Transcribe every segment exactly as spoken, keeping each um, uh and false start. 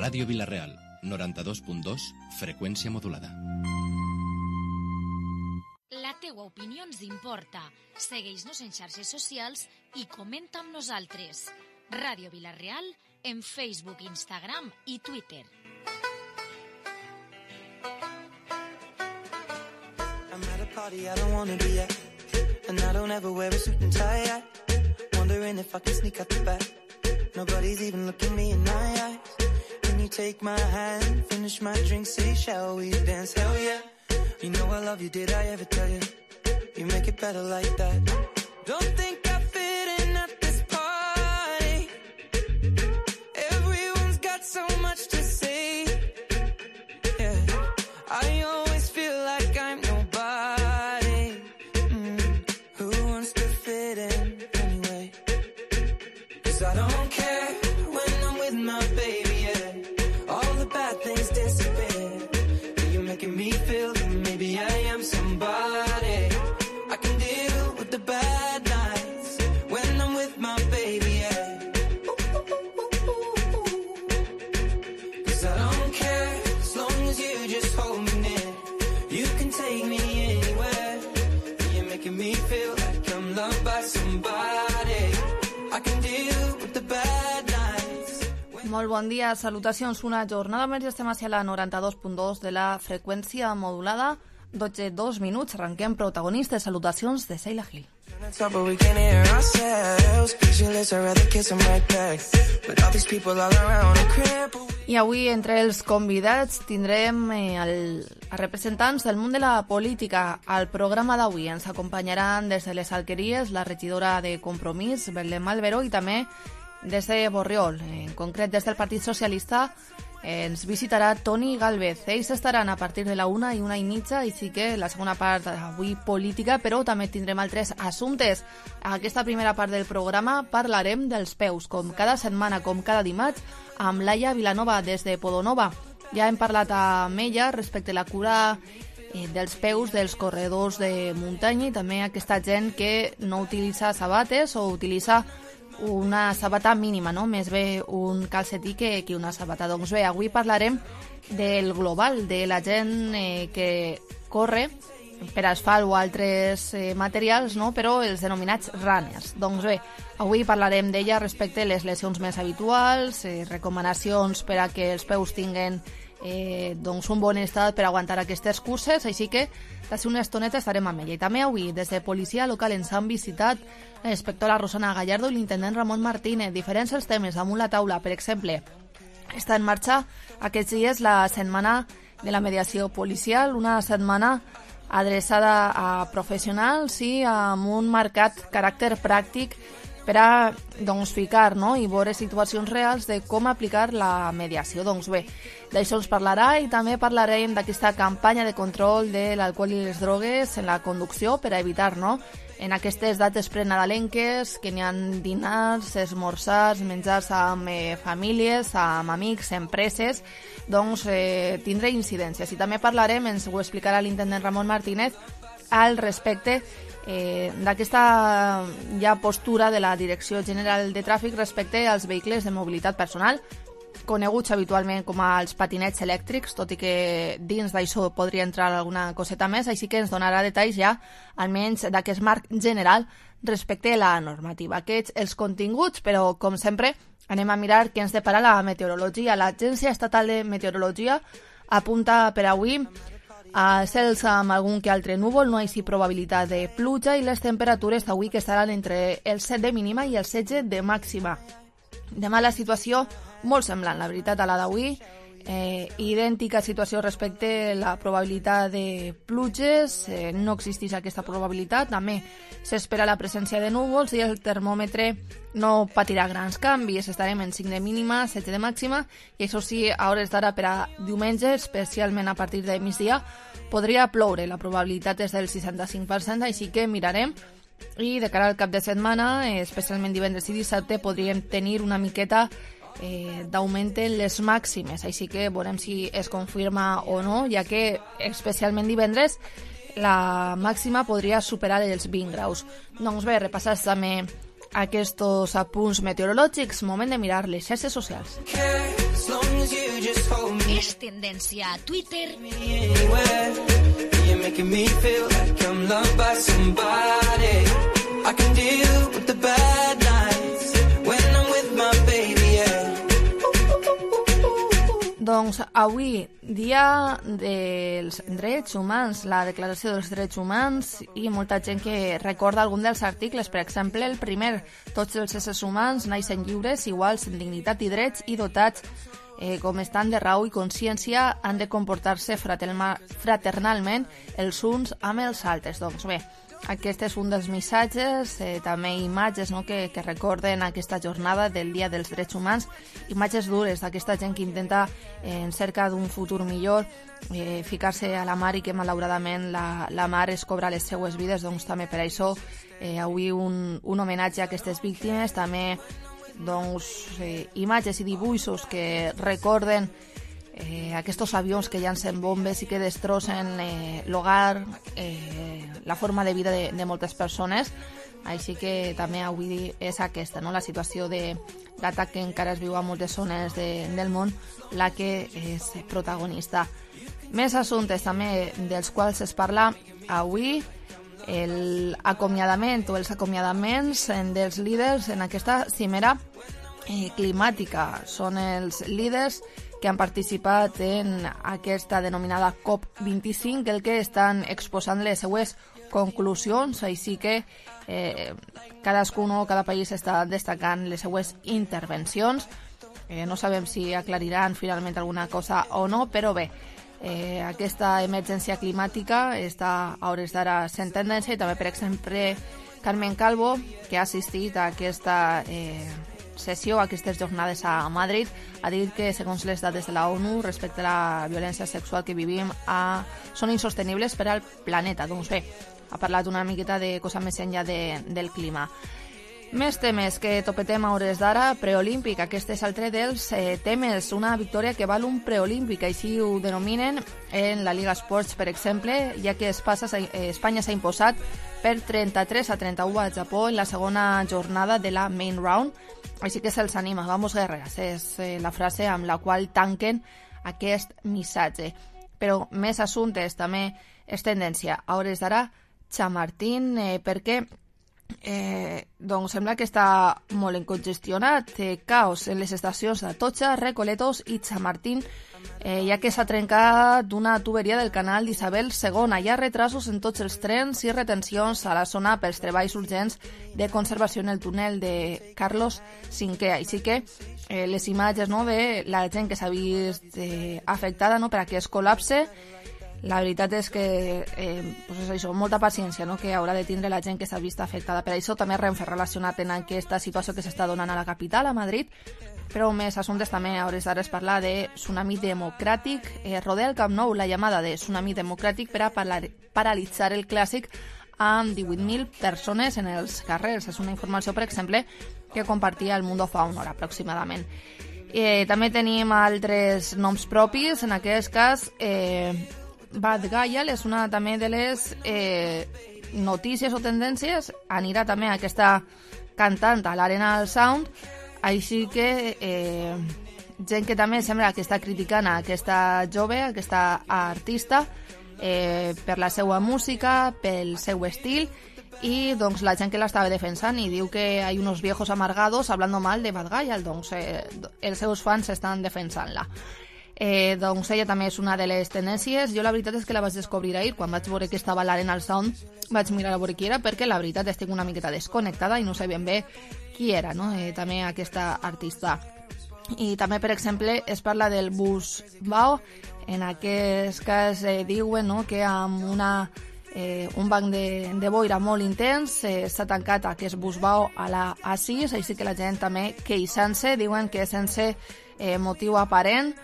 Ràdio Vila-real, noranta-dos punt dos, freqüència modulada. La teua opinió ens importa. Segueix-nos en xarxes socials i comenta amb nosaltres. Ràdio Vila-real en Facebook, Instagram i Twitter. I'm at a party I don't wanna be at, and I don't ever wear a suit and tie at. Wondering if I can sneak out the back. Nobody's even looking me in my eyes. Can you take my hand, finish my drink, say shall we dance? Hell yeah. You know I love you, did I ever tell you? You make it better like that. Don't think I fit in at this party. Everyone's got so much to say. Yeah, I always feel like I'm nobody. Mm. Who wants to fit in anyway? 'Cause I don't care when I'm with my baby, yeah. All the bad things disappear. You're making me feel that maybe I am somebody. I can deal with the bad nights when I'm with my baby, yeah. Cause I don't care as long as you just hold me near. You can take me anywhere. You're making me feel like I'm loved by somebody. I can deal with the bad nights. Molt bon dia, salutacions. Una jornada més i estem a la noranta-dos punt dos de la freqüència modulada. dotze dos minuts, arrenquem protagonistes. Salutacions de Sheila Gil. I avui entre els convidats tindrem eh, el, els representants del món de la política. Al programa d'avui ens acompanyaran des de les Alqueries la regidora de Compromís, Belén Alberó, i també des de Borriol, en concret des del Partit Socialista, ens visitarà Toni Gálvez. Ells estaran a partir de la una i una i mitja, i sí que la segona part avui política, però també tindrem altres assumptes. A aquesta primera part del programa parlarem dels peus, com cada setmana, com cada dimarts, amb Laia Vilanova des de Podonova. Ja hem parlat amb ella respecte a la cura eh, dels peus dels corredors de muntanya i també aquesta gent que no utilitza sabates o utilitza una sabata mínima, no? Més bé un calcetí que, que una sabata. Doncs bé, avui parlarem del global, de la gent eh, que corre per asfalt o altres eh, materials, no? Però els denominats runners. Doncs bé, avui parlarem d'ella respecte a les lesions més habituals, eh, recomanacions per a que els peus tinguen eh, doncs un bon estat per aguantar aquestes curses, així que d'ací una estoneta estarem amb ella. I també avui, des de Policia Local, ens han visitat la inspectora Rosana Gallardo i l'intendent Ramon Martínez. Diferents els temes damunt la taula. Per exemple, està en marxa aquests dies la setmana de la mediació policial, una setmana adreçada a professionals i amb un marcat caràcter pràctic per a doncs, ficar, no? I veure situacions reals de com aplicar la mediació. Doncs bé, d'això ens parlarà, i també parlarem d'aquesta campanya de control de l'alcohol i les drogues en la conducció per a evitar, no?, en aquestes dates prenadalenques que n'hi ha dinars, esmorzars, menjars amb eh, famílies, amb amics, empreses, doncs eh, tindré incidències. I també parlarem, ens ho explicarà l'intendent Ramon Martínez, al respecte eh, d'aquesta ja postura de la Direcció General de Tràfic respecte als vehicles de mobilitat personal, coneguts habitualment com als patinets elèctrics, tot i que dins d'això podria entrar alguna coseta més, així que ens donarà detalls ja, almenys d'aquest marc general respecte a la normativa. Aquests els continguts, però com sempre anem a mirar què ens depara la meteorologia. L'Agència Estatal de Meteorologia apunta per avui a cels amb algun que altre núvol, no hi ha probabilitat de pluja, i les temperatures avui que estaran entre el set de mínima i el setze de màxima. Demà la situació molt semblant, la veritat, a la d'avui. Eh, idèntica situació respecte a la probabilitat de pluges, eh, no existeix aquesta probabilitat, també s'espera la presència de núvols i el termòmetre no patirà grans canvis, estarem en cinc de mínima, set de màxima, i això sí, a hores d'ara per a diumenge, especialment a partir de migdia, podria ploure, la probabilitat és del seixanta-cinc per cent, així que mirarem. I de cara al cap de setmana, especialment divendres i dissabte, podríem tenir una miqueta eh, d'augment en les màximes, així que veurem si es confirma o no, ja que especialment divendres la màxima podria superar els vint graus. Doncs bé, repassats també aquests apunts meteorològics, moment de mirar les xarxes socials. És tendència a Twitter. Doncs avui, dia dels drets humans, la Declaració dels Drets Humans, i molta gent que recorda algun dels articles. Per exemple, el primer, tots els éssers humans naixen lliures, iguals en dignitat i drets, i dotats eh, com estan de raó i consciència, han de comportar-se fraternalment els uns amb els altres. Doncs bé, aquest és un dels missatges, eh, també imatges, no?, que, que recorden aquesta jornada del Dia dels Drets Humans, imatges dures d'aquesta gent que intenta, eh, en cerca d'un futur millor, eh, ficar-se a la mar i que malauradament la, la mar es cobra les seues vides. Doncs també per això eh, avui un, un homenatge a aquestes víctimes, també doncs, eh, imatges i dibuixos que recorden Eh, aquests avions que llancen bombes i que destrossen eh, l'hogar, eh, la forma de vida de, de moltes persones. Així que també avui és aquesta, no?, la situació d'atac que encara es viu a moltes zones de, del món, la que és protagonista. Més assumptes també dels quals es parla avui, l'acomiadament o els acomiadaments dels líders en aquesta cimera eh, climàtica. Són els líders que han participat en aquesta denominada COP vint-i-cinc, el que estan exposant les seues conclusions, així que eh, cadascun o cada país està destacant les seues intervencions. Eh, no sabem si aclariran finalment alguna cosa o no, però bé, eh, aquesta emergència climàtica està a hores d'ara sent tendència, i també, per exemple, Carmen Calvo, que ha assistit a aquesta eh, sessió, aquestes jornades a Madrid, ha dit que, segons les dades de la ONU respecte a la violència sexual que vivim, a... són insostenibles per al planeta. Doncs bé, ha parlat una miqueta de cosa més enllà de, del clima. Més temes que topetem a hores d'ara, preolímpic. Aquest és altre dels eh, temes, una victòria que val un preolímpic, així ho denominen en la Liga Sports, per exemple, ja que Espanya s'ha imposat per trenta-tres a trenta-u al Japó en la segona jornada de la Main Round. Així que se'ls anima, vamos guerreras, és eh, la frase amb la qual tanquen aquest missatge. Però més assumptes, també és tendència a hores d'ara, Chamartín, eh, perquè eh, doncs sembla que està molt encongestionat, eh, caos en les estacions d'Atocha, Recoletos i Chamartín, eh, ja que s'ha trencat una tuberia del canal d'Isabel segona. Hi ha retrasos en tots els trens i retencions a la zona pels treballs urgents de conservació en el túnel de Carlos cinquè. Així que eh, les imatges, no?, de la gent que s'ha vist eh, afectada, no?, per aquest col·lapse, la veritat és que eh, pues és això, molta paciència, no?, que haurà de tindre la gent que s'ha vist afectada. Per això també Renfe relacionat en aquesta situació que s'està donant a la capital, a Madrid. Però més assumptes també a hores d'ara es parla de tsunami democràtic. Eh, rodea el Camp Nou la llamada de tsunami democràtic per a paralitzar el clàssic amb divuit mil persones en els carrers. És una informació, per exemple, que compartia el Mundo fa una hora aproximadament. Eh, també tenim altres noms propis. En aquest cas, eh, Bad Gayal és una també de les eh, notícies o tendències. Anirà també aquesta cantant a l'Arena del Sound. Així que eh, gent que també sembla que està criticant a aquesta jove, a aquesta artista, eh, per la seva música, pel seu estil, i doncs la gent que l'estava defensant i diu que hi ha uns viejos amargados hablando mal de Bad Gayal, doncs eh, els seus fans estan defensant-la. Eh, doncs ella també és una de les tendències. Jo la veritat és que la vaig descobrir ahir, quan vaig veure que estava a l'Arena al Sound, vaig mirar a veure qui era, perquè la veritat estic una miqueta desconnectada i no sé ben bé qui era, no?, eh, també aquesta artista. I també, per exemple, es parla del bus Bao. En aquest cas eh, diuen, no?, que amb una, eh, un banc de, de boira molt intens eh, s'ha tancat aquest bus Bao a la A sis, així que la gent també queixant-se, diuen que sense eh, motiu aparent.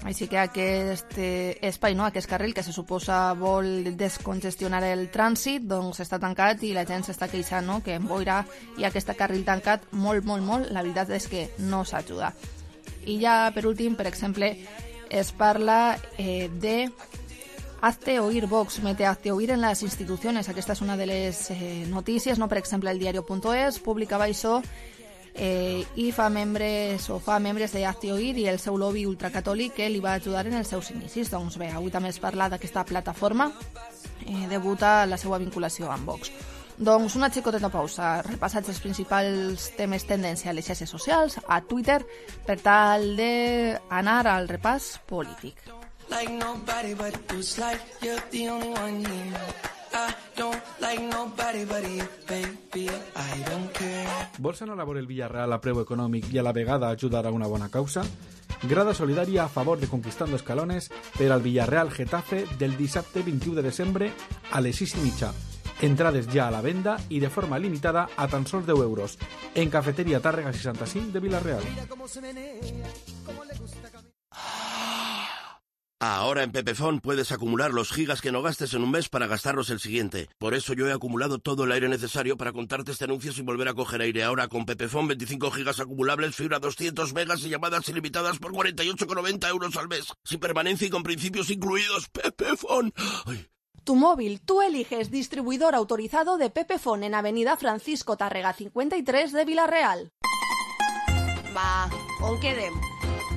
Així que aquest eh, espai, no?, aquest carril que se suposa vol descongestionar el trànsit, doncs està tancat i la gent s'està queixant, no?, que en boira i aquest carril tancat molt, molt, molt, la veritat és que no s'ajuda. I ja, per últim, per exemple, es parla eh, de Hazte oír Vox, mete hazte oír en les institucions. Aquesta és una de les eh, notícies, no? Per exemple, el diario punto es publicava això eh, i fa membres o fa membres de Hazte oír i el seu lobby ultracatòlic que li va ajudar en els seus inicis. Doncs bé, avui també es parla d'aquesta plataforma eh, debuta la seva vinculació amb Vox. Doncs una xicoteta pausa, repassats els principals temes tendència a les xarxes socials, a Twitter, per tal d'anar al repàs polític. Like nobody but who's like you're the only one here. I don't like nobody but you, baby, I don't care. Vols anar a veure el Villarreal a preu econòmic i a la vegada ajudar a una bona causa? Grada solidària a favor de Conquistando Escalones per al Villarreal Getafe del dissabte vint-i-u de desembre a les sis i mitja. Entrades ja a la venda i de forma limitada a tan sols deu euros en Cafeteria Tàrrega seixanta-cinc de Villarreal. Ahora en Pepefon puedes acumular los gigas que no gastes en un mes para gastarlos el siguiente. Por eso yo he acumulado todo el aire necesario para contarte este anuncio sin volver a coger aire. Ahora con Pepefon veinticinco gigas acumulables, fibra doscientos megas y llamadas ilimitadas por cuarenta y ocho con noventa euros al mes. Sin permanencia y con principios incluidos. Pepefon. Ay. Tu móvil, tú eliges distribuidor autorizado de Pepefon en Avenida Francisco Tàrrega cinquanta i tres de Villarreal. Va, on quedem?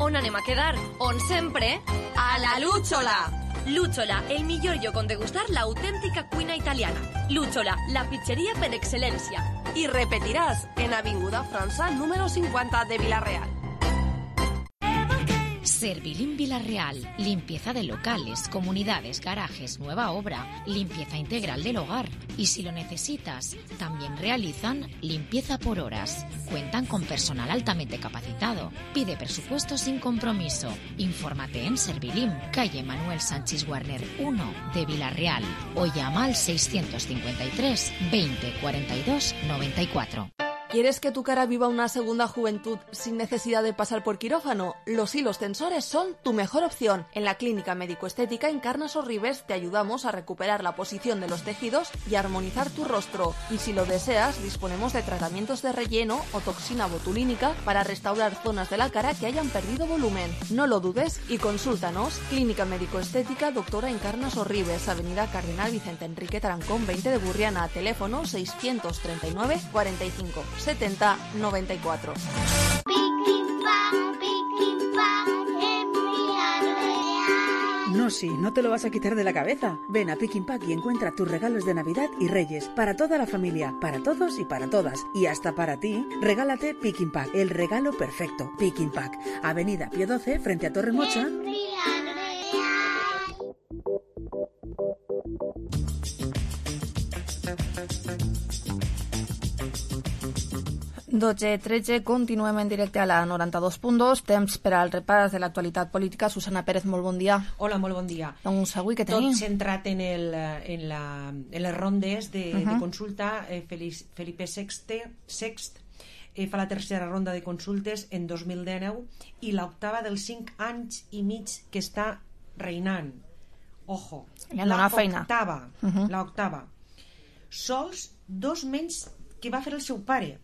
On anem a quedar? On sempre? A la Lúchola! Lúchola, el millor lloc on degustar l'autèntica cuina italiana. Lúchola, la pizzeria per excel·lència. I repetiràs en Avinguda França número cincuenta de Villarreal. Servilín Villarreal, limpieza de locales, comunidades, garajes, nueva obra, limpieza integral del hogar. Y si lo necesitas, también realizan limpieza por horas. Cuentan con personal altamente capacitado. Pide presupuesto sin compromiso. Infórmate en Servilín, calle Manuel Sánchez Guarner uno de Villarreal o llama al seiscientos cincuenta y tres veinte cuarenta y dos noventa y cuatro. ¿Quieres que tu cara viva una segunda juventud sin necesidad de pasar por quirófano? Los hilos tensores son tu mejor opción. En la Clínica Médico-Estética Encarna Sorribes te ayudamos a recuperar la posición de los tejidos y armonizar tu rostro. Y si lo deseas, disponemos de tratamientos de relleno o toxina botulínica para restaurar zonas de la cara que hayan perdido volumen. No lo dudes y consúltanos. Clínica Médico-Estética Doctora Encarna Sorribes, Avenida Cardenal Vicente Enrique Tarancón veinte de Burriana, teléfono seiscientos treinta y nueve cuarenta y cinco setenta noventa y cuatro. No, sí, no te lo vas a quitar de la cabeza. Ven a Pick Pack y encuentra tus regalos de Navidad y Reyes para toda la familia, para todos y para todas. Y hasta para ti, regálate Pick Pack, el regalo perfecto. Pick Pack, Avenida Pío doce, frente a Torre Mocha. dotze tretze, continuem en directe a la noranta-dos punt dos, temps per al repàs de l'actualitat política. Susana Pérez, molt bon dia. Hola, molt bon dia. Doncs avui què tenim? Tot centrat en, el, en, la, en les rondes de, uh -huh. de consulta. Eh, Felipe sexto, sext eh, fa la tercera ronda de consultes en dos mil dinou i l'octava dels cinc anys i mig que està reinant. Ojo, l'octava, uh -huh. l'octava. Sols dos menys que va fer el seu pare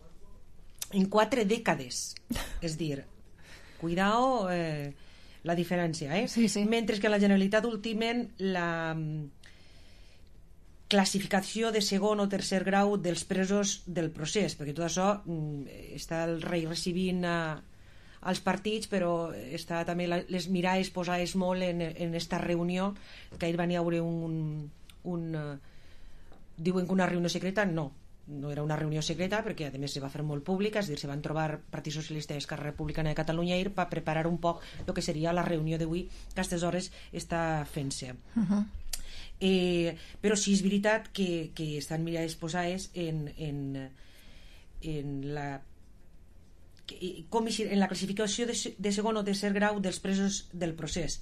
en quatre dècades. És dir, cuidao eh, la diferència, eh? Sí, sí. Mentre que la Generalitat ultimen la um, classificació de segon o tercer grau dels presos del procés, perquè tot això um, està el rei recibint uh, als partits, però està també la, les mirades posades molt en, en esta reunió, que ahir van hi haure un... un uh, diuen que una reunió secreta, no. No era una reunió secreta perquè a més se va fer molt pública, és a dir, se van trobar Partit Socialista i Esquerra Republicana de Catalunya ahir per preparar un poc el que seria la reunió d'avui, que a aquestes hores està fent-se. Uh -huh. eh, però sí és veritat que, que estan mirades posades en, en, en la com en la classificació de, de segon o tercer grau dels presos del procés,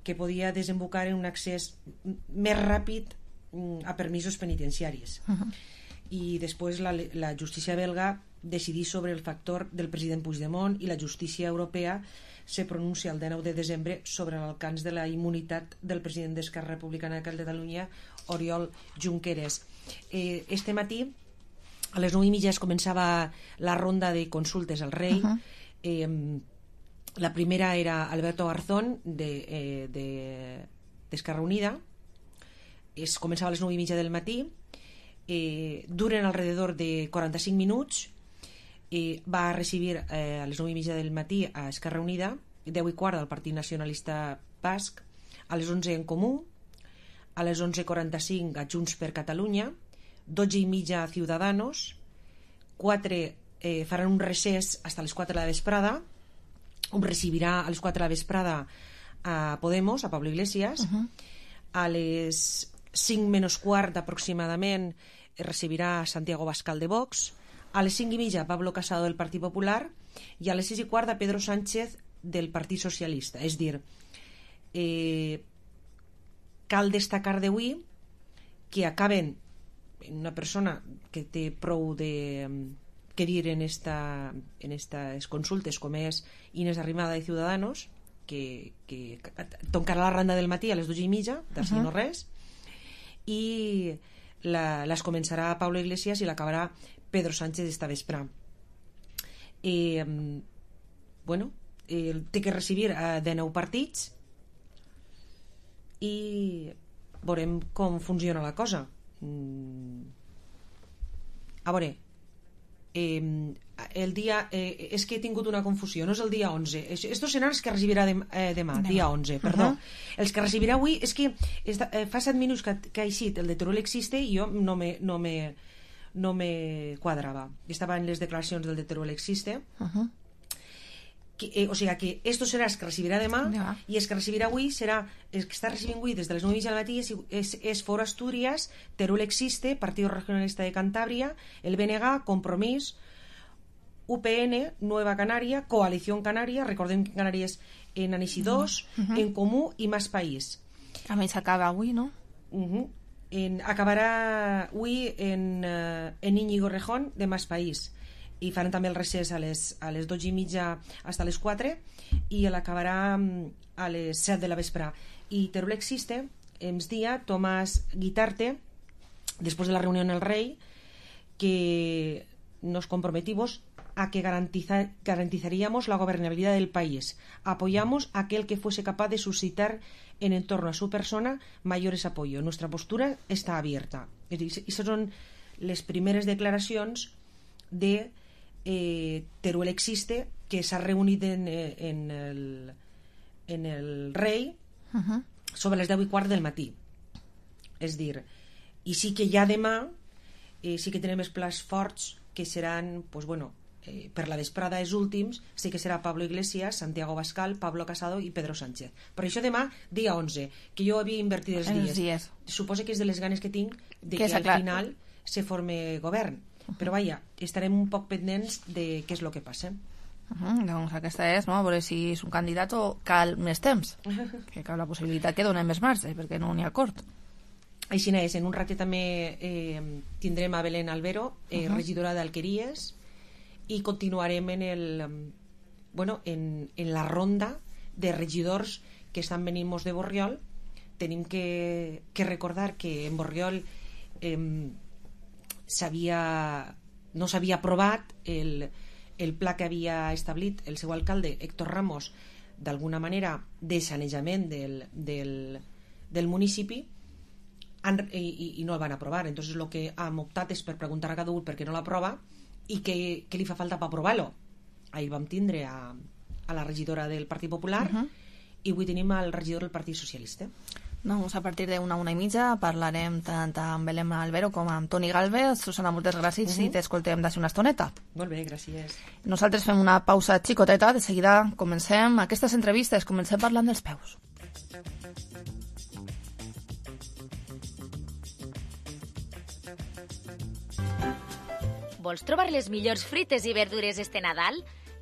que podia desembocar en un accés més ràpid a permisos penitenciaris. Uh -huh. I després la, la justícia belga decidí sobre el factor del president Puigdemont i la justícia europea se pronuncia el dinou de desembre sobre l'alcance de la immunitat del president d'Esquerra Republicana de Catalunya, Oriol Junqueras. Eh, este matí a les nou i mitja es començava la ronda de consultes al rei. Uh-huh. eh, la primera era Alberto Garzón de, eh, de, d'Esquerra Unida, es començava a les nou i mitja del matí, eh, duren alrededor de quaranta-cinc minuts, eh, va recibir eh, a les nou i mitja del matí a Esquerra Unida, deu i quart del Partit Nacionalista Basc, a les onze en Comú, a les onze i quaranta-cinc a Junts per Catalunya, dotze i mitja a Ciudadanos, quatre eh, faran un recés fins a les quatre de la vesprada, un recibirà a les quatre de la vesprada a Podemos, a Pablo Iglesias, uh-huh. A les cinc menys quart aproximadament recibirà a Santiago Bascal de Vox, a les cinc i mitja a Pablo Casado del Partit Popular i a les sis i quart a Pedro Sánchez del Partit Socialista. És dir, eh, cal destacar d'avui que acaben una persona que té prou de que dir en esta en estas consultes com és Inés Arrimada de Ciudadanos, que, que toncarà la randa del matí a les dues i mitja, d'ací uh-huh. no res, i la, les començarà Pablo Iglesias i l'acabarà Pedro Sánchez esta vespre. Eh, bueno, eh, té que recibir eh, de nou partits i veurem com funciona la cosa. Mm. A veure, eh, el dia eh, és que he tingut una confusió, no és el dia onze, estos seran els que recibirà dem, eh, demà, demà, dia onze, perdó. Uh-huh. Els que recibirà avui és que esta, eh, fa set minuts que, que ha eixit el de Teruel Existe i jo no me, no me, no me quadrava. Estava en les declaracions del de Teruel Existe. Uh-huh. Que, eh, o sigui que esto serà els que recibirà demà ja. I els que recibirà avui serà els que està recibint avui des de les nou i mitja del matí és, és, és Foro Asturias, Teruel Existe, Partido Regionalista de Cantabria, el B N G, Compromís, U P N, Nueva Canaria, Coalición Canaria, recordem que Canàries en Anixi dos, uh-huh. En Comú i Más País. A més acaba avui, no? Uh-huh. En, acabarà avui en, uh, en Íñigo Rejón de Más País i faran també el recés a les, a les dotze i mitja fins a les quatre i l'acabarà a les set de la vespre. I Teruel Existe ens dia Tomás Guitarte después de la reunión en el Rey que nos comprometimos a que garantiza, garantizaríamos la gobernabilidad del país. Apoyamos a aquel que fuese capaz de suscitar en entorno a su persona mayores apoyos. Nuestra postura está abierta. I aquestes són les primeres declaracions de eh, Teruel Existe, que s'ha reunit en, en, el, en el Rei uh-huh. sobre les deu i quart del matí. És dir, i sí que ja demà eh, sí que tenim els plats forts que seran, pues bueno, eh, per la vesprada els últims, sí que serà Pablo Iglesias, Santiago Bascal, Pablo Casado i Pedro Sánchez. Per això demà, dia onze, que jo havia invertit els dies. dies. Suposo que és de les ganes que tinc de que, que al clar. final se forme govern. Uh-huh. Però vaja, estarem un poc pendents de què és el que passa. Uh-huh. Doncs aquesta és, no? A veure si és un candidat o cal més temps. Que cal la possibilitat que donem més marge, perquè no n'hi ha acord. Així és, en un ratet també eh, tindrem a Belén Albero, eh, uh-huh. regidora d'Alqueries, i continuarem en el bueno, en, en la ronda de regidors que estan venint mos de Borriol. Tenim que, que recordar que en Borriol eh, s'havia, no s'havia aprovat el, el pla que havia establit el seu alcalde Héctor Ramos, d'alguna manera de sanejament del, del, del municipi, han, i, i no el van aprovar. Entonces el que hem optat és per preguntar a cada un per què no l'aprova i què, què li fa falta per aprovar-lo. Ahir vam tindre a, a la regidora del Partit Popular uh-huh. i avui tenim el regidor del Partit Socialista. Doncs a partir d'una una i mitja parlarem tant amb Belén Albero com amb Toni Galvez. Susana, moltes gràcies uh-huh. i t'escoltem d'ací una estoneta. Molt bé, gràcies. Nosaltres fem una pausa xicoteta, de seguida comencem aquestes entrevistes, comencem parlant dels peus. Vols trobar les millors fruites i verdures este Nadal?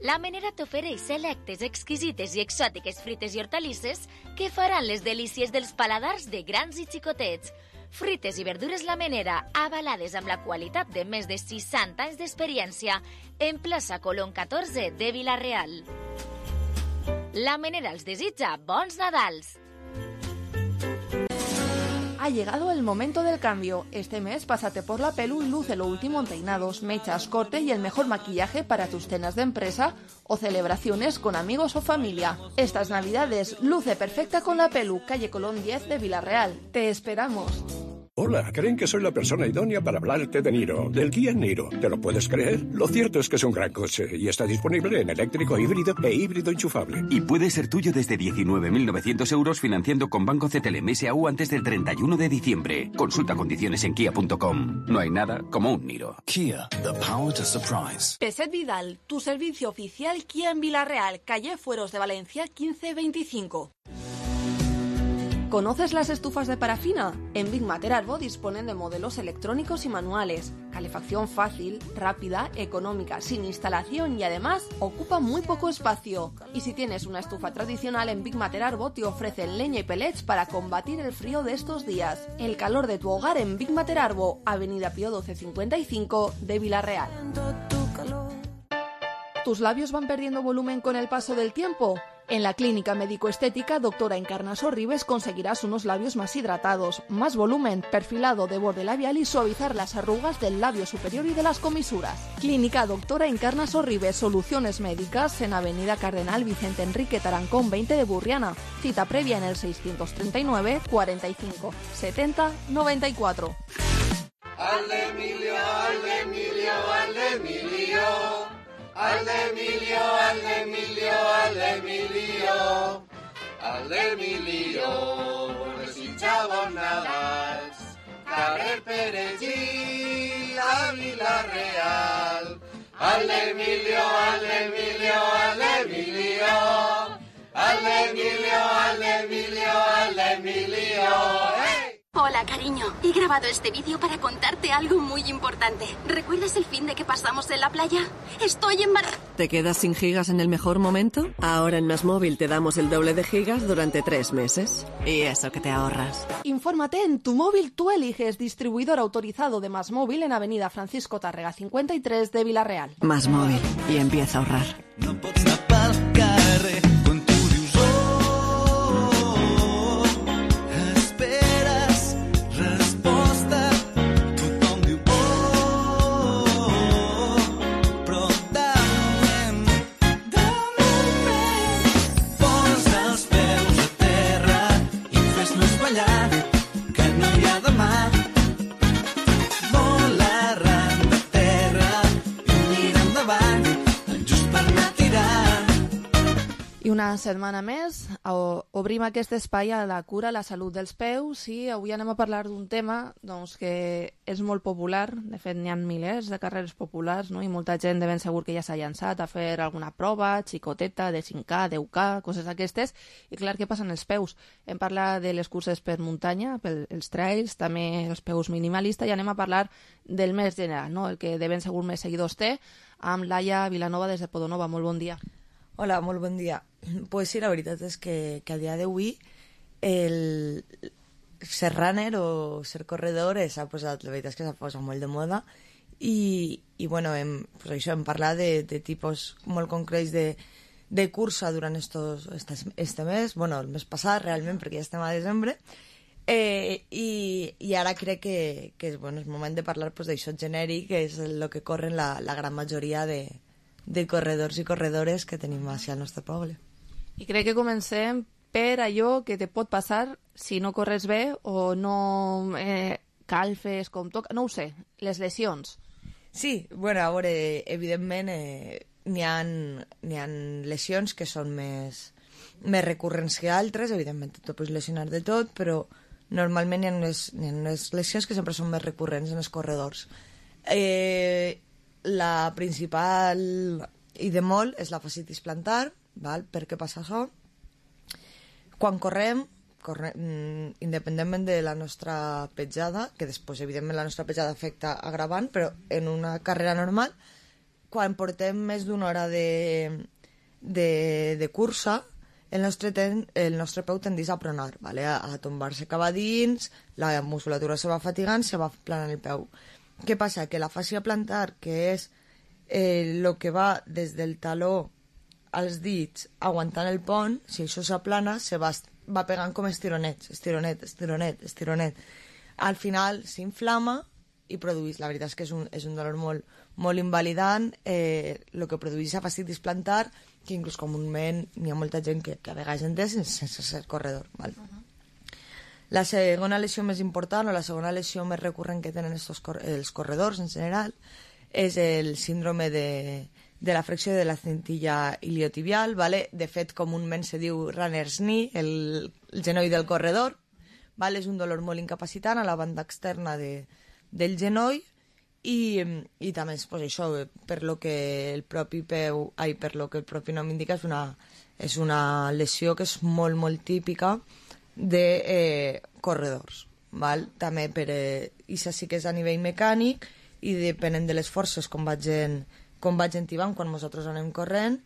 La Menera t'ofereix selectes, exquisites i exòtiques fruites i hortalisses que faran les delícies dels paladars de grans i xicotets. Fruites i verdures La Menera, avalades amb la qualitat de més de seixanta anys d'experiència, en plaça Colón catorze de Vila-real. La Menera els desitja bons Nadals! Ha llegado el momento del cambio. Este mes pásate por la Pelu y luce lo último en peinados, mechas, corte y el mejor maquillaje para tus cenas de empresa o celebraciones con amigos o familia. Estas navidades luce perfecta con la Pelu, calle Colón diez de Vila-real. ¡Te esperamos! Hola, creen que soy la persona idónea para hablarte de Niro, del Kia Niro. ¿Te lo puedes creer? Lo cierto es que es un gran coche y está disponible en eléctrico, híbrido e híbrido enchufable. Y puede ser tuyo desde diecinueve mil novecientos euros financiando con Banco C T L M S A U antes del treinta y uno de diciembre. Consulta condiciones en kia punto com. No hay nada como un Niro. Kia, the power to surprise. Peset Vidal, tu servicio oficial Kia en Villarreal, calle Fueros de Valencia quince veinticinco. ¿Conoces las estufas de parafina? En Big Mater Arbo disponen de modelos electrónicos y manuales, calefacción fácil, rápida, económica, sin instalación y además ocupa muy poco espacio. Y si tienes una estufa tradicional, en Big Mater Arbo te ofrecen leña y pellets para combatir el frío de estos días. El calor de tu hogar en Big Mater Arbo, Avenida Pío doce cincuenta y cinco de Villarreal. ¿Tus labios van perdiendo volumen con el paso del tiempo? En la clínica médico-estética Doctora Encarnaso Ribes conseguirás unos labios más hidratados, más volumen, perfilado de borde labial y suavizar las arrugas del labio superior y de las comisuras. Clínica Doctora Encarnaso Ribes, soluciones médicas en Avenida Cardenal Vicente Enrique Tarancón veinte de Burriana. Cita previa en el seiscientos treinta y nueve, cuarenta y cinco, setenta, noventa y cuatro. Al Emilio, al Emilio, al Emilio. Al Emilio, al Emilio, al Emilio, al Emilio, desitjava Nadals, carrer Perejil, a Villarreal. Al Emilio, al Emilio, al Emilio, al Emilio, al Emilio, al Emilio. ¡Hey! Hola, cariño. He grabado este vídeo para contarte algo muy importante. ¿Recuerdas el fin de que pasamos en la playa? Estoy embarazada. ¿Te quedas sin gigas en el mejor momento? Ahora en Más Móvil te damos el doble de gigas durante tres meses. Y eso que te ahorras. Infórmate en Tu Móvil Tú Eliges, distribuidor autorizado de Más Móvil en Avenida Francisco Tárrega cincuenta y tres de Villarreal. Más Móvil. Y empieza a ahorrar. No pots anar pel carrer quan tu dius oh, esperes resposta, tothom diu oh, però de moment, de moment, posa els peus a terra i fes-nos ballar, que no hi ha demà. Vola arran de terra i mira endavant, just per anar tirant. I una setmana més o- obrim aquest espai a la cura, a la salut dels peus, i avui anem a parlar d'un tema doncs, que és molt popular. De fet, n'hi ha milers de carreres populars, no? I molta gent de ben segur que ja s'ha llançat a fer alguna prova, xicoteta, de cinc K, deu K, coses d'aquestes. I clar, què passa en els peus? Hem parlat de les curses per muntanya, pels trails, també els peus minimalista, i anem a parlar del més general, no? El que de ben segur més seguidors té, amb Laia Vilanova des de Podonova. Molt bon dia. Hola, molt bon dia. Pues sí, la veritat és que, que a dia d'avui el ser runner o ser corredor s'ha posat, la veritat és que s'ha posat molt de moda i, i bueno, hem, pues això, hem parlat de, de tipus molt concrets de, de cursa durant estos, estes, este mes, bueno, el mes passat realment, perquè ja estem a desembre, eh, i, i ara crec que, que és, bueno, és moment de parlar pues, d'això genèric, que és el que corren la, la gran majoria de, de corredors i corredores que tenim així al nostre poble. I crec que comencem per allò que te pot passar si no corres bé o no eh, calfes com toca, no ho sé, les lesions. Sí, bueno, a veure, evidentment eh, n'hi ha, n'hi ha lesions que són més, més recurrents que altres, evidentment te pots lesionar de tot, però normalment n'hi ha unes, n'hi ha unes lesions que sempre són més recurrents en els corredors. Eh, la principal i de molt és la fascitis plantar. Val? Per què passa això? Quan correm, correm independentment de la nostra petjada, que després evidentment la nostra petjada afecta agravant, però en una carrera normal, quan portem més d'una hora de, de, de cursa, el nostre, ten, el nostre peu tendeix a pronar, vale? a, a tombar-se cap a dins, la musculatura se va fatigant, se va planant el peu. Què passa? Que la fàscia plantar, que és eh, lo que va des del taló als dits aguantant el pont, si això s'aplana, se va, va pegant com estironets, estironet, estironet, estironet. Al final s'inflama i produeix, la veritat és que és un, és un dolor molt, molt invalidant, eh, el que produeix la fascitis plantar, que inclús comúment n'hi ha molta gent que, que a vegades entès sense ser corredor. Val? Uh-huh. La segona lesió més important o la segona lesió més recurrent que tenen estos cor els corredors en general és el síndrome de, de la flexió de la cintilla iliotibial, ¿vale? De fet, comúment se diu runner's knee, el, el genoll del corredor, ¿vale? És un dolor molt incapacitant a la banda externa de, del genoll i, i també és pues, això, per lo que el propi peu, ai, per lo que el propi nom indica, és una, és una lesió que és molt, molt típica de eh, corredors, val? També per, eh, això sí que és a nivell mecànic i depenent de les forces com vagin, com vagin tibant quan nosaltres anem corrent,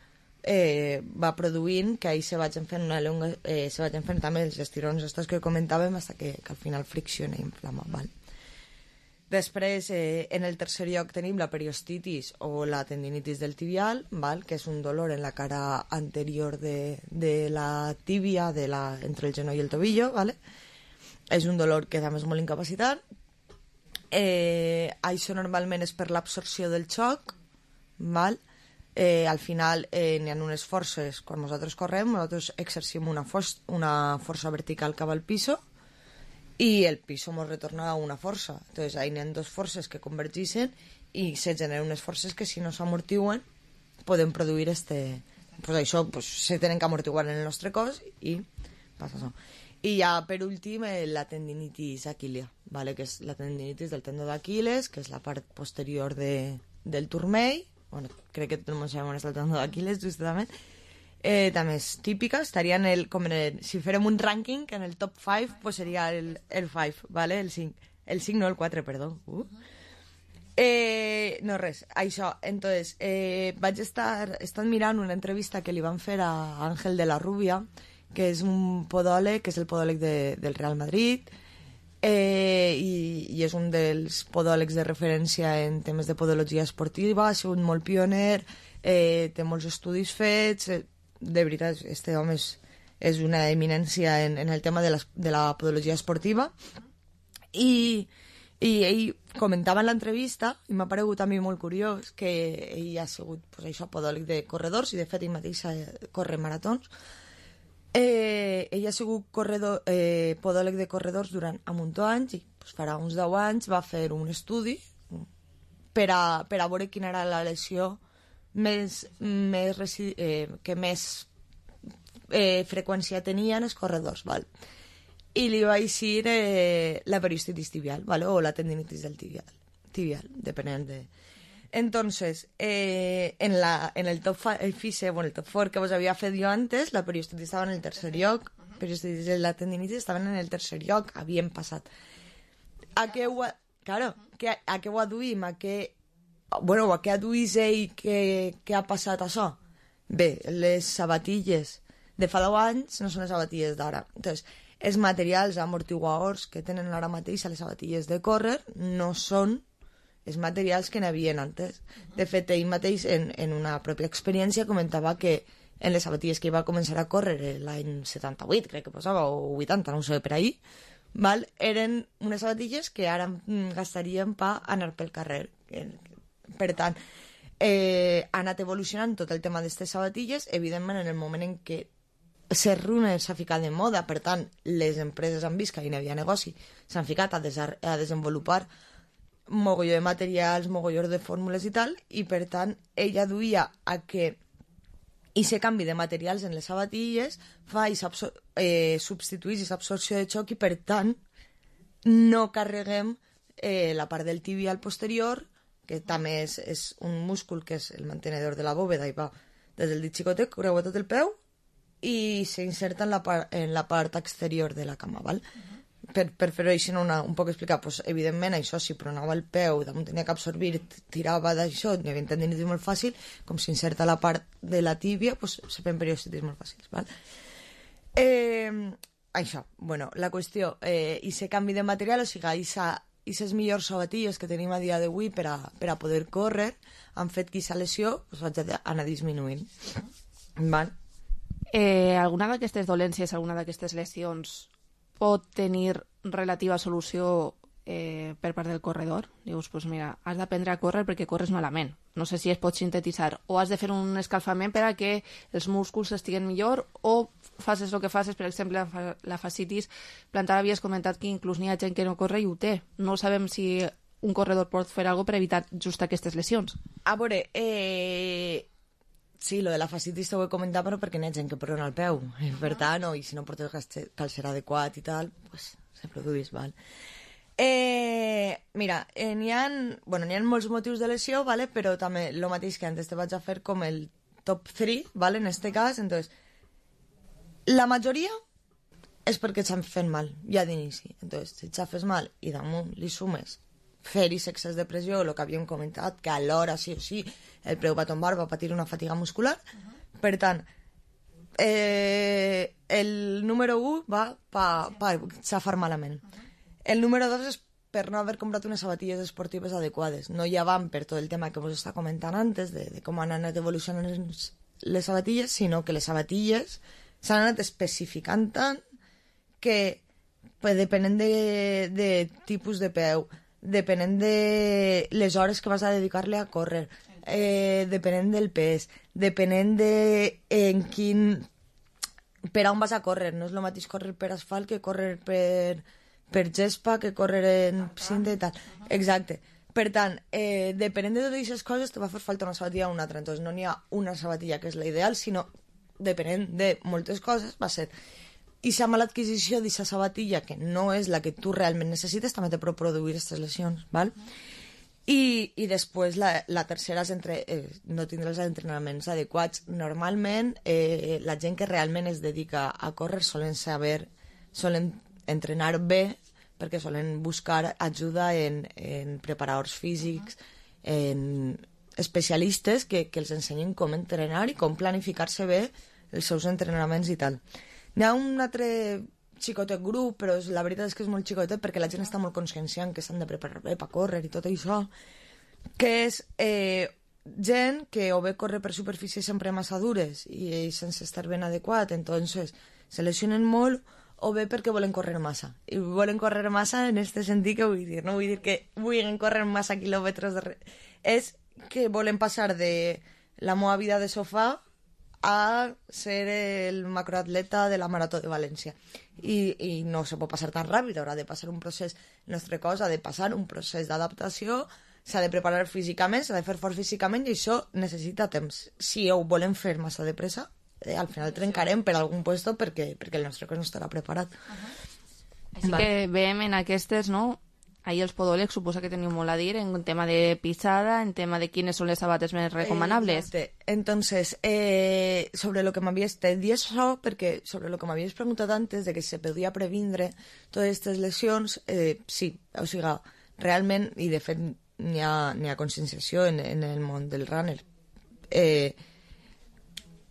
eh, va produint que ahir se vagin fent una longa, eh, se vagin fent també els estirons estos que comentàvem fins que, que al final fricciona i inflama, val? Després, eh, en el tercer lloc tenim la periostitis o la tendinitis del tibial, val? Que és un dolor en la cara anterior de, de la tíbia, de la, entre el genoll i el tobillo, ¿vale? És un dolor que també és molt incapacitant. Eh, això normalment és per l'absorció del xoc, val? Eh, al final eh, n'hi ha unes forces, quan nosaltres correm, nosaltres exercim una, una força vertical cap al piso, i el piso ens retorna una força. Entonces, ahí n'hi ha dos forces que convergeixen i se generen unes forces que si no s'amortiguen poden produir este... Pues això pues, se tenen que amortiguar en el nostre cos i passa això. I ja, per últim, eh, la tendinitis aquília, ¿vale? Que és la tendinitis del tendó d'Aquiles, que és la part posterior de, del turmell. Bueno, crec que tot el món sabem on està el tendó d'Aquiles, justament. Eh, també és típica, estaria en el, com en el, si férem un rànquing, en el top cinc, pues seria el, el cinc, ¿vale? El cinc, el cinc no, el quatre, perdó. Uh. Eh, no res, això, entonces, eh, vaig estar, estar mirant una entrevista que li van fer a Ángel de la Rubia, que és un podòleg, que és el podòleg de, del Real Madrid, eh, i, i és un dels podòlegs de referència en temes de podologia esportiva, ha sigut molt pioner, eh, té molts estudis fets, eh, de veritat, este home és, és una eminència en, en el tema de la, de la podologia esportiva i, i ell comentava en l'entrevista i m'ha paregut a mi molt curiós que ell ha sigut pues, això, podòleg de corredors i de fet ell mateix corre maratons. Eh, ell ha sigut corredor, eh, podòleg de corredors durant un munt d'anys i pues, farà uns deu anys va fer un estudi per a, per a veure quina era la lesió més, més eh, que més eh, freqüència tenien els corredors, val? I li va eixir eh, la periostitis tibial, ¿vale? O la tendinitis del tibial, tibial depenent de... Entonces, eh, en, la, en el top five, bueno, el top four que vos havia fet jo antes, la periostitis estava en el tercer lloc, periostitis i la tendinitis estaven en el tercer lloc, havien passat. A què ho, claro, que, a què ho aduïm? A què bueno, a què aduís ell que, que ha passat això? Bé, les sabatilles de fa deu anys no són les sabatilles d'ara. Entonces, els materials amortiguadors que tenen ara mateix a les sabatilles de córrer no són els materials que n'havien antes. De fet, ell mateix, en, en una pròpia experiència, comentava que en les sabatilles que va començar a córrer l'any setanta-vuit, crec que posava, o vuitanta, no ho sé, per ahí, val? Eren unes sabatilles que ara gastaríem per anar pel carrer. Per tant, eh, ha anat evolucionant tot el tema d'aquestes sabatilles, evidentment en el moment en què ser runner s'ha ficat de moda, per tant, les empreses han vist que hi havia negoci, s'han ficat a, des a desenvolupar mogolló de materials, mogolló de fórmules i tal, i per tant, ella duia a que aquest canvi de materials en les sabatilles fa i eh, substituís aquesta absorció de xoc i per tant no carreguem eh, la part del tibial posterior, que també és, és un múscul que és el mantenedor de la bòveda i va des del dit xicotec, creua tot el peu i s'inserta en, la part, en la part exterior de la cama, val? Uh-huh. Per, per fer-ho així una, un poc explicar, pues, evidentment això si pronava el peu, damunt tenia que absorbir, tirava d'això, n'hi havia tendinitis molt fàcil, com s'inserta la part de la tíbia, pues, se feien periostitis molt fàcils, val? Eh, això, bueno, la qüestió, eh, i se canvi de material, o sigui, aquesta i les millors sabatilles que tenim a dia d'avui per, a, per a poder córrer han fet que aquesta lesió pues, vaig anar disminuint. Val? Eh, alguna d'aquestes dolències, alguna d'aquestes lesions pot tenir relativa solució eh, per part del corredor. Dius, pues mira, has d'aprendre a córrer perquè corres malament. No sé si es pot sintetitzar. O has de fer un escalfament per a que els músculs estiguen millor, o faces el que faces, per exemple, la, la fascitis plantar. Havies comentat que inclús n'hi ha gent que no corre i ho té. No sabem si un corredor pot fer alguna cosa per evitar just aquestes lesions. A veure, eh... sí, lo de la fascitis t'ho he comentat, però perquè n'hi ha gent que prona el peu. Per tant, o, i si no portes calcer adequat i tal, pues se produís, val? Eh, mira, eh, n'hi ha, bueno, n'hi ha molts motius de lesió, vale? Però també el mateix que antes te vaig a fer com el top tres, vale? En este cas, entonces, la majoria és perquè et fent mal, ja d'inici. Entonces, si et fes mal i damunt li sumes fer-hi excés de pressió, el que havíem comentat, que alhora sí o sí el peu va tombar, va patir una fatiga muscular. Uh-huh. Per tant, eh, el número un va per pa, xafar malament. Uh-huh. El número dos és per no haver comprat unes sabatilles esportives adequades. No ja van per tot el tema que vos està comentant antes, de, de com han anat evolucionant les sabatilles, sinó que les sabatilles s'han anat especificant tant que, pues, depenent de, de tipus de peu, depenent de les hores que vas a dedicar-li a córrer, eh, depenent del pes, depenent de en quin... per on vas a córrer. No és el mateix córrer per asfalt que córrer per, per gespa, que córrer en cinta i tal. Exacte. Per tant, eh, depenent de totes aquestes coses te va fer falta una sabatilla o una altra. Entonces no n'hi ha una sabatilla que és la ideal, sinó depenent de moltes coses va ser... I si amb l'adquisició d'aquesta sabatilla, que no és la que tu realment necessites, també te pot produir aquestes lesions, val? I, i després la, la tercera és entre, eh, no tindre els entrenaments adequats. Normalment, eh, la gent que realment es dedica a córrer solen saber, solen entrenar bé, perquè solen buscar ajuda en, en preparadors físics, en especialistes que, que els ensenyin com entrenar i com planificar-se bé els seus entrenaments i tal. Hi ha un altre xicotet grup, però la veritat és que és molt xicotet perquè la gent està molt conscienciant que s'han de preparar bé per córrer i tot això, que és eh, gent que o bé corre per superfícies sempre massa dures i sense estar ben adequat, entonces se lesionen molt, o bé perquè volen córrer massa. I volen córrer massa en este sentit que vull dir, no vull dir que vulguin córrer massa quilòmetres de re... És que volen passar de la meva vida de sofà a ser el macroatleta de la Marató de València. I, i no se pot passar tan ràpid, haurà de passar un procés, el nostre cos ha de passar un procés d'adaptació, s'ha de preparar físicament, s'ha de fer fort físicament, i això necessita temps. Si ho volem fer massa de pressa, eh, al final trencarem per algun puesto perquè, perquè el nostre cos no estarà preparat. Uh-huh. Així que veiem en aquestes, no? Ahí els podòlegs suposa que teniu molt a dir en tema de pisada, en tema de quines són les sabates més recomanables. Eh, Entonces, eh, sobre lo que m'havies... Te di això perquè sobre lo que m'havies preguntat antes de que se podia previndre totes aquestes lesions, eh, sí, o sigui, realment, i de fet n'hi ha, n'hi ha conscienciació en, en el món del runner. Eh,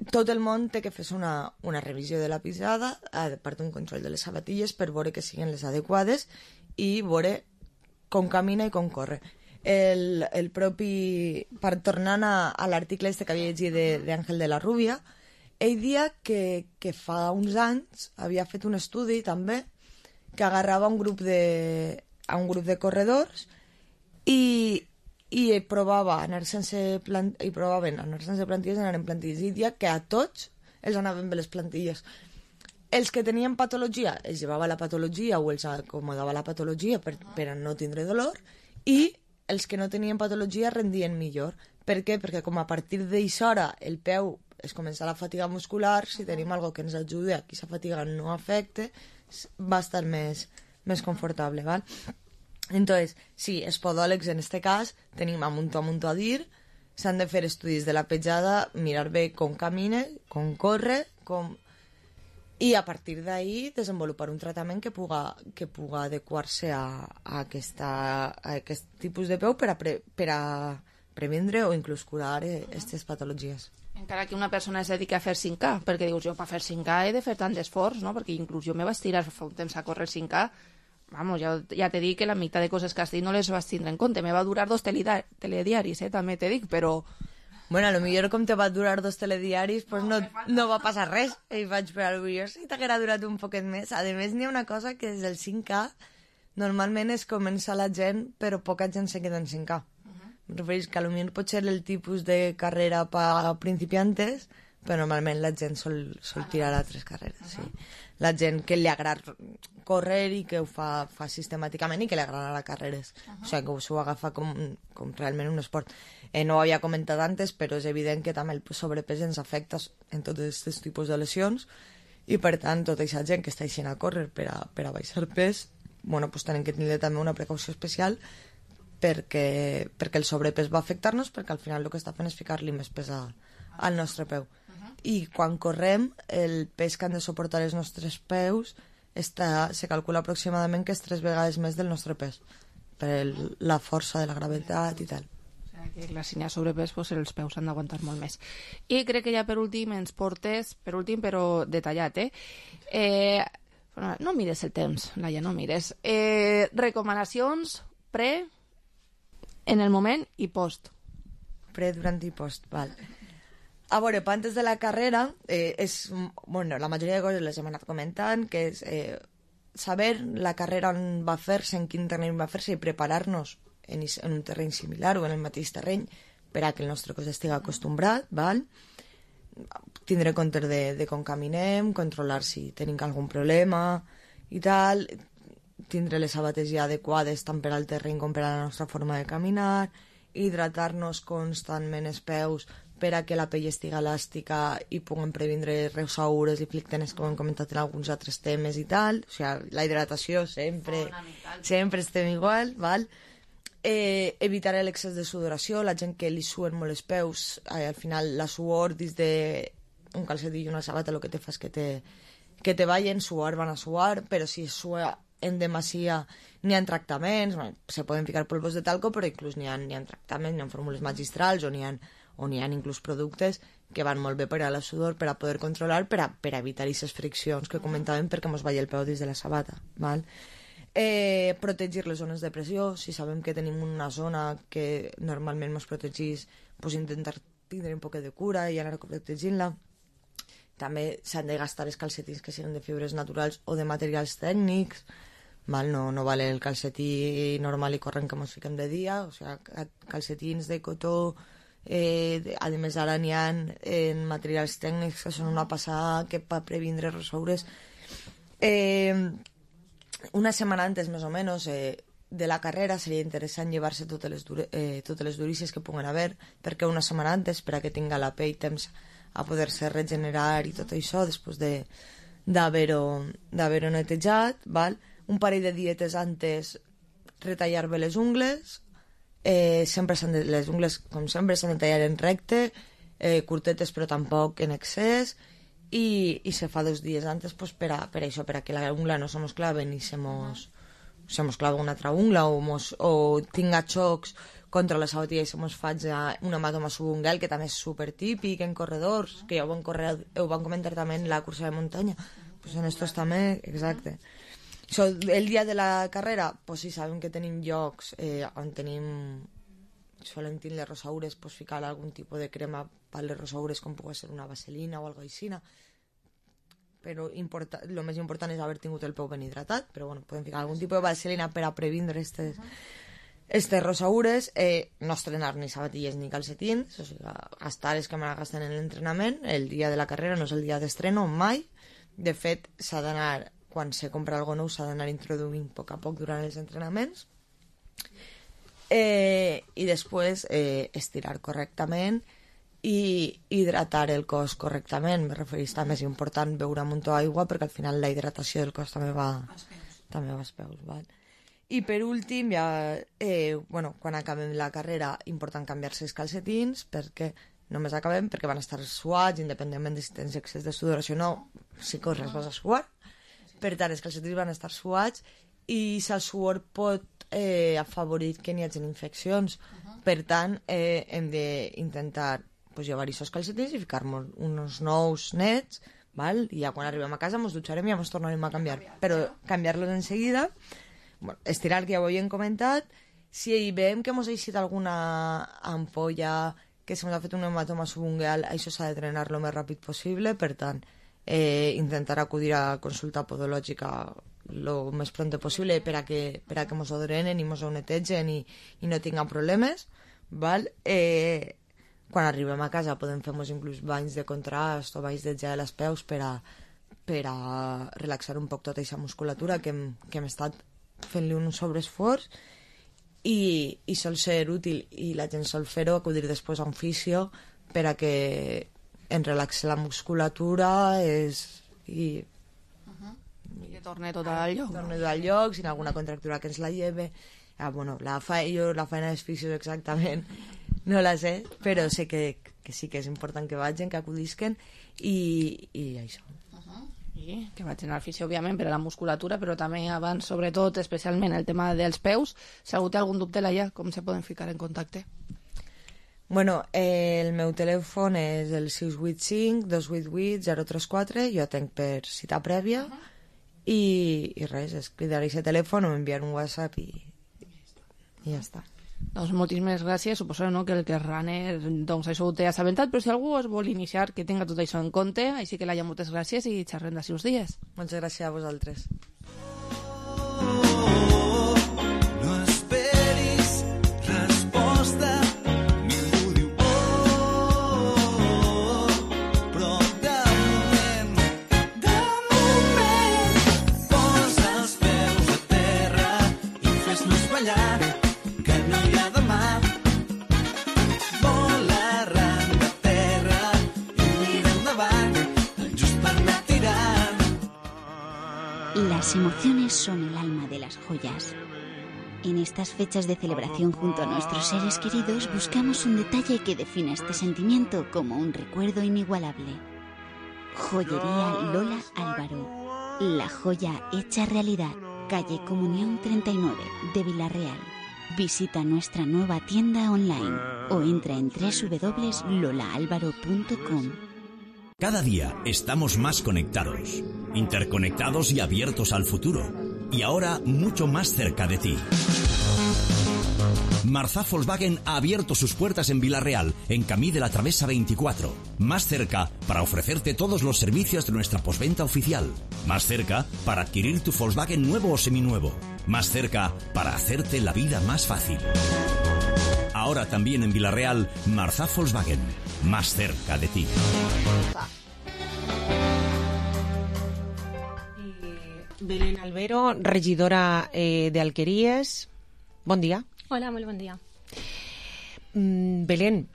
tot el món té que fer una, una revisió de la pisada, a part d'un control de les sabatilles per veure que siguin les adequades i veure com camina i com corre. El, el propi... Per tornant a, a l'article este que havia llegit d'Àngel de, de la Rubia, ell dia que, que fa uns anys havia fet un estudi també que agarrava un grup de, a un grup de corredors i, i provava anar sense plant, i provaven anar sense plantilles i anar en plantilles, i dia que a tots els anaven bé les plantilles. Els que tenien patologia els llevava la patologia o els acomodava la patologia per, per a no tindre dolor, i els que no tenien patologia rendien millor. Per què? Perquè com a partir d'això hora el peu es comença la fatiga muscular, si tenim algo que ens ajude a que aquesta fatiga no afecte, va estar més, més confortable, ¿val? Entonces, sí, els podòlegs en este cas tenim a munt a munt a dir, s'han de fer estudis de la petjada, mirar bé com camina, com corre, com... i a partir d'ahí desenvolupar un tractament que puga, que puga adequar-se a, a, aquesta, a aquest tipus de peu per a, pre, per a previndre o inclús curar aquestes patologies. Encara que una persona es dedica a fer cinc K, perquè dius, jo per fer cinc K he de fer tant d'esforç, no? Perquè inclús jo me vaig tirar fa un temps a córrer cinc K, vamos, ja, ja te dic que la meitat de coses que has dit no les vas tindre en compte, me va durar dos telediaris, eh, també te dic, però... Bueno, a lo millor com te va durar dos telediaris, pues no, no va passar res. I vaig per al millor si t'haguera durat un poquet més. A més, n'hi ha una cosa que és el cinc K normalment es comença la gent, però poca gent se queda en cinc K. Em refereix que potser pot ser el tipus de carrera per a principiantes, però normalment la gent sol, sol tirar a tres carreres, sí. La gent que li agrada córrer i que ho fa, fa sistemàticament i que li agrada les carreres. Uh -huh. O sigui, que s'ho agafa com, com realment un esport. Eh, no ho havia comentat antes, però és evident que també el sobrepès ens afecta en tots aquests tipus de lesions i, per tant, tota aquesta gent que està eixint a córrer per a, per a baixar pes, bueno, pues tenen que tenir també una precaució especial perquè, perquè el sobrepès va afectar-nos, perquè al final el que està fent és ficar-li més pes a, al nostre peu. I quan correm, el pes que han de suportar els nostres peus està, se calcula aproximadament que és tres vegades més del nostre pes, per el, la força de la gravetat i tal. O sigui que la si n'hi ha sobrepès, pues, els peus han d'aguantar molt més. I crec que ja per últim ens portes, per últim però detallat, eh? eh no mires el temps, Laia, no mires. Eh, recomanacions pre, en el moment i post. Pre, durant i post, val. A veure, antes de la carrera, eh, és, bueno, la majoria de coses les hem anat comentant, que és eh, saber la carrera on va fer-se, en quin terreny va fer-se i preparar-nos en, en un terreny similar o en el mateix terreny per a que el nostre cos estigui acostumbrat, val? Tindre compte de, de com caminem, controlar si tenim algun problema i tal, tindre les sabates ja adequades tant per al terreny com per a la nostra forma de caminar, hidratar-nos constantment els peus per a que la pell estigui elàstica i puguem previndre rosaures i flictenes, com hem comentat en alguns altres temes i tal. O sigui, la hidratació sempre, sempre estem igual, val? Eh, evitar l'excés de sudoració, la gent que li suen molt els peus, eh, al final la suor dins de un calcetí i una sabata el que te fa és que te, que te vayan, suar van a suar, però si sua en demasia n'hi ha tractaments, bueno, se poden ficar polvos de talco, però inclús n'hi ha, n'hi ha tractaments, n'hi ha fórmules magistrals o n'hi ha, o n'hi ha inclús productes que van molt bé per a la sudor, per a poder controlar, per a, per a evitar aquestes friccions que comentàvem perquè mos vagi el peu dins de la sabata, val? Eh, protegir les zones de pressió, si sabem que tenim una zona que normalment ens protegís, pues intentar tindre un poc de cura i anar protegint-la. També s'han de gastar els calcetins que siguin de fibres naturals o de materials tècnics, val? No, no vale el calcetí normal i corrent que ens fiquem de dia, o sigui, calcetins de cotó, eh, a més ara n'hi ha en materials tècnics que són una passada que per previndre rosaures. Eh, una setmana antes, més o menys, eh, de la carrera seria interessant llevar-se totes les, dure, eh, totes les durícies que puguen haver, perquè una setmana antes, per a que tinga la pell temps a poder-se regenerar i tot això després de, d'haver-ho, d'haver-ho netejat, val? Un parell de dietes antes retallar bé les ungles, eh, sempre s'han de, les ungles com sempre s'han de tallar en recte, eh, curtetes però tampoc en excés, i, i se fa dos dies antes pues, per, a, per a això, per a que la ungla no se mos clave ni se mos, se mos clave una altra ungla o, mos, o tinga xocs contra la sabatilla i se mos faig un hematoma subungual, que també és super típic en corredors, que ja ho van, correr, ho van comentar també en la cursa de muntanya, pues en estos també, exacte. So, el dia de la carrera, pues sí, sabem que tenim llocs eh, on tenim, solen tenir les rosaures, pues ficar algun tipus de crema per les rosaures, com pugui ser una vaselina o alguna aixina, però importa, el més important és haver tingut el peu ben hidratat, però bueno, podem ficar algun tipus de vaselina per a previndre aquestes Estes rosaures, eh, no estrenar ni sabatilles ni calcetins, o sigui, gastar els que me la gasten en l'entrenament, el dia de la carrera no és el dia d'estreno, mai. De fet, s'ha d'anar, quan se compra alguna nou, s'ha d'anar introduint a poc a poc durant els entrenaments. Eh, I després eh, estirar correctament i hidratar el cos correctament. Me referís també, és important beure un muntó d'aigua perquè al final la hidratació del cos també va, també va als peus, val? I per últim, ja, eh, bueno, quan acabem la carrera, important canviar-se els calcetins, perquè només acabem, perquè van estar suats, independentment de si tens excés de sudoració o no, si corres vas a suar. Per tant, els calcetins van estar suats i el suor pot eh, afavorir que n'hi hagi infeccions. Per tant, eh, hem d'intentar pues, llevar aquests calcetins i ficar-nos uns nous nets, val? I ja quan arribem a casa ens dutxarem i ja ens tornarem a canviar. Però canviar-los en seguida, bueno, estirar, que ja ho havíem comentat. Si veiem que ens ha eixit alguna ampolla, que se ens ha fet un hematoma subungual, això s'ha de drenar el més ràpid possible. Per tant, eh, intentar acudir a consulta podològica lo més pronte possible per a que, per a que mos ho drenen i mos ho netegen i, i no tinguem problemes, val? Eh, quan arribem a casa podem fer-nos inclús banys de contrast o banys de gel als peus per a, per a relaxar un poc tota aquesta musculatura que hem, que hem estat fent-li un sobreesforç i, i sol ser útil i la gent sol fer-ho, acudir després a un fisio per a que en relaxe la musculatura és, i i que torne tot al lloc. Torne tot al lloc, si hi ha alguna contractura que ens la lleve. Ah, bueno, la, fa, jo la feina dels fisios exactament no la sé, però sé que, que sí que és important que vagin, que acudisquen i, i això. Sí, que vagin al fisio, òbviament, per a la musculatura, però també abans, sobretot, especialment el tema dels peus. Si algú té algun dubte, Laia, com se poden ficar en contacte? Bueno, eh, el meu telèfon és el sis vuit cinc, dos vuit vuit, zero tres quatre, jo atenc per cita prèvia, uh -huh. i, i res, és cridar a aquest telèfon o enviar un WhatsApp i, i ja està. Doncs moltíssimes gràcies. Suposo, no, que el que és runner, doncs això ho té assabentat, però si algú es vol iniciar, que tinga tot això en compte. Així que, Laia, moltes gràcies i xerrem d'ací uns dies. Moltes gràcies a vosaltres. No esperis resposta. Ningú diu oh, però de moment, de moment, posa els peus a terra i fes-nos ballar. Las emociones son el alma de las joyas. En estas fechas de celebración junto a nuestros seres queridos buscamos un detalle que defina este sentimiento como un recuerdo inigualable. Joyería Lola Álvaro. La joya hecha realidad. Calle Comunión treinta y nueve de Vila-real. Visita nuestra nueva tienda online o entra en doble u doble u doble u punto lola álvaro punto com. Cada día estamos más conectados, interconectados y abiertos al futuro. Y ahora mucho más cerca de ti. Marzá Volkswagen ha abierto sus puertas en Vila-real, en Camí de la Travesa veinticuatro. Más cerca para ofrecerte todos los servicios de nuestra postventa oficial. Más cerca para adquirir tu Volkswagen nuevo o seminuevo. Más cerca para hacerte la vida más fácil. Ahora también en Vila-real, Marzá Volkswagen. Más cerca de ti. Belén Albero, regidora eh, de Alqueries. Bon dia. Hola, molt bon dia. Mm, Belén,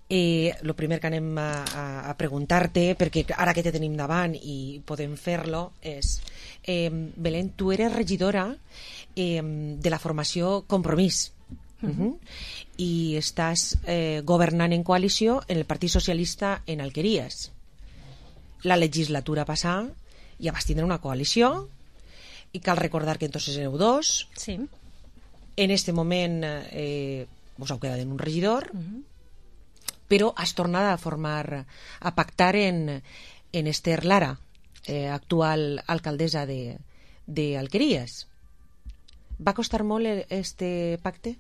eh, lo primer que anem a, a, a preguntar-te, perquè ara que te tenim davant i podem fer-lo, és... Eh, Belén, tu eres regidora eh, de la formació Compromís. Uh -huh. I estàs eh, governant en coalició en el Partit Socialista en Alqueries. La legislatura passada ja vas tindre una coalició i cal recordar que entonces éreu dos. Sí. En este moment eh, vos heu quedat en un regidor, uh-huh. però has tornat a formar, a pactar en, en Esther Lara, eh, actual alcaldessa de, de Alqueries. Va costar molt este pacte?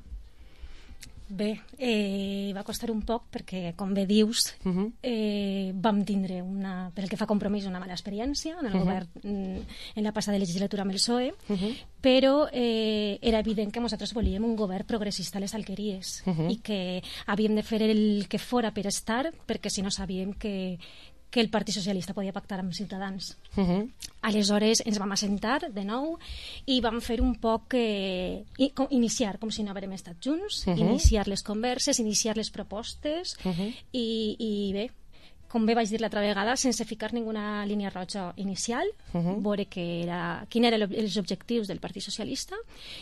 Bé, eh, va costar un poc perquè, com bé dius, uh-huh. eh, vam tindre, una, per el que fa Compromís, una mala experiència en el uh-huh. govern en la passada legislatura amb el P S O E, uh-huh. però eh, era evident que nosaltres volíem un govern progressista a les Alqueries uh-huh. i que havíem de fer el que fora per estar, perquè si no sabíem que que el Partit Socialista podia pactar amb Ciutadans. Uh-huh. Aleshores ens vam assentar de nou i vam fer un poc eh, iniciar, com si no haguérem estat junts, uh-huh. iniciar les converses, iniciar les propostes uh-huh. i, i bé, com bé vaig dir l'altra vegada, sense ficar ninguna línia roja inicial, uh-huh. veure que era, quin eren els objectius del Partit Socialista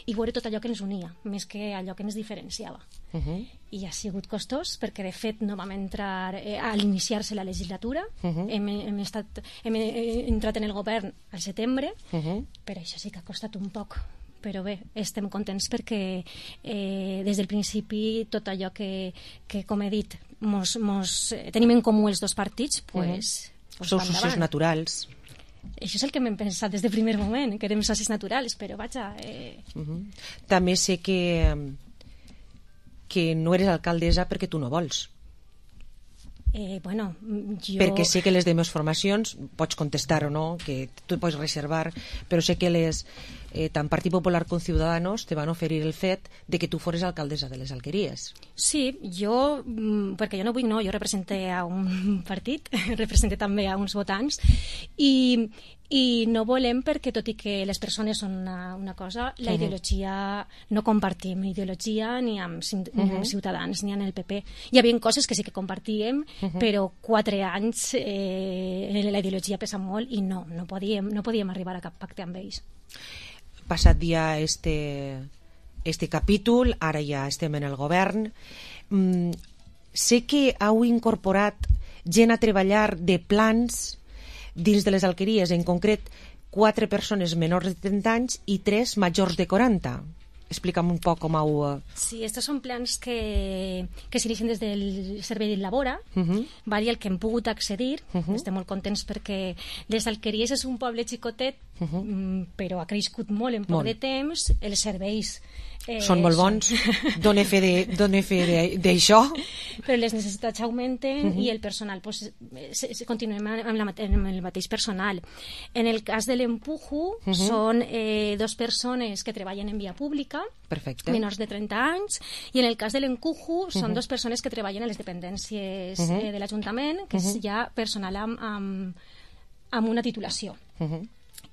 i veure tot allò que ens unia, més que allò que ens diferenciava. Uh-huh. I ha sigut costós perquè de fet no vam entrar eh, al iniciar-se la legislatura, uh-huh. hem, hem, estat, hem entrat en el govern al setembre, uh-huh. però això sí que ha costat un poc, però bé, estem contents perquè eh, des del principi tot allò que, que com he dit mos, mos, eh, tenim en comú els dos partits, pues, uh-huh. pues sou socis naturals. Això és el que m'hem pensat des del primer moment, que érem socis naturals, però vaja... Eh... Uh-huh. També sé que que no eres alcaldessa perquè tu no vols. Eh, bueno, jo... Perquè sé que les demés formacions, pots contestar o no, que tu pots reservar, però sé que les, eh, tant Partit Popular com Ciudadanos te van oferir el fet de que tu fores alcaldessa de les Alqueries. Sí, jo, perquè jo no vull, no, jo representé a un partit, representé també a uns votants, i, i no volem perquè, tot i que les persones són una, una cosa, la Uh-huh. ideologia, no compartim ideologia ni amb, Cim- ni amb Uh-huh. Ciutadans ni amb el P P. Hi havia coses que sí que compartíem, Uh-huh. però quatre anys eh, la ideologia pesa molt i no, no podíem, no podíem arribar a cap pacte amb ells. Passat dia este, este capítol, ara ja estem en el govern. Mm, sé que heu incorporat gent a treballar de plans dins de les alqueries, en concret quatre persones menors de trenta anys i tres majors de quaranta. Explica'm un poc com heu... eh, Sí, estos són plans que, que s'inicien des del servei de Labora, Uh-huh. val, i el que hem pogut accedir. Uh-huh. Estem molt contents perquè les Alqueries és un poble xicotet, Uh-huh. mm, però ha crescut molt en poc Molt. de temps. Els serveis eh, Són molt bons. Dóna fe de- dóna fe de- d'això. Però les necessitats augmenten Uh-huh. i el personal pues, eh, se, se continuem amb, la, mate- amb el mateix personal. En el cas de l'Empujo, Uh-huh. són eh, dos persones que treballen en via pública, Perfecte. menors de trenta anys, i en el cas de l'Encujo són Uh-huh. dos persones que treballen a les dependències Uh-huh. eh, de l'Ajuntament, que és Uh-huh. ja personal amb, amb, amb una titulació. Uh-huh.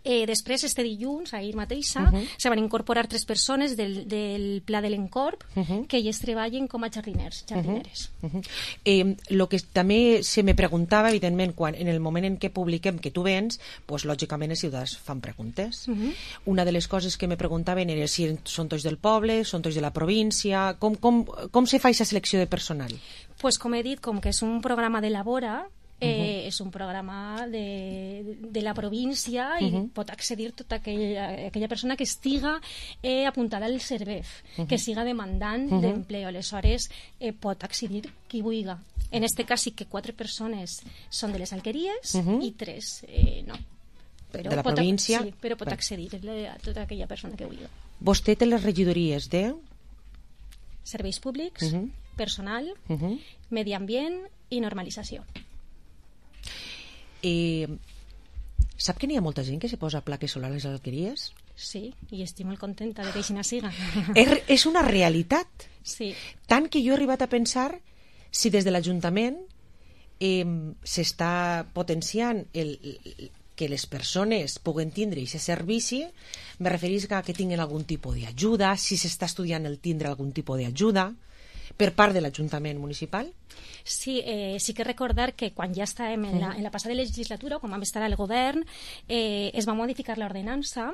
Eh, després, este dilluns, ahir mateixa, Uh-huh. se van incorporar tres persones del, del Pla de l'Encorp Uh-huh. que elles treballen com a jardiners, jardineres. Uh-huh. Eh, lo que també se me preguntava, evidentment, quan, en el moment en què publiquem que tu vens, pues, lògicament els ciutadans fan preguntes. Uh-huh. Una de les coses que me preguntaven era si són tots del poble, són tots de la província, com, com, com se fa aquesta selecció de personal? Pues com he dit, com que és un programa de Labora, eh, Uh-huh. és un programa de, de la província i Uh-huh. pot accedir tota aquella, aquella persona que estiga eh, apuntada al CERVEF, Uh-huh. que siga demandant Uh-huh. d'empleo. Aleshores, eh, pot accedir qui vulgui. En este cas sí que quatre persones són de les Alqueries Uh-huh. i tres eh, no. Però De la pot, província? Sí, però pot Bé. accedir a tota aquella persona que vulgui. Vostè té les regidories de... Serveis públics, Uh-huh. personal, Uh-huh. medi ambient i normalització. Eh, sap que n'hi ha molta gent que se posa plaques solars a les alqueries? Sí, i estic molt contenta de que així siga. És, és una realitat. Sí. Tant que jo he arribat a pensar si des de l'Ajuntament eh, s'està potenciant el, el, que les persones puguen tindre aquest servici, me referís a que tinguin algun tipus d'ajuda, si s'està estudiant el tindre algun tipus d'ajuda per part de l'Ajuntament municipal. Sí, eh, sí que recordar que quan ja estàvem en la, en la passada legislatura, quan vam estar al govern, eh, es va modificar l'ordenança,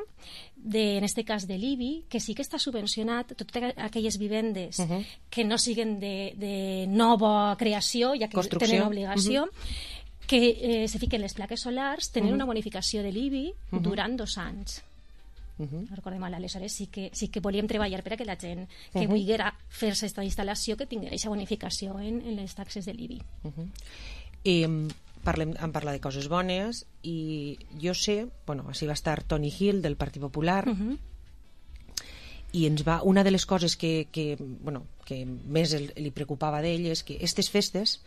de, en este cas de l'I B I, que sí que està subvencionat totes aquelles vivendes Uh-huh. que no siguen de, de nova creació, ja que Construcció. tenen obligació, Uh-huh. que eh, se fiquen les plaques solars, tenen Uh-huh. una bonificació de l'I B I Uh-huh. durant dos anys. Uh-huh. No recordem mal, aleshores sí que, sí que volíem treballar per a que la gent que Uh-huh. volguera fer-se aquesta instal·lació que tinguera aquesta bonificació en, en les taxes de l'I B I. Uh-huh. Eh, parlem, em parla de coses bones i jo sé, bueno, així va estar Tony Hill del Partit Popular Uh-huh. i ens va, una de les coses que, que, bueno, que més el, li preocupava d'ell és que aquestes festes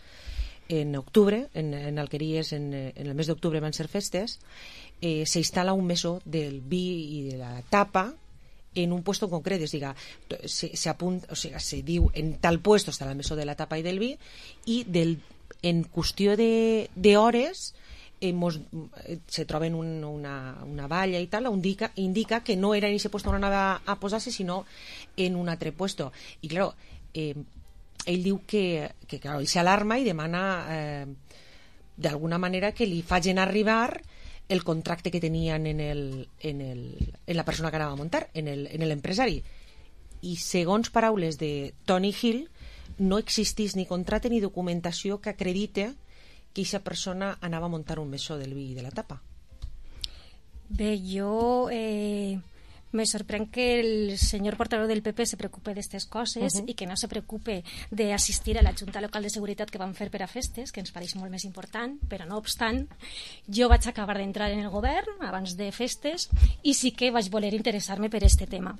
en octubre, en, en Alqueries en, en el mes d'octubre van ser festes, eh, s'instal·la un mesó del vi i de la tapa en un puesto concret, és a dir, se, se, apunta, o sigui, se diu en tal puesto està el mesó de la tapa i del vi i del, en qüestió d'hores eh, mos, eh, se troben un, una, una valla i tal on indica, indica que no era en ese puesto on anava a posar-se sinó en un altre puesto i clar, eh, ell diu que, que clar, ell s'alarma i demana eh, d'alguna manera que li facin arribar el contracte que tenien en, el, en, el, en la persona que anava a muntar, en l'empresari. I segons paraules de Tony Hill, no existís ni contracte ni documentació que acredite que aquesta persona anava a muntar un mesó del vi i de la tapa. Bé, jo eh, me sorprèn que el senyor portaveu del P P se preocupe d'aquestes coses Uh-huh. i que no se preocupe d'assistir a la Junta Local de Seguretat que van fer per a festes, que ens pareix molt més important, però no obstant, jo vaig acabar d'entrar en el govern abans de festes i sí que vaig voler interessar-me per este tema.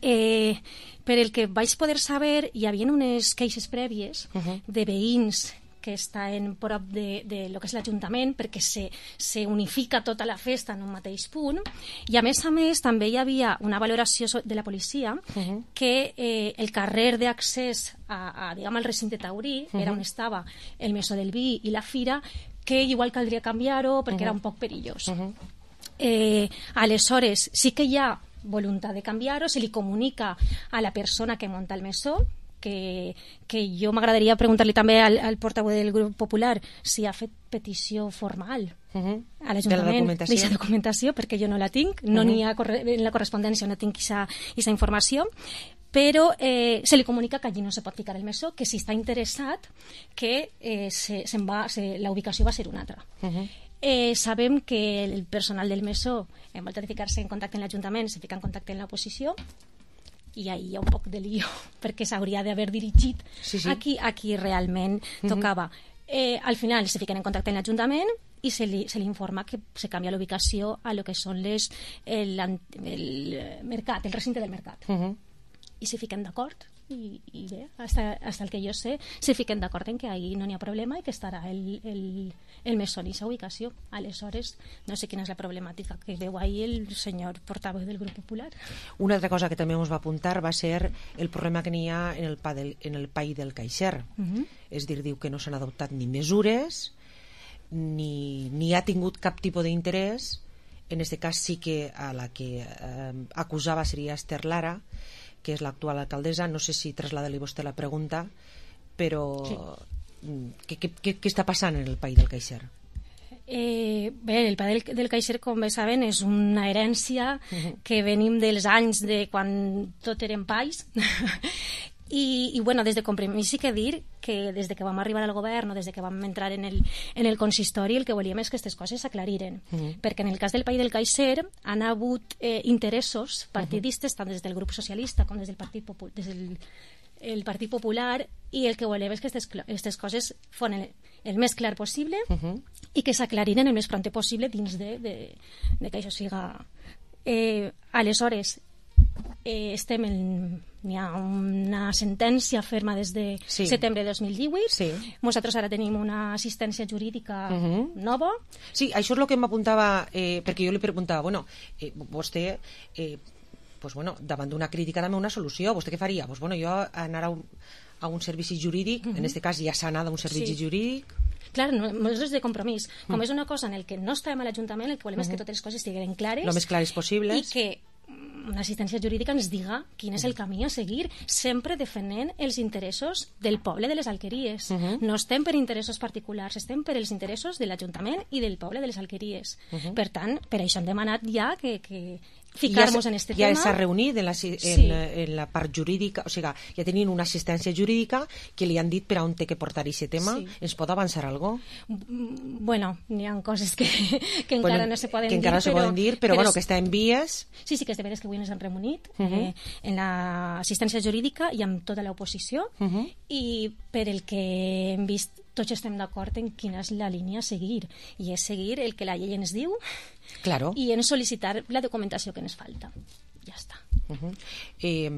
Eh, per el que vaig poder saber, hi havia unes queixes prèvies Uh-huh. de veïns que està en prop de, de lo que és l'Ajuntament, perquè se, se unifica tota la festa en un mateix punt, i a més a més també hi havia una valoració de la policia uh-huh. que eh, el carrer d'accés a, a, diguem, al recinte taurí, uh-huh. era on estava el Mesó del Vi i la Fira, que igual caldria canviar-ho perquè uh-huh. era un poc perillós. Uh-huh. Eh, aleshores, sí que hi ha voluntat de canviar-ho, se li comunica a la persona que munta el mesó, que, que jo m'agradaria preguntar-li també al, al portaveu del grup popular si ha fet petició formal uh-huh. a l'Ajuntament d'aquesta documentació, perquè jo no la tinc, no uh-huh. n'hi ha en la correspondència, no tinc aquesta informació, però eh, se li comunica que allí no se pot ficar el mesó, que si està interessat que eh, se, se'n va, se, la ubicació va ser una altra. Uh-huh. Eh, sabem que el personal del mesó, en volta de ficar-se en contacte amb l'Ajuntament, se fica en contacte amb l'oposició, i ahí hi ha un poc de lío, perquè s'hauria d'haver dirigit sí, sí. Aquí, aquí realment uh-huh. tocava. Eh, al final se fiquen en contacte amb l'Ajuntament i se li, se li informa que se canvia la ubicació a lo que són les, el, el mercat, el recinte del mercat. Uh-huh. I se fiquen d'acord i, i bé, hasta, hasta el que jo sé se fiquen d'acord en que ahí no n'hi ha problema i que estarà el, el, el mesó en aquesta ubicació. Aleshores no sé quina és la problemàtica que veu ahí el senyor portaveu del grup popular. Una altra cosa que també ens va apuntar va ser el problema que n'hi ha en el, pa del, en el Pai del Caixer. Uh-huh. És dir, diu que no s'han adoptat ni mesures ni, ni ha tingut cap tipus d'interès. En aquest cas sí que a la que eh, acusava seria Esther Lara, que és l'actual alcaldessa. No sé si traslada-li vostè la pregunta, però sí. què, què, què està passant en el Pai del Caixer? Eh, bé, el Pai del, del Caixer, com bé saben, és una herència uh-huh. que venim dels anys de quan tot eren pais. I, i bueno, des de Compromís sí que dir que des de que vam arribar al govern o des de que vam entrar en el, en el consistori, el que volíem és que aquestes coses s'aclariren, uh-huh. perquè en el cas del Pai del Caixer han hagut eh, interessos partidistes, uh-huh. tant des del grup socialista com des del Partit Popular, des del el Partit Popular, i el que volem és que aquestes coses fon el, el més clar possible uh-huh. i que s'aclariren el més pront possible dins de, de, de que això siga. Eh, aleshores, eh, estem en... Hi ha una sentència ferma des de sí. setembre de dos mil divuit. Sí. Nosaltres ara tenim una assistència jurídica uh-huh. nova. Sí, això és el que m'apuntava, eh, perquè jo li preguntava, bueno, eh, vostè, eh, pues, bueno, davant d'una crítica també una solució, vostè què faria? Pues, bueno, jo anar a un, a un servici jurídic, uh-huh. en aquest cas ja s'ha anat a un servici sí. jurídic... Clar, nosaltres de compromís. Com mm. és una cosa en el que no estàvem a l'Ajuntament, el que volem uh-huh. és que totes les coses estiguin clares. Lo més clares possibles. I que una assistència jurídica ens diga quin és el camí a seguir, sempre defendent els interessos del poble de les Alqueries. Uh-huh. No estem per interessos particulars, estem per els interessos de l'Ajuntament i del poble de les Alqueries. Uh-huh. Per tant, per això hem demanat ja que, que ficar-nos ja en este ja tema. Ja s'ha reunit en la, en, sí. en la part jurídica, o sigui, ja tenien una assistència jurídica que li han dit per on té que portar aquest tema. Sí. Ens pot avançar alguna cosa? Bueno, n'hi ha coses que, que encara bueno, no se poden que dir. encara no se però, poden dir, però, però bueno, que està en vies. Sí, sí, que és de veres que avui ens han reunit uh-huh. eh, en l'assistència jurídica i amb tota l'oposició uh-huh. i per el que hem vist tots estem d'acord en quina és la línia a seguir, i és seguir el que la llei ens diu claro. i en sol·licitar la documentació que ens falta. Ja està. Uh-huh. eh,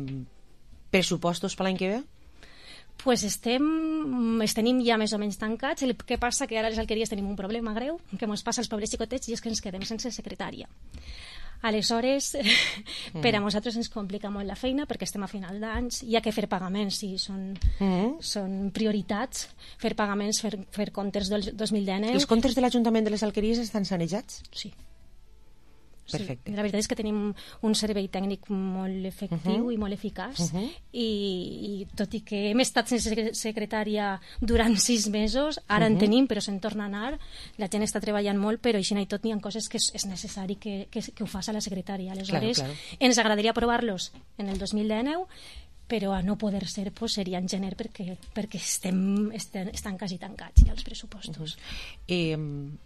pressupostos per l'any que ve? Pues estem, els tenim ja més o menys tancats. El que passa que ara a les Alqueries tenim un problema greu que ens passa als pobres xicotets, i és que ens quedem sense secretària. Aleshores, mm. per a nosaltres ens complica molt la feina perquè estem a final d'anys, hi ha que fer pagaments, sí, són, mm. són prioritats, fer pagaments, fer, fer comptes del dos mil dinou. Els comptes de l'Ajuntament de les Alqueries estan sanejats? Sí. Perfecte. Sí, la veritat és que tenim un servei tècnic molt efectiu uh-huh. i molt eficaç uh-huh. i, i tot i que hem estat sense secretària durant sis mesos, ara uh-huh. en tenim però se'n torna a anar, la gent està treballant molt, però així i tot n'hi ha coses que és, és necessari que, que, que ho faci la secretària. Aleshores claro, claro. ens agradaria aprovar-los en el dos mil dinou, però a no poder ser pues, seria en gener perquè, perquè estem, estem, estan quasi tancats ja els pressupostos. Uh-huh. eh,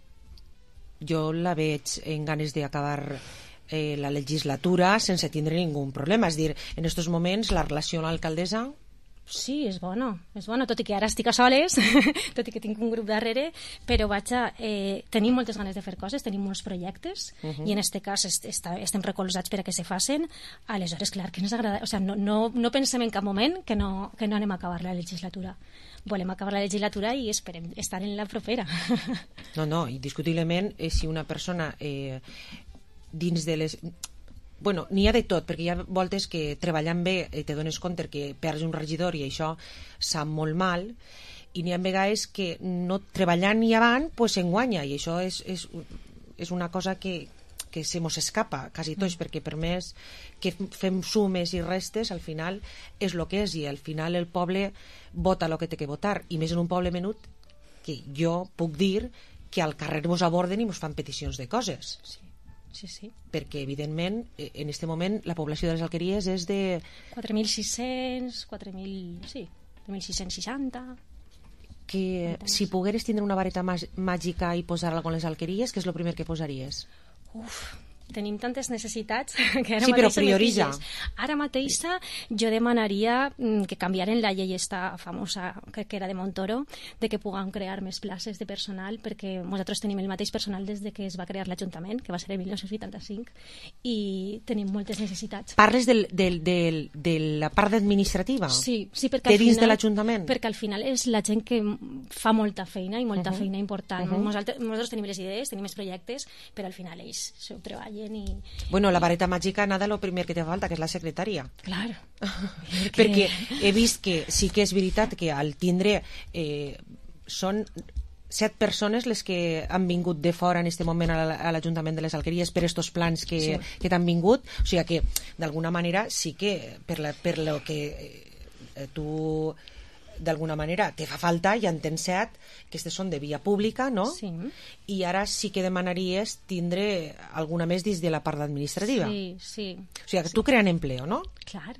jo la veig en ganes d'acabar eh, la legislatura sense tindre ningú problema. És dir, en aquests moments la relació amb l'alcaldessa Sí, és bona, és bona, tot i que ara estic a soles, tot i que tinc un grup darrere, però vaja, eh, tenim moltes ganes de fer coses, tenim molts projectes, uh -huh. i en este cas est est estem recolzats per a que se facin, aleshores, clar, que ens agrada, o sigui, no, no, no pensem en cap moment que no, que no anem a acabar la legislatura. Volem acabar la legislatura i esperem estar en la propera. No, no, indiscutiblement, eh, si una persona eh, dins de les... Bueno, n'hi ha de tot, perquè hi ha voltes que treballant bé eh, te dones compte que perds un regidor i això sap molt mal, i n'hi ha vegades que no treballant ni avant pues s'enguanya, i això és, és, és una cosa que, que se mos escapa quasi tots, mm. perquè per més que fem sumes i restes, al final és el que és, i al final el poble vota el que té que votar, i més en un poble menut que jo puc dir que al carrer mos aborden i mos fan peticions de coses. Sí. Sí, sí. Perquè, evidentment, en aquest moment la població de les Alqueries és de... quatre mil sis-cents, quatre mil... sí, quatre mil sis-cents seixanta... Que si pogueres tindre una vareta màgica i posar-la con les Alqueries, què és el primer que posaries? Uf, tenim tantes necessitats que ara sí, però mateixa prioritza. Ara mateixa jo demanaria que canviaren la llei esta famosa que, que era de Montoro, de que puguem crear més places de personal, perquè nosaltres tenim el mateix personal des de que es va crear l'Ajuntament, que va ser el mil nou-cents vuitanta-cinc, i tenim moltes necessitats. Parles del, del, del, de la part administrativa? Sí, sí, perquè de al dins final, de l'Ajuntament? Perquè al final és la gent que fa molta feina i molta uh -huh. feina important. Uh -huh. nosaltres, nosaltres tenim les idees, tenim els projectes, però al final ells s'ho treballen. I... Bueno, la vareta màgica, nada, lo primer que te falta, que és la secretària. Claro. Perquè he vist que sí que és veritat que al tindre eh, són set persones les que han vingut de fora en aquest moment a l'Ajuntament de les Alqueries per estos plans que, sí. que t'han vingut, o sigui que d'alguna manera sí que per, la, per lo que eh, tu d'alguna manera te fa falta, ja en tens set, que aquestes són de via pública, no? Sí. I ara sí que demanaries tindre alguna més dins de la part administrativa. Sí, sí. O sigui, que sí. tu creant empleo, no? Clar.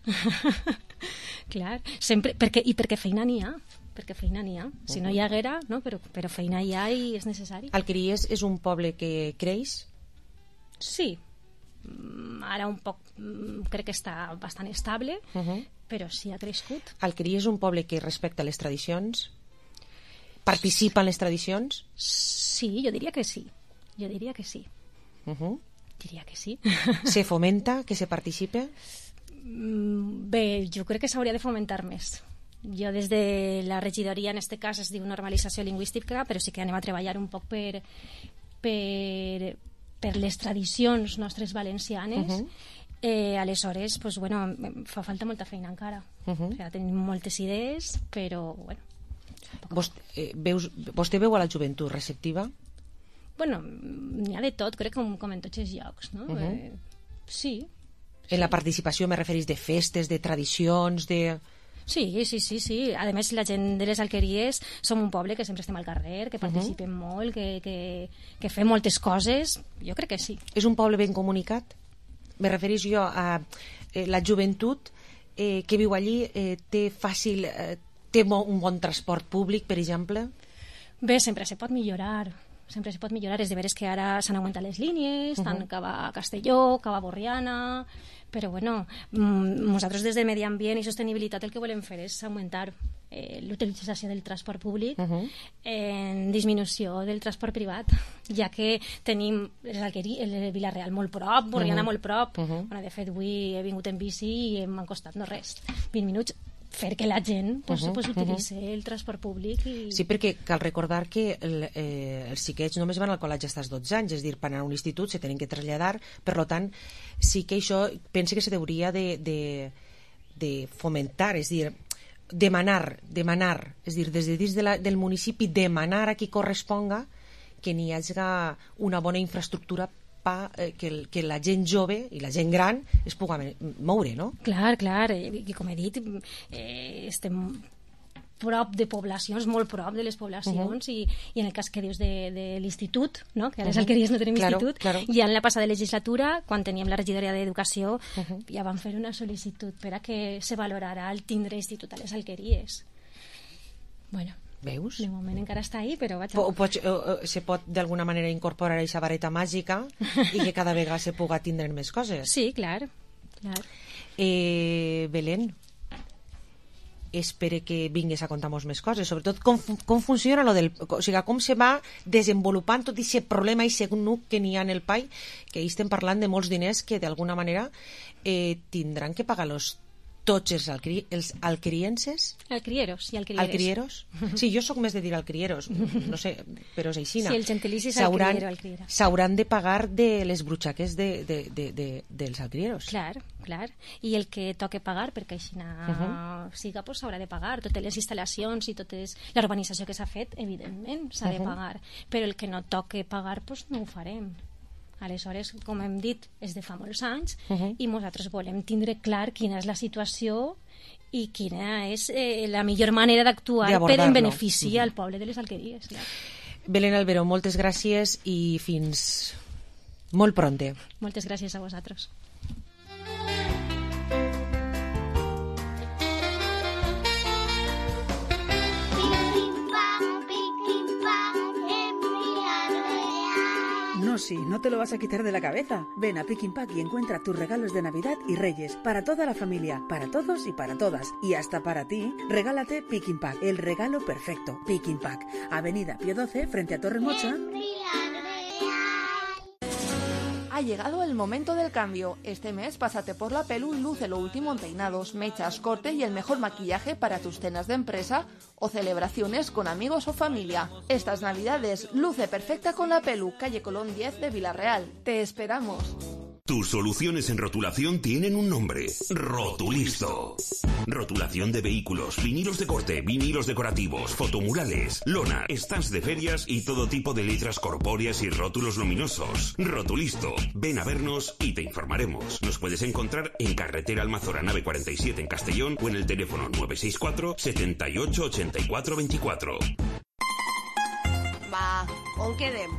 Clar. Sempre, perquè, i perquè feina n'hi ha. Perquè feina n'hi ha. Si no hi haguera, no? Però, però feina hi ha i és necessari. Alqueries és un poble que creix? Sí. Ara un poc crec que està bastant estable, uh -huh. però sí ha crescut. Alqueries és un poble que respecta les tradicions? Participa en les tradicions? Sí, jo diria que sí. Jo diria que sí. Uh -huh. Diria que sí. Se fomenta que se participe? Bé, jo crec que s'hauria de fomentar més. Jo des de la regidoria, en este cas es diu normalització lingüística, però sí que anem a treballar un poc per... per per les tradicions nostres valencianes, uh -huh. eh, aleshores, pues, bueno, fa falta molta feina encara. Uh -huh. O sigui, tenim moltes idees, però, bueno... Vos, eh, veus, vostè veu a la joventut receptiva? Bueno, n'hi ha de tot, crec, com, com en tots els llocs, no? Uh -huh. eh, sí. En sí. La participació me referís de festes, de tradicions, de... Sí, sí, sí, sí. A més, la gent de les Alqueries som un poble que sempre estem al carrer, que participem uh -huh. molt, que, que, que fem moltes coses. Jo crec que sí. És un poble ben comunicat? Me referís jo a eh, la joventut eh, que viu allí, eh, té fàcil... Eh, té un bon transport públic, per exemple? Bé, sempre se pot millorar. Sempre se pot millorar. És de veres que ara s'han augmentat les línies, uh -huh. tant cap a Castelló, cap a Borriana... Però, bueno, nosaltres des de Medi Ambient i Sostenibilitat el que volem fer és augmentar eh, l'utilització del transport públic uh -huh. en disminució del transport privat, ja que tenim el Vila-real molt prop, Borriana uh -huh. molt prop. Uh -huh. Bueno, de fet, avui he vingut en bici i m'han costat no res, vint minuts, fer que la gent pues, uh -huh, pues, utilitzi uh -huh. el transport públic. I... Sí, perquè cal recordar que el, eh, els xiquets només van al col·legi fins als dotze anys, és a dir, per anar a un institut se tenen que traslladar, per tant, sí que això penso que se hauria de, de, de fomentar, és a dir, demanar, demanar, és a dir, des de dins de la, del municipi, demanar a qui corresponga que n'hi hagi una bona infraestructura pa, eh, que, el, que la gent jove i la gent gran es pugui moure, no? Clar, clar, i com he dit, eh, estem prop de poblacions, molt prop de les poblacions, uh -huh. i, i en el cas que dius de, de l'institut, no? Que a les uh -huh. Alqueries no tenim claro, institut, claro. ja en la passada legislatura, quan teníem la regidoria d'Educació, uh -huh. ja vam fer una sol·licitud per a que se valorara el tindre institut a les Alqueries. Bueno, veus? De moment encara està ahí, però vaig... Po, pot, uh, se pot d'alguna manera incorporar aquesta vareta màgica i que cada vegada se puga tindre més coses. Sí, clar. clar. Eh, Belén, espere que vingués a contar-nos més coses, sobretot com, com funciona lo del, o sigui, com se va desenvolupant tot aquest problema i segon nuc que n'hi ha en el pai, que hi estem parlant de molts diners que d'alguna manera eh, tindran que pagar-los tots els, alcri els alcrienses? Alcrieros i alcrieres. Alcrieros? Sí, jo sóc més de dir alcrieros, no sé, però és aixina. Sí, el gentilici és alcriero, alcriera. S'hauran de pagar de les brutxaques de, de, de, de, dels alcrieros. Clar, clar. I el que toque pagar, perquè aixina uh -huh. siga, pues s'haurà de pagar. Totes les instal·lacions i tota la urbanització que s'ha fet, evidentment, s'ha de uh -huh. pagar. Però el que no toque pagar, pues no ho farem. Aleshores, com hem dit, és de fa molts anys uh -huh. i nosaltres volem tindre clar quina és la situació i quina és eh, la millor manera d'actuar per en benefici uh -huh. al poble de les Alqueries. Clar. Belén Albero, moltes gràcies i fins molt pronte. Moltes gràcies a vosaltres. No, sí, no te lo vas a quitar de la cabeza. Ven a Pick and Pack y encuentra tus regalos de Navidad y Reyes para toda la familia, para todos y para todas. Y hasta para ti, regálate Pick and Pack, el regalo perfecto. Pick and Pack, Avenida Pío doce, frente a Torre Mocha. Ha llegado el momento del cambio. Este mes pásate por la Pelu y luce lo último en peinados, mechas, corte y el mejor maquillaje para tus cenas de empresa o celebraciones con amigos o familia. Estas navidades luce perfecta con la Pelu, calle Colón diez de Villarreal. Te esperamos. Tus soluciones en rotulación tienen un nombre: Rotulisto. Rotulación de vehículos, vinilos de corte, vinilos decorativos, fotomurales, lona, stands de ferias y todo tipo de letras corpóreas y rótulos luminosos. Rotulisto. Ven a vernos y te informaremos. Nos puedes encontrar en Carretera Almazora nave cuarenta y siete en Castellón o en el teléfono nueve seis cuatro, setenta y ocho, ochenta y cuatro veinticuatro. Va, on quedem?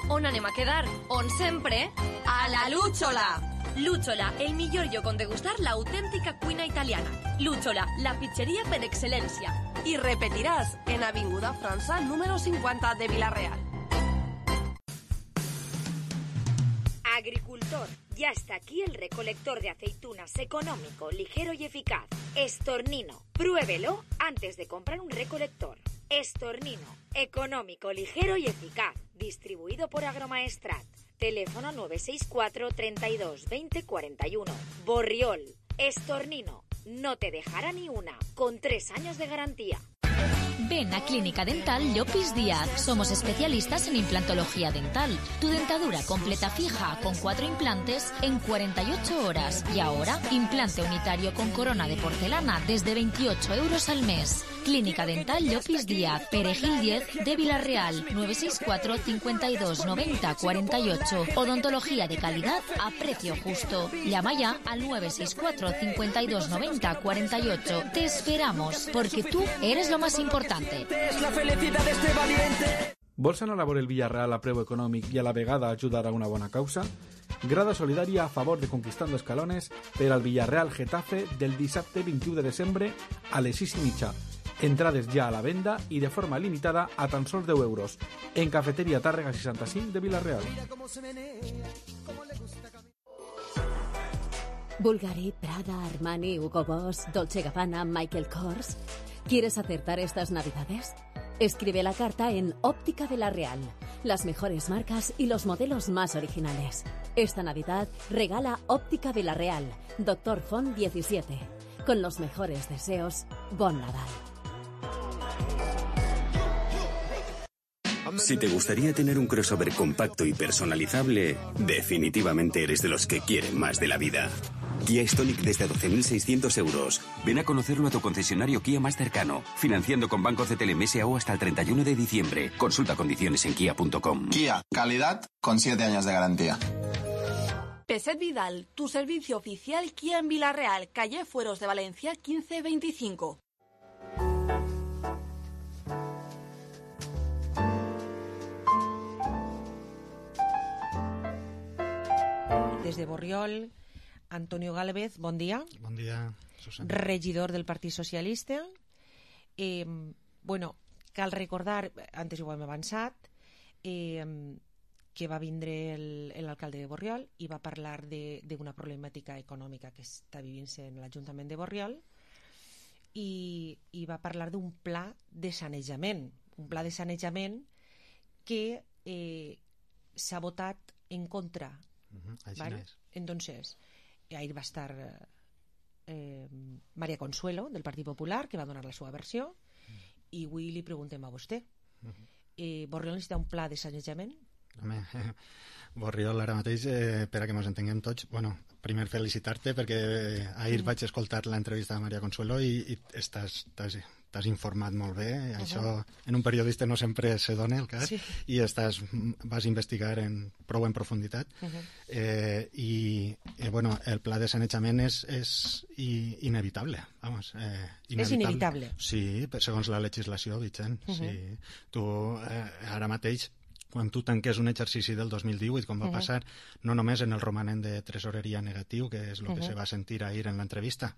On anem a quedar? On sempre? A la Lúchola! Lúchola, el millor lloc on degustar l'autèntica cuina italiana. Lúchola, la pizzeria per excel·lència. I repetiràs en Avinguda França número cincuenta de Villarreal. Agricultor, ya está aquí el recolector de aceitunas económico, ligero y eficaz. Estornino, pruébelo antes de comprar un recolector. Estornino, económico, ligero y eficaz. Distribuido por Agromaestrat. Teléfono nueve seis cuatro, treinta y dos, veinte, cuarenta y uno. Borriol, Estornino, no te dejará ni una, con tres años de garantía. Ven a Clínica Dental Llopis Díaz. Somos especialistas en implantología dental. Tu dentadura completa fija con cuatro implantes en cuarenta y ocho horas. Y ahora, implante unitario con corona de porcelana desde veintiocho euros al mes. Clínica Dental Llopis Díaz, Perejil diez de Villarreal, nueve seis cuatro, cincuenta y dos, noventa, cuarenta y ocho. Odontología de calidad a precio justo. Llama ya al nueve seis cuatro, cincuenta y dos, noventa, cuarenta y ocho. Te esperamos, porque tú eres lo más importante. Es la felicidad de este valiente. Vols anar a veure el Villarreal a preu econòmic i a la vegada ajudar a una bona causa? Grada solidària a favor de Conquistando Escalones per al Villarreal Getafe del dissabte vint-i-u de desembre a les sis i mitja. Entrades ja a la venda i de forma limitada a tan sols deu euros en Cafeteria Tàrrega seixanta-cinc de Villarreal. Bulgari, Prada, Armani, Hugo Boss, Dolce Gabbana, Michael Kors. ¿Quieres acertar estas navidades? Escribe la carta en Óptica de la Real. Las mejores marcas y los modelos más originales. Esta Navidad regala Óptica de la Real, Doctor Font diecisiete. Con los mejores deseos, Bon Nadal. Si te gustaría tener un crossover compacto y personalizable, definitivamente eres de los que quieren más de la vida. Kia Stonic desde doce mil seiscientos euros. Ven a conocerlo a tu concesionario Kia más cercano, financiando con Banco C T L M S A U hasta el treinta y uno de diciembre. Consulta condiciones en kia punto com. Kia, calidad con siete años de garantía. Peset Vidal, tu servicio oficial Kia en Villarreal, calle Fueros de Valencia quince veinticinco. Desde Borriol, Antonio Gálvez, bon dia. Bon dia, Susana. Regidor del Partit Socialista. Eh, bueno, cal recordar, antes ho hem avançat, eh, que va vindre l'alcalde de Borriol i va parlar d'una problemàtica econòmica que està vivint-se en l'Ajuntament de Borriol i, i va parlar d'un pla de sanejament, un pla de sanejament que eh, s'ha votat en contra. Uh-huh, ¿vale? Entonces, ahí va a estar eh, María Consuelo, del Partit Popular, que va donar la seva versió, i avui li preguntem a vostè. Eh, Borriol necessita un pla de sanejament? Home, Borriol ara mateix, eh, per a que ens entenguem tots, bueno, primer felicitar-te perquè ahir mm. vaig escoltar l'entrevista de María Consuelo i, i estàs, estàs, t'has informat molt bé. Uh-huh. Això en un periodista no sempre se dona el cas, sí. I estàs, vas investigar en, prou en profunditat. Uh-huh. eh, i, i bueno, el pla de sanejament és, és i, inevitable, vamos, eh, inevitable. És inevitable? Sí, segons la legislació, Vicent. Uh-huh. Sí. Tu eh, ara mateix, quan tu tanques un exercici del dos mil divuit, com va uh-huh. passar, no només en el romanent de tresoreria negatiu, que és el uh-huh. que se va sentir ahir en l'entrevista,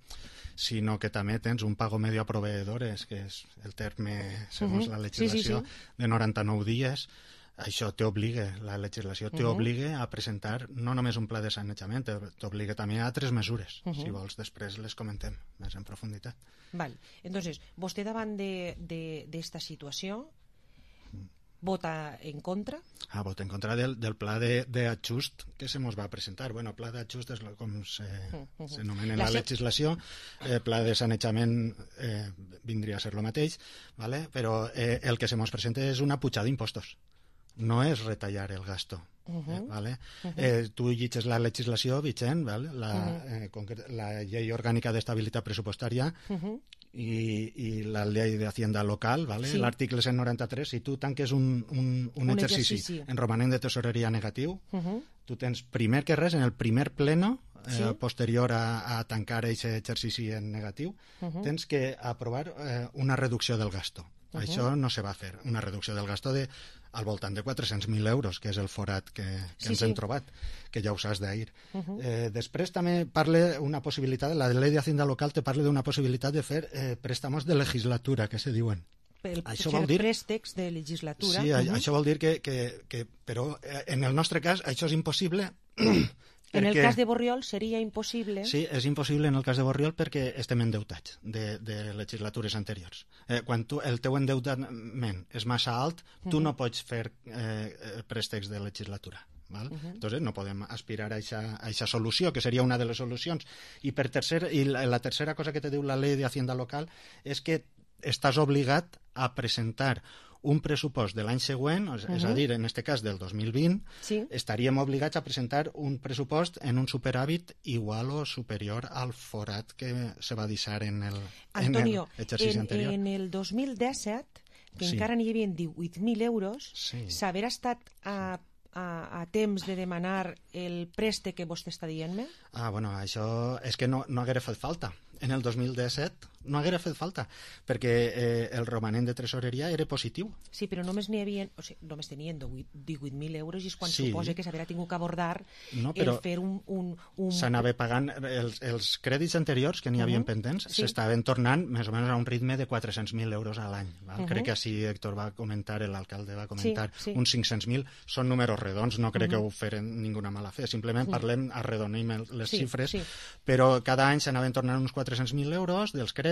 sinó que també tens un pago medio a proveedores, que és el terme, segons uh-huh. la legislació, sí, sí, sí. de noranta-nou dies. Això t'obliga, la legislació t'obliga uh-huh. a presentar no només un pla de sanejament, t'obliga també a altres mesures. Uh-huh. Si vols, després les comentem més en profunditat. Val. Entonces, vostè davant d'esta situació vota en contra? Ah, vota en contra del, del pla d'ajust que se mos va presentar. Bueno, pla d'ajust és com s'anomena en la, la legislació. Eh, pla de sanejament eh, vindria a ser el mateix, ¿vale? Però eh, el que se mos presenta és una pujada d'impostos. No és retallar el gasto. Uh-huh. eh, ¿vale? uh-huh. eh, tu llitges la legislació, Vicent, ¿vale? la, uh-huh. eh, la llei orgànica d'estabilitat pressupostària uh-huh. i, i la llei d'Hacienda local, ¿vale? Sí. L'article cent noranta-tres, si tu tanques un, un, un, un exercici, exercici en romanent de tesoreria negatiu, uh-huh. tu tens primer que res, en el primer pleno, eh, sí. posterior a, a tancar aquest exercici en negatiu, uh-huh. tens que aprovar eh, una reducció del gasto. Uh-huh. Això no se va fer, una reducció del gasto de al voltant de quatre-cents mil euros, que és el forat que, que sí, ens hem sí. trobat, que ja ho saps d'ahir. Uh-huh. eh, després també parla una possibilitat, la llei de Hacienda local te parla d'una possibilitat de fer eh, préstamos de legislatura, que se diuen. Per això vol dir préstecs de legislatura. Sí, uh-huh. això vol dir que, que, que... Però en el nostre cas això és impossible. En el cas de Borriol seria impossible? Sí, és impossible en el cas de Borriol perquè estem endeutats de, de legislatures anteriors. Eh, quan tu, el teu endeutament és massa alt, tu uh-huh. no pots fer eh, préstecs de legislatura. ¿Vale? Uh-huh. Entonces no podem aspirar a aquesta solució, que seria una de les solucions. I, per tercer, i la, la tercera cosa que te diu la llei de Hacienda local és que estàs obligat a presentar un pressupost de l'any següent, és uh-huh. a dir, en aquest cas del dos mil vint, sí. estaríem obligats a presentar un pressupost en un superàvit igual o superior al forat que se va deixar en el, Antonio, en el exercici en, anterior. En el dos mil disset, que sí. encara n'hi havia divuit mil euros, sí. s'haver estat a, a, a temps de demanar el préstec que vostè està dient-me? Ah, bueno, això és que no, no haguera fet falta. En el dos mil disset no haguera fet falta, perquè eh, el romanent de tresoreria era positiu. Sí, però només n'hi havia, o sigui, només tenien divuit mil euros i és quan sí. suposa que s'haurà tingut que abordar no, el fer un... un, un... S'anava pagant els, els crèdits anteriors que n'hi havia uh-huh. pendents, sí. s'estaven tornant més o menys a un ritme de quatre-cents mil euros a l'any. Uh-huh. Crec que així Héctor va comentar, l'alcalde va comentar, sí, sí. uns cinc-cents mil, són números redons, no crec uh-huh. que ho feren ninguna mala fe, simplement uh-huh. parlem, arredonim les sí, xifres, sí. però cada any s'anaven tornant uns quatre-cents mil euros dels crèdits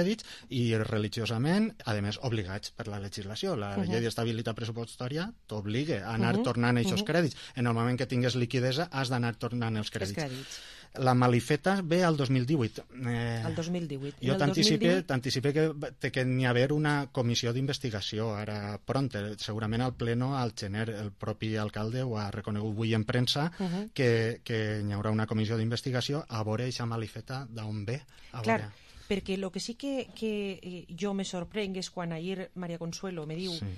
i religiosament, a més, obligats per la legislació. La uh-huh. llei d'estabilitat pressupostària t'obliga a anar uh-huh. tornant aquests uh-huh. crèdits. En el moment que tingues liquidesa has d'anar tornant els crèdits. Els crèdits. La malifeta ve al dos mil divuit. Eh, el dos mil divuit. Jo t'anticipé que té que n'hi haver una comissió d'investigació ara pront. Segurament al pleno, al gener, el propi alcalde ho ha reconegut avui en premsa, uh-huh. que, que hi haurà una comissió d'investigació a veure aquesta malifeta d'on ve. A Clar, veure. Perquè el que sí que, que jo me sorprenc és quan ahir María Consuelo me diu sí.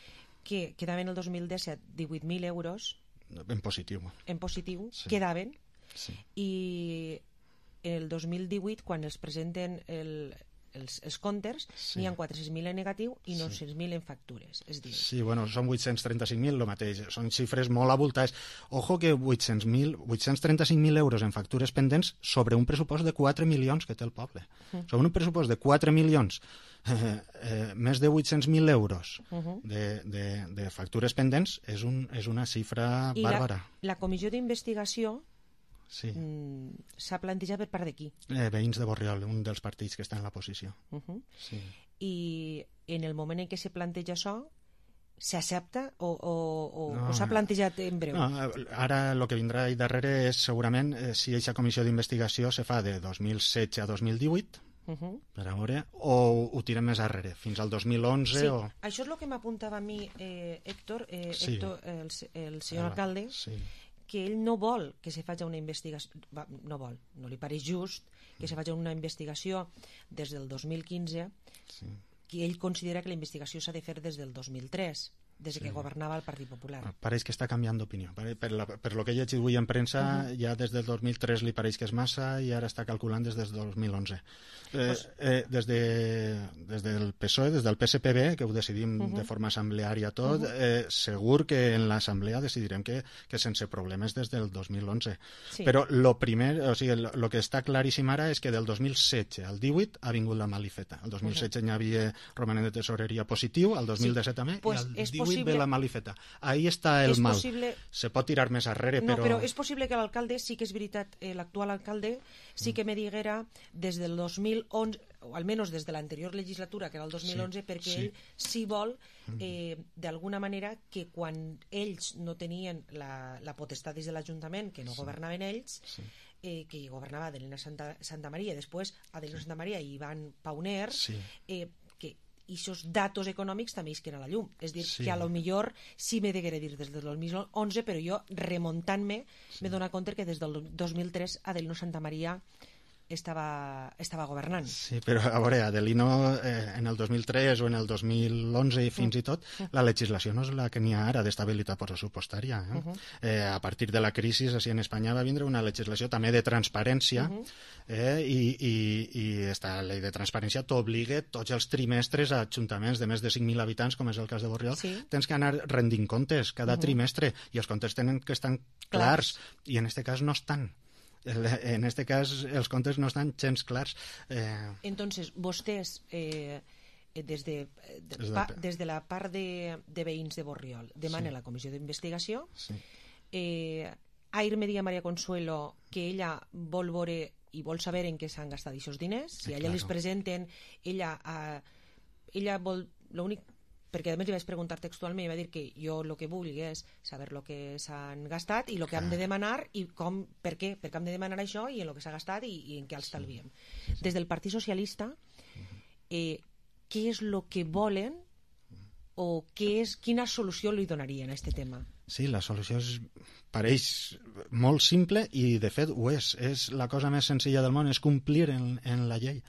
que quedaven el dos mil disset divuit mil euros en positiu, en positiu sí. quedaven sí. i el dos mil divuit quan els presenten el, els, els comptes sí. n'hi ha quatre-cents mil en negatiu i nou-cents mil en factures, és dir... Sí, bueno, són vuit-cents trenta-cinc mil el mateix, són xifres molt abultades. Ojo que vuit-cents mil, vuit-cents trenta-cinc mil euros en factures pendents sobre un pressupost de quatre milions que té el poble. Uh-huh. Sobre un pressupost de quatre milions, eh, eh, més de vuit-cents mil euros uh-huh. de, de, de factures pendents és, un, és una xifra I bàrbara. La, la comissió d'investigació Sí. Mm, s'ha plantejat per part de qui? Eh, veïns de Borriol, un dels partits que està en la posició. Uh -huh. Sí. I en el moment en què se planteja això, s'accepta o, o, o, no, o s'ha plantejat en breu? No, ara el que vindrà ahí darrere és segurament eh, si aquesta comissió d'investigació se fa de dos mil setze a dos mil divuit, uh -huh. per a veure, o ho tirem més arrere, fins al dos mil onze. Sí, o... això és el que m'apuntava a mi eh, Héctor, eh, sí. Héctor el, el senyor ah, alcalde, sí. que ell no vol que se faci una investigació, no vol, no li pareix just que se faci una investigació des del dos mil quinze, sí. que ell considera que la investigació s'ha de fer des del dos mil tres, des sí. que governava el Partit Popular. Pareix que està canviant d'opinió. Per, per, la, per lo que he llegit avui en premsa, uh -huh. ja des del dos mil tres li pareix que és massa i ara està calculant des del dos mil onze. Eh, pues... eh, des, de, des del P S O E, des del P S P B, que ho decidim uh -huh. de forma assembleària tot, uh -huh. eh, segur que en l'assemblea decidirem que, que sense problemes des del dos mil onze. Sí. Però lo primer, o sigui, lo, lo que està claríssim ara és que del dos mil setze al divuit ha vingut la malifeta. El dos mil setze uh -huh. n'hi havia romanent de tesoreria positiu, el dos mil disset sí. també, pues i el divuit ve la malifeta. Ahí està el mal. Possible... Se pot tirar més arrere, no, però... però és possible que l'alcalde, sí que és veritat, eh, l'actual alcalde, sí que me diguera des del dos mil onze, o almenys des de l'anterior legislatura, que era el dos mil onze, sí, perquè sí. ell sí vol, eh, d'alguna manera, que quan ells no tenien la, la potestat des de l'Ajuntament, que no sí. governaven ells, sí. eh, que governava Adelina Santa, Santa Maria, després Adelina sí. Santa Maria i Ivan Pauner, sí. eh, que i aquests datos econòmics també isquen a la llum. És dir, sí. que a lo millor sí m'he de dir des del dos mil onze, però jo, remuntant-me, sí. m'he donat compte que des del dos mil tres Adelino Santa Maria estava, estava governant. Sí, però a veure, Adelino eh, en el dos mil tres o en el dos mil onze i fins mm. i tot, la legislació no és la que n'hi ha ara d'estabilitat pressupostària. Eh? Uh -huh. eh, a partir de la crisi, així en Espanya va vindre una legislació també de transparència, uh -huh. eh, i, i, i esta llei de transparència t'obliga tots els trimestres a ajuntaments de més de cinc mil habitants, com és el cas de Borriol, sí. tens que anar rendint comptes cada uh -huh. trimestre, i els comptes tenen que estar clars, clars. I en aquest cas no estan. En este cas els comptes no estan gens clars. Eh... Entonces, vostès eh, des, de, de, pa, des de la part de, de veïns de Borriol demanen sí. la comissió d'investigació. Sí. Eh, Air Media Maria Consuelo, que ella vol veure i vol saber en què s'han gastat aquests diners, si a ella claro. les presenten, ella, eh, ella vol, l'únic perquè a més li vaig preguntar textualment i va dir que jo el que vulgui és saber el que s'han gastat i el que hem de demanar i com, per què, perquè hem de demanar això i en el que s'ha gastat i, i en què els talviem. Sí. Des del Partit Socialista, eh, què és el que volen o què és, quina solució li donarien a aquest tema? Sí, la solució és, pareix molt simple i de fet ho és. És la cosa més senzilla del món, és complir en, en la llei.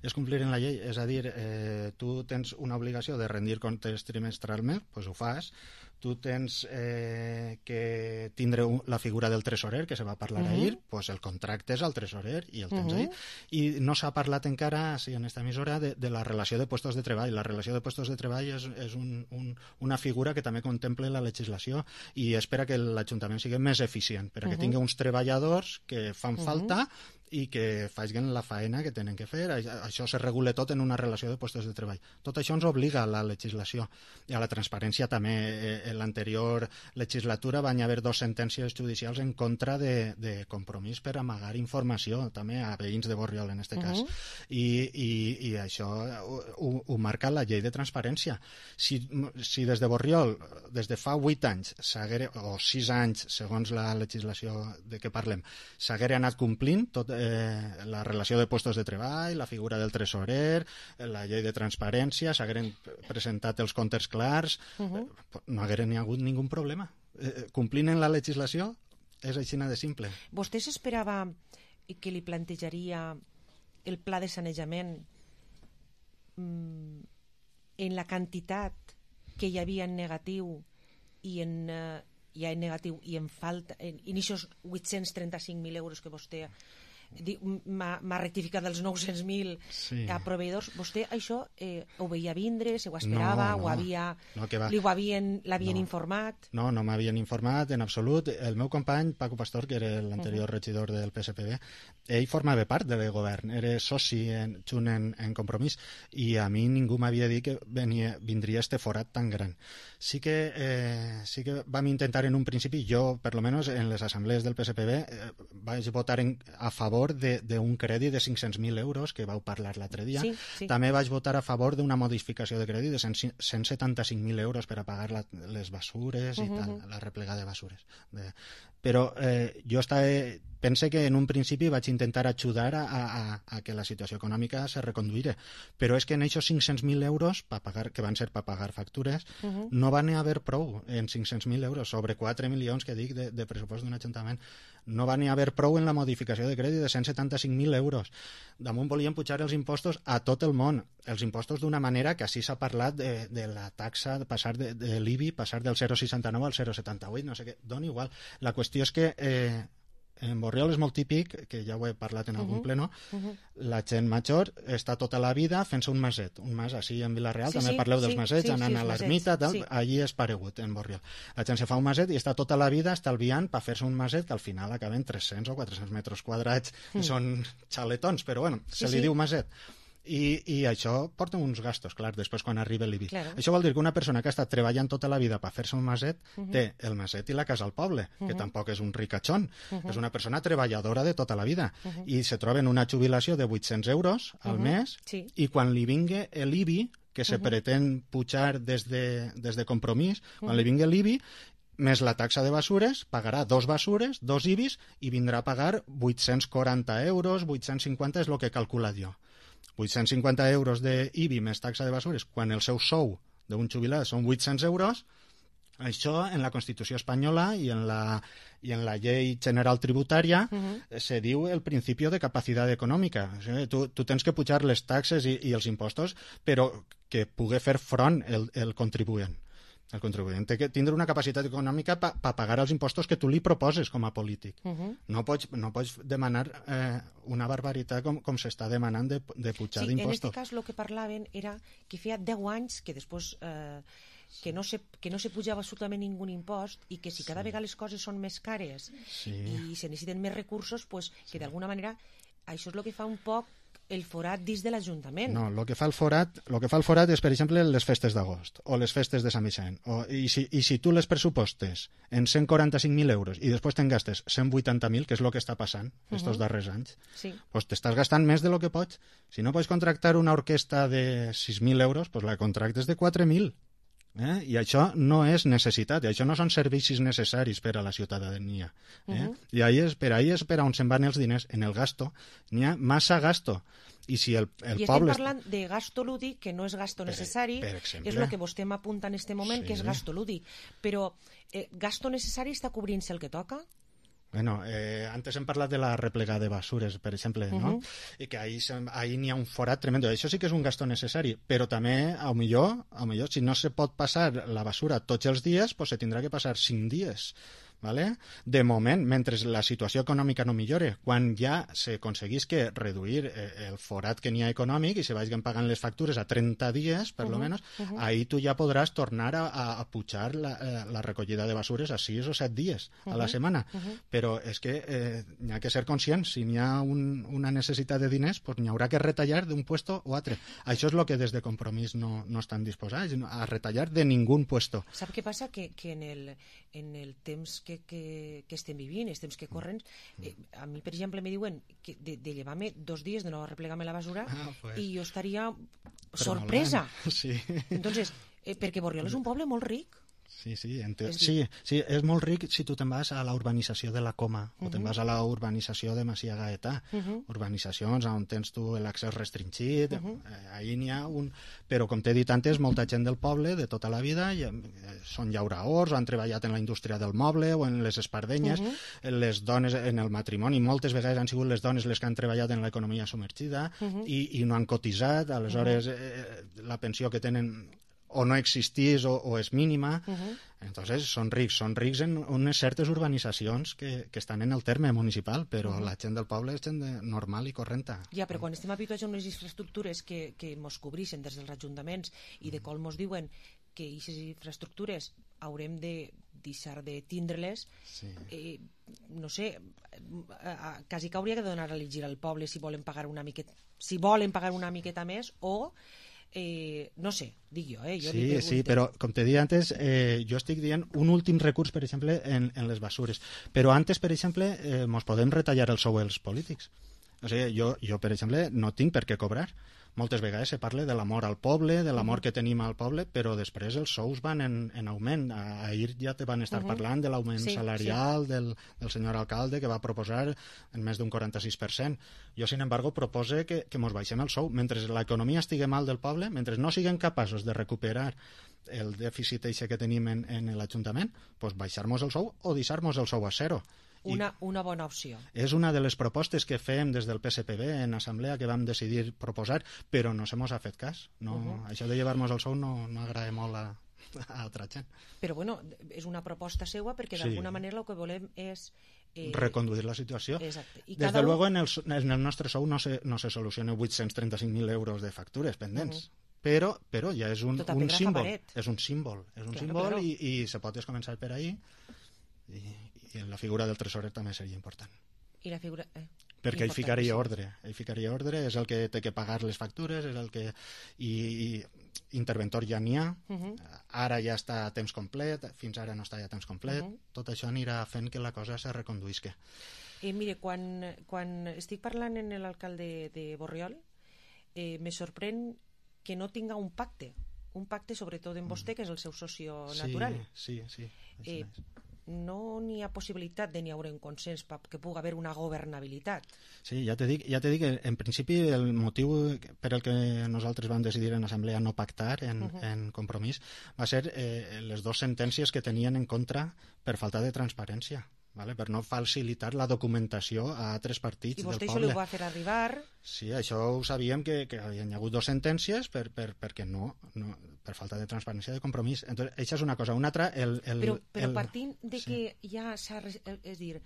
És complir en la llei, és a dir, eh, tu tens una obligació de rendir comptes trimestralment, doncs ho fas. Tu tens eh, que tindre un, la figura del tresorer, que se va parlar uh -huh. ahir, doncs el contracte és al tresorer i el tens uh -huh. ahí. I no s'ha parlat encara, sí, en esta emissora, de, de la relació de puestos de treball. La relació de puestos de treball és, és un, un, una figura que també contempla la legislació i espera que l'Ajuntament sigui més eficient, perquè uh -huh. tingui uns treballadors que fan uh -huh. falta i que facin la faena que tenen que fer. Això se regula tot en una relació de puestos de treball. Tot això ens obliga a la legislació i a la transparència també. En l'anterior legislatura van haver dos sentències judicials en contra de, de compromís per amagar informació, també a veïns de Borriol en aquest cas. Uh -huh. I, i, I això ho, ho marca la llei de transparència. Si, si des de Borriol, des de fa vuit anys, o sis anys, segons la legislació de què parlem, s'haguera anat complint tot Eh, la relació de puestos de treball, la figura del tresorer, la llei de transparència, s'hagueren presentat els comptes clars, uh -huh. eh, no hagueren ni hagut ningú problema. Eh, complint en la legislació és així de simple. Vostè s'esperava que li plantejaria el pla de sanejament mm, en la quantitat que hi havia en negatiu i en... Eh, ja en negatiu i en falta, en, en aquests vuit-cents trenta-cinc mil euros que vostè m'ha rectificat dels nou-cents mil sí. a proveïdors. Vostè això eh, ho veia vindre, se ho esperava, no, no. ho havia, no, que va. li ho havien, l'havien no. informat? No, no m'havien informat en absolut. El meu company, Paco Pastor, que era l'anterior uh -huh. regidor del P S P B, ell formava part del govern, era soci en, junt en, en Compromís, i a mi ningú m'havia dit que venia, vindria este forat tan gran. Sí que, eh, sí que vam intentar en un principi, jo, per lo menos, en les assemblees del P S P B, eh, vaig votar en, a favor d'un crèdit de cinc-cents mil euros, que vau parlar l'altre dia. Sí, sí. També vaig votar a favor d'una modificació de crèdit de cent setanta-cinc mil euros per a pagar la, les basures uh -huh. i tal, la replegada de basures. De, però eh, jo estava, pense que en un principi vaig intentar ajudar a, a, a que la situació econòmica se reconduïra, però és que en aquests cinc-cents mil euros, pa pagar, que van ser per pagar factures, uh -huh. no van haver prou en cinc-cents mil euros, sobre quatre milions que dic de, de pressupost d'un ajuntament. No va ni haver prou en la modificació de crèdit de cent setanta-cinc mil euros. Damunt volien pujar els impostos a tot el món, els impostos d'una manera que així s'ha parlat de, de la taxa, de passar de, de l'I B I, passar del zero coma seixanta-nou al zero coma setanta-vuit, no sé què, dona igual. La qüestió és que eh, en Borriol és molt típic, que ja ho he parlat en algun uh -huh. pleno, uh -huh. la gent major està tota la vida fent-se un maset, un mas, així en Vila-real, sí, també sí, parleu dels sí, masets, sí, anant sí, a l'ermita, sí. Allí és paregut, en Borriol. La gent se fa un maset i està tota la vida estalviant per fer-se un maset que al final acaben tres-cents o quatre-cents metres quadrats, que mm. són xaletons, però bueno, sí, se li sí. diu maset. I, i això porta uns gastos, clar, després quan arriba l'I B I. Claro. Això vol dir que una persona que ha estat treballant tota la vida per fer-se un maset uh -huh. té el maset i la casa al poble, uh -huh. que tampoc és un ricachón, uh -huh. és una persona treballadora de tota la vida, uh -huh. i se troba en una jubilació de vuit-cents euros al uh -huh. mes, sí. i quan li vingui l'I B I, que se uh -huh. pretén pujar des de, des de Compromís, quan uh -huh. li vingui l'I B I, més la taxa de basures, pagarà dos basures, dos I B Is, i vindrà a pagar vuit-cents quaranta euros, vuit-cents cinquanta és el que calcula jo. vuit-cents cinquanta euros de I B I més taxa de basures, quan el seu sou d'un jubilat són vuit-cents euros, això en la Constitució espanyola i en la, i en la llei general tributària uh-huh. se diu el principi de capacitat econòmica. O sigui, tu, tu tens que pujar les taxes i, i els impostos, però que pugui fer front el, el contribuent. El contribuent té que tindre una capacitat econòmica per pa pagar els impostos que tu li proposes com a polític. Uh -huh. No pots, no pots demanar eh, una barbaritat com, com s'està demanant de, de pujar sí, d'impostos. En aquest cas el que parlaven era que feia deu anys que després eh, que, no se, que no se pujava absolutament ningú impost i que si cada sí. vegada les coses són més cares sí. i se necessiten més recursos, pues, que sí. d'alguna manera això és el que fa un poc el forat dins de l'Ajuntament. No, el que fa el forat, lo que fa el forat és, per exemple, les festes d'agost o les festes de Sant Vicent. O, i, si, I si tu les pressupostes en cent quaranta-cinc mil euros i després te'n gastes cent vuitanta mil, que és el que està passant estos uh-huh. darrers anys, sí. pues t'estàs gastant més de lo que pots. Si no pots contractar una orquestra de sis mil euros, pues la contractes de quatre mil. Eh? I això no és necessitat, i això no són servicis necessaris per a la ciutadania. Eh? Uh-huh. I ahí és, per ahí és per on se'n van els diners. En el gasto n'hi ha massa gasto. I si el, el I poble... estem parlant de gasto lúdic, que no és gasto per, necessari, per exemple, és el que vostè m'apunta en aquest moment, sí. que és gasto lúdic. Però eh, gasto necessari està cobrint-se el que toca? Bueno, eh, antes hem parlat de la replegada de basures, per exemple, uh-huh. no? I que ahí, ahí n'hi ha un forat tremendo. Això sí que és un gasto necessari, però també, a millor, a millor, si no se pot passar la basura tots els dies, pues se tindrà que passar cinc dies. ¿Vale? De moment, mentre la situació econòmica no millore, quan ja s'aconseguís que reduir eh, el forat que n'hi ha econòmic i se vagin pagant les factures a trenta dies, per uh-huh, lo menos, uh-huh. ahí tu ja podràs tornar a, a, a pujar la, eh, la recollida de basures a sis o set dies uh-huh, a la setmana. Uh-huh. Però és que eh, n'hi ha que ser conscients, si n'hi ha un, una necessitat de diners, pues n'hi haurà que retallar d'un puesto o altre. Això és el que des de Compromís no, no estan disposats, a retallar de ningú puesto. Sap què passa? Que, que en, el, en el temps que, que, que estem vivint, els temps que corren, eh, a mi, per exemple, me diuen que de, de llevar-me dos dies de no replegar-me la basura ah, pues. i jo estaria sorpresa. Sí. Entonces, eh, perquè Borriol és un poble molt ric. Sí, sí, ente... sí, sí, és molt ric si tu te'n vas a la urbanització de la Coma uh-huh. o te'n vas a la urbanització de Masia Gaetà, uh-huh. urbanizacions on tens tu l'accés restringit, uh-huh. eh, ahí n'hi ha un... Però, com t'he dit antes, molta gent del poble, de tota la vida, i, eh, són llauraors, han treballat en la indústria del moble o en les espardenyes, uh-huh. les dones en el matrimoni, moltes vegades han sigut les dones les que han treballat en l'economia submergida uh-huh. i, i no han cotitzat, aleshores uh-huh. eh, la pensió que tenen o no existís o, o és mínima. Uh -huh. Entonces són rics, són rics en unes certes urbanitzacions que, que estan en el terme municipal, però uh -huh. la gent del poble és gent de, normal i correnta. Ja, però quan estem habituats a unes infraestructures que, que mos cobreixen des dels ajuntaments i de com mos diuen que aquestes infraestructures haurem de deixar de tindre-les, sí. eh, no sé, eh, quasi que hauria de donar a elegir al poble si volen pagar una miqueta, si volen pagar una miqueta més o Eh, no sé, dic jo, eh? Jo sí, sí, però com te deia antes, eh, jo estic dient un últim recurs, per exemple, en, en les basures. Però antes, per exemple, eh, mos podem retallar el sou als polítics. O sigui, jo, jo, per exemple, no tinc per què cobrar. Moltes vegades se parla de l'amor al poble, de l'amor que tenim al poble, però després els sous van en, en augment. Ahir ja te van estar uh -huh. parlant de l'augment sí, salarial sí. Del, del senyor alcalde, que va proposar en més d'un quaranta-sis per cent. Jo, sin embargo, propose que, que mos baixem el sou. Mentre l'economia estigui mal del poble, mentre no siguem capaços de recuperar el dèficit eixe que tenim en, en l'Ajuntament, pues baixar-nos el sou o deixar-nos el sou a zero. Una, una bona opció. És una de les propostes que fem des del P S P B en assemblea, que vam decidir proposar, però no se mos ha fet cas. No, uh -huh. Això de llevar-nos el sou no, no agrada molt a, a altra gent. Però bueno, és una proposta seua perquè d'alguna sí. manera el que volem és Eh, reconduir la situació. Exacte. I Des de luego, en el, en el nostre sou no se, no se soluciona vuit-cents trenta-cinc mil euros de factures pendents. Uh -huh. Però, però ja és un, un símbol. És un símbol. És un claro, símbol claro. i, i se pot començar per ahí. I, i en la figura del tresorer també seria important. I la figura... Eh, perquè ell ficaria ordre. Ell ficaria ordre, és el que té que pagar les factures, és el que... I, i interventor ja n'hi ha, uh -huh. ara ja està a temps complet, fins ara no està ja a temps complet, uh -huh. tot això anirà fent que la cosa se reconduïsca. Eh, mire, quan, quan estic parlant amb l'alcalde de Borriol, eh, me sorprèn que no tinga un pacte, un pacte sobretot en vostè, que és el seu socio natural. Sí, sí, sí. Eh, no n'hi ha possibilitat de n'hi haure un consens que pugui haver una governabilitat. Sí, ja te dic, ja te dic que en principi el motiu per el que nosaltres vam decidir en assemblea no pactar en, uh -huh. en Compromís va ser eh, les dues sentències que tenien en contra per falta de transparència, vale? Per no facilitar la documentació a altres partits del poble. I vostè això li ho va fer arribar? Sí, això ho sabíem que, que hi havia hagut dues sentències per, per, perquè no, no, per falta de transparència de Compromís. Entonces, això és una cosa. Una altra... El, el, però però el... partint de sí. que ja s'ha... És dir,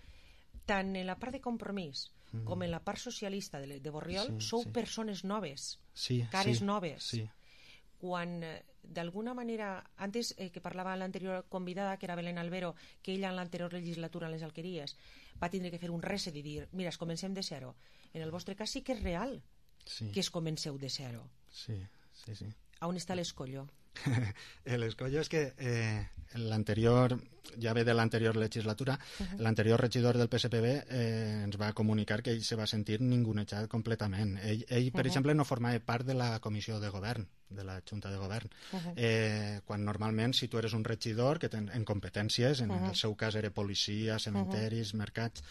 tant en la part de Compromís mm. com en la part socialista de, de Borriol sí, sou sí. persones noves, sí, cares sí, noves. Sí. Quan d'alguna manera, antes eh, que parlava l'anterior convidada, que era Belén Albero, que ella en l'anterior legislatura en les alqueries va tindre que fer un reset i dir, mira, es comencem de zero. En el vostre cas sí que és real sí. que es comenceu de zero. Sí, sí, sí. A on està l'escollo? L'escollo és que eh, l'anterior, ja ve de l'anterior legislatura, uh -huh. l'anterior regidor del P S P B eh, ens va comunicar que ell se va sentir ningunejat completament. Ell, ell per uh -huh. exemple, no formava part de la comissió de govern, de la Junta de Govern. Uh -huh. eh, quan normalment, si tu eres un regidor que ten, en competències, en uh -huh. el seu cas era policia, cementeris, uh -huh. mercats,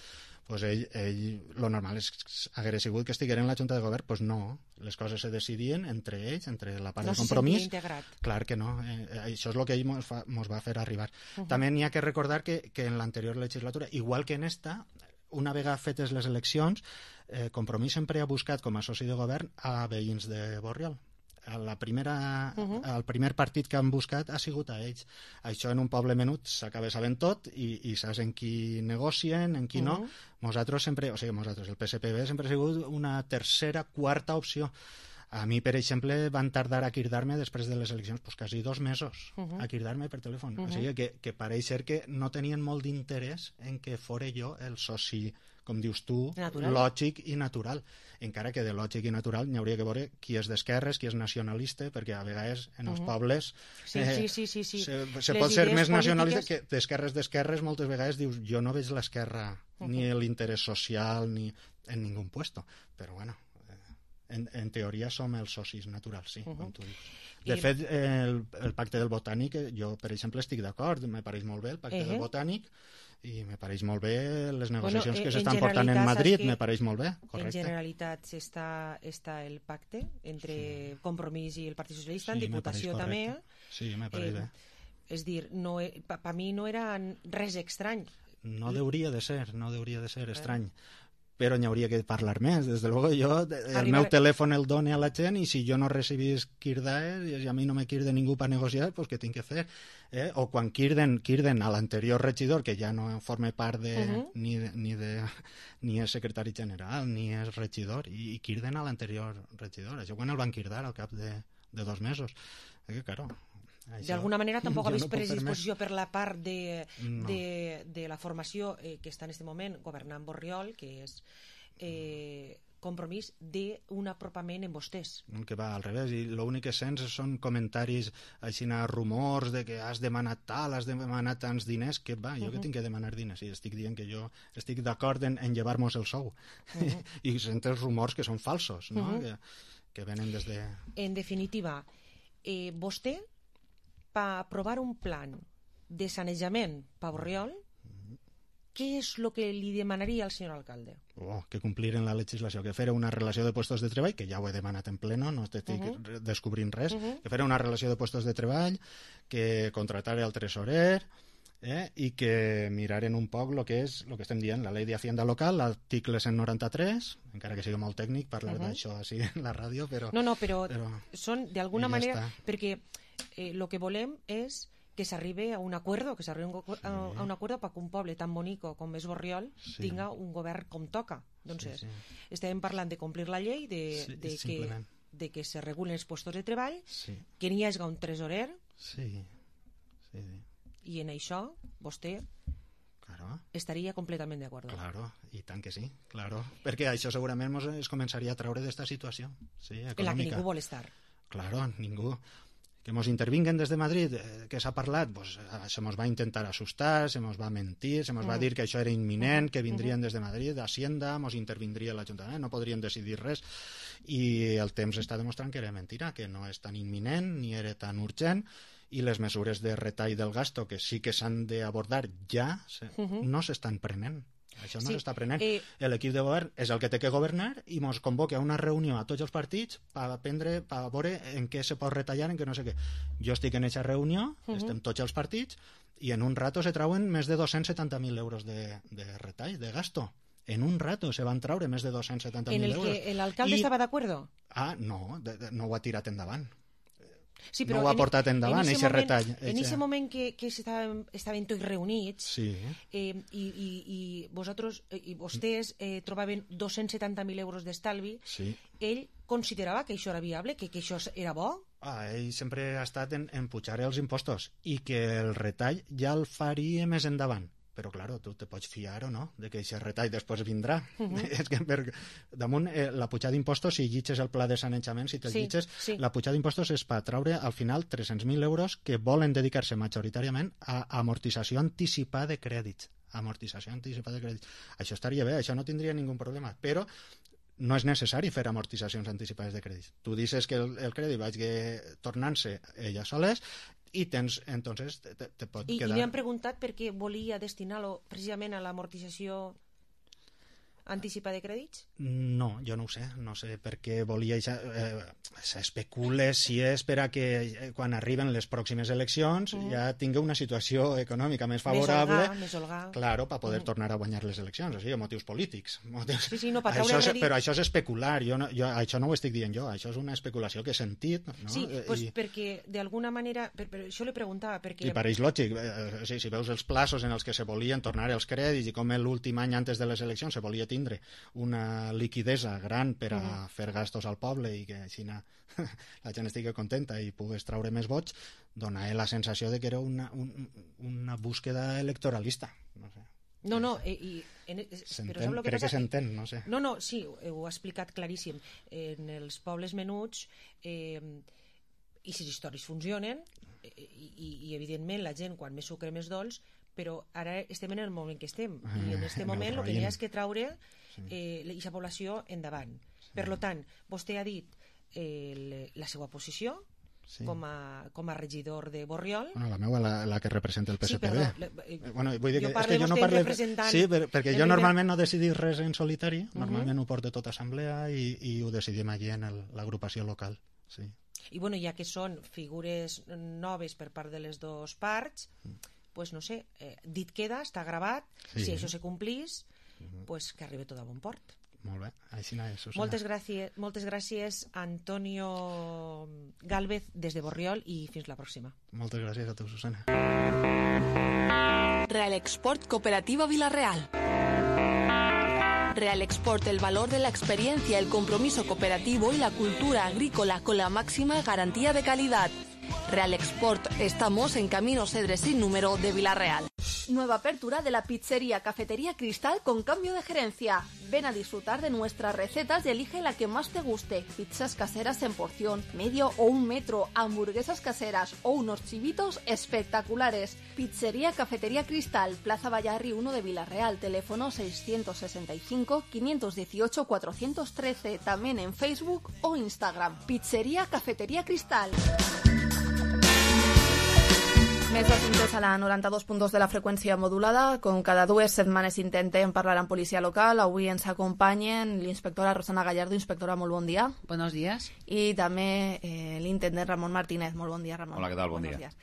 pues ell, ell, lo normal és que hagués sigut que estiguera en la Junta de Govern, pues no, les coses se decidien entre ells, entre la part no de Compromís. No se integrat. Clar que no, eh, això és el que ell mos, fa, mos va fer arribar. Uh -huh. També n'hi ha que recordar que, que en l'anterior legislatura, igual que en esta, una vegada fetes les eleccions, eh, Compromís sempre ha buscat com a soci de govern a veïns de Borriol. La primera, uh -huh. el primer partit que han buscat ha sigut a ells. Això en un poble menut s'acaba sabent tot i, i saps en qui negocien, en qui uh -huh. no. Nosaltres sempre, o sigui, nosaltres, el P S P B sempre ha sigut una tercera, quarta opció. A mi, per exemple, van tardar a cridar-me després de les eleccions pues, quasi dos mesos uh -huh. a cridar-me per telèfon. Uh -huh. O sigui que, que pareix ser que no tenien molt d'interès en que fora jo el soci, com dius tu, natural. Lògic i natural. Encara que de lògic i natural n'hi hauria que veure qui és d'esquerres, qui és nacionalista, perquè a vegades en els uh -huh. pobles sí, eh, sí, sí, sí, sí. se, se pot ser més nacionalista polítiques... que d'esquerres d'esquerres moltes vegades dius jo no veig l'esquerra uh -huh. ni l'interès social ni en ningú puesto. Però bueno, En, en teoria som els socis naturals, sí, uh -huh. com tu dius. De I... fet, el, el pacte del Botànic, jo, per exemple, estic d'acord, me pareix molt bé el pacte uh -huh. del Botànic, i me pareix molt bé les negociacions bueno, que s'estan portant en Madrid, me pareix molt bé, correcte. En Generalitat està, està el pacte entre sí. Compromís i el Partit Socialista, sí, en Diputació també. Sí, me pareix eh, bé. És dir, no, per pa mi no era res estrany. No deuria de ser, no deuria de ser estrany. però n'hi hauria que parlar més. Des de luego, jo el Arribar... meu telèfon el done a la gent i si jo no recibís quirdaes i a mi no me quirde ningú per negociar, pues què tinc que fer? Eh? O quan quirden, quirden a l'anterior regidor, que ja no forma part de, uh-huh. ni, de, ni, de, ni és secretari general, ni és regidor, i, i quirden a l'anterior regidor. Això quan el van quirdar al cap de, de dos mesos. Eh, que, claro, d'alguna manera tampoc ha vist no predisposició per la part de, no. de, de la formació eh, que està en aquest moment governant Borriol, que és eh, Compromís, d'un apropament en vostès. Que va al revés, i l'únic que sents són comentaris així, rumors de que has demanat tal, has demanat tants diners, que va, jo uh-huh. que tinc que demanar diners, i estic dient que jo estic d'acord en, en llevar-nos el sou, uh-huh. i sents els rumors que són falsos, no? Uh-huh. que, que venen des de... En definitiva, eh, vostè per aprovar un plan de sanejament per Borriol, què és el que li demanaria al senyor alcalde? Oh, que compliren la legislació, que fera una relació de puestos de treball, que ja ho he demanat en pleno, no estic uh-huh. descobrint res, uh-huh. que fera una relació de puestos de treball, que contratara el tresorer, eh, i que miraren un poc el que és el que estem dient, la llei d'Hacienda local, l'article cent noranta-tres, encara que sigui molt tècnic parlar uh-huh. d'això així en la ràdio, però... No, no, però, però... són d'alguna ja manera... Està. Perquè el eh, que volem és que s'arribe a un acuerdo, que s'arribe a, sí. a un acuerdo perquè un poble tan bonico com és Borriol sí. tinga un govern com toca. Doncs sí, sí. estem parlant de complir la llei, de, sí, de, que, de que se regulen els puestos de treball, sí. que n'hi hagi un tresorer, sí. Sí. i en això vostè claro. estaria completament d'acord. Claro, i tant que sí, claro. Perquè això segurament mos es començaria a treure d'esta situació, sí, econòmica. En la que ningú vol estar. Claro, ningú. Que ens intervinguen des de Madrid, eh, que s'ha parlat, pues, se ens va intentar assustar, se ens va mentir, se ens mm. va dir que això era imminent, que vindrien des de Madrid, d'Hacienda, ens intervindria l'Ajuntament, no podrien decidir res, i el temps està demostrant que era mentira, que no és tan imminent, ni era tan urgent, i les mesures de retall del gasto, que sí que s'han d'abordar ja, se, uh-huh. no s'estan prenent. Això no sí. s'està prenent. Eh... L'equip de govern és el que té que governar i ens convoca a una reunió a tots els partits per aprendre, per veure en què se pot retallar, en què no sé què. Jo estic en aquesta reunió, uh-huh. estem tots els partits, i en un rato se trauen més de dos-cents setanta mil euros de, de retall, de gasto. En un rato se van traure més de dos-cents setanta mil euros. En el que l'alcalde I... estava d'acord? Ah, no, de, de, no ho ha tirat endavant. Sí, no ho ha portat endavant, aquest retall. En aquest moment que, que estaven, estaven tots reunits sí. eh, i, i, i vosaltres i vostès eh, trobaven dos-cents setanta mil euros d'estalvi, sí. ell considerava que això era viable, que, que això era bo? Ah, ell sempre ha estat en, en pujar els impostos i que el retall ja el faria més endavant. Però, claro, tu te pots fiar o no de que aquest retall després vindrà. Uh-huh. És que per damunt eh, la pujada d'impostos, si llitges el pla de sanejament, si te'l sí, llitges, sí. la pujada d'impostos és per traure al final tres-cents mil euros que volen dedicar-se majoritàriament a amortització anticipada de crèdits. Amortització anticipada de crèdits. Això estaria bé, això no tindria ningú problema, però no és necessari fer amortitzacions anticipades de crèdits. Tu dices que el, el crèdit vagi tornant-se ella soles i tens, entonces, te, te pot I, quedar... I li han preguntat per què volia destinar-lo precisament a l'amortització anticipada de crèdits? No, jo no ho sé, no sé per què volia... Eh, s'especula si és per a que eh, quan arriben les pròximes eleccions mm. ja tingui una situació econòmica més favorable, més holgar, claro, per poder mm. tornar a guanyar les eleccions, o sigui, motius polítics. Motius... Sí, sí, no, per això és, redit... però això és especular, jo, no, jo això no ho estic dient jo, això és una especulació que he sentit. No? Sí, pues I... perquè d'alguna manera, per, per això li preguntava, perquè... I pareix lògic, eh, sí, si veus els plaços en els que se volien tornar els crèdits i com l'últim any antes de les eleccions se volia tindre una liquidesa gran per a uh-huh. fer gastos al poble i que així la gent estigui contenta i pugues traure més vots, dona la sensació de que era una, un, una búsqueda electoralista. No sé. No, no, i, i en, però sap lo que crec passa? que s'entén, no sé. No, no, sí, ho ha explicat claríssim. En els pobles menuts eh, i si les històries funcionen eh, i, i evidentment la gent quan més sucre més dolç, però ara estem en el moment que estem i en aquest moment el que hi ha és que traure eh, aquesta població endavant. Sí. Per tant, vostè ha dit eh, la seva posició sí. com, a, com a regidor de Borriol. Bueno, la meva, la, la que representa el P S P B. Sí, perdó, eh, bueno, vull dir jo que, parlo és que jo no vostè parle... representant... Sí, per, perquè jo primer... normalment no decidis res en solitari, uh-huh. normalment ho porto tot a assemblea i, i ho decidim allí en l'agrupació local. Sí. I bueno, ja que són figures noves per part de les dues parts, mm. pues no sé, eh, dit queda, està gravat, sí. si això se complís, pues, que arribi tot a bon port. Molt bé, així no és, Susana. Moltes gràcies, moltes gràcies Antonio Gálvez des de Borriol i fins la pròxima. Moltes gràcies a tu, Susana. Real Export Cooperativa Vilareal. Real Export, el valor de la experiencia, el compromiso cooperativo y la cultura agrícola con la máxima garantía de calidad. Real Export, estamos en Camino Cedres sin número de Vilareal. Nueva apertura de la pizzería Cafetería Cristal con cambio de gerencia. Ven a disfrutar de nuestras recetas y elige la que más te guste. Pizzas caseras en porción, medio o un metro, hamburguesas caseras o unos chivitos espectaculares. Pizzería Cafetería Cristal, Plaza Vallarri uno de Vilareal, teléfono seiscientos sesenta y cinco, quinientos dieciocho, cuatrocientos trece, también en Facebook o Instagram. Pizzería Cafetería Cristal. Més assumptes a la noranta-dos punt dos de la freqüència modulada. Com cada dues setmanes intentem parlar amb policia local. Avui ens acompanyen l'inspectora Rosana Gallardo. Inspectora, molt bon dia. Buenos días. Y también eh, el intendent Ramón Martínez. Muy buen día, Ramón. Hola, ¿qué tal? Buen Buenos día. días.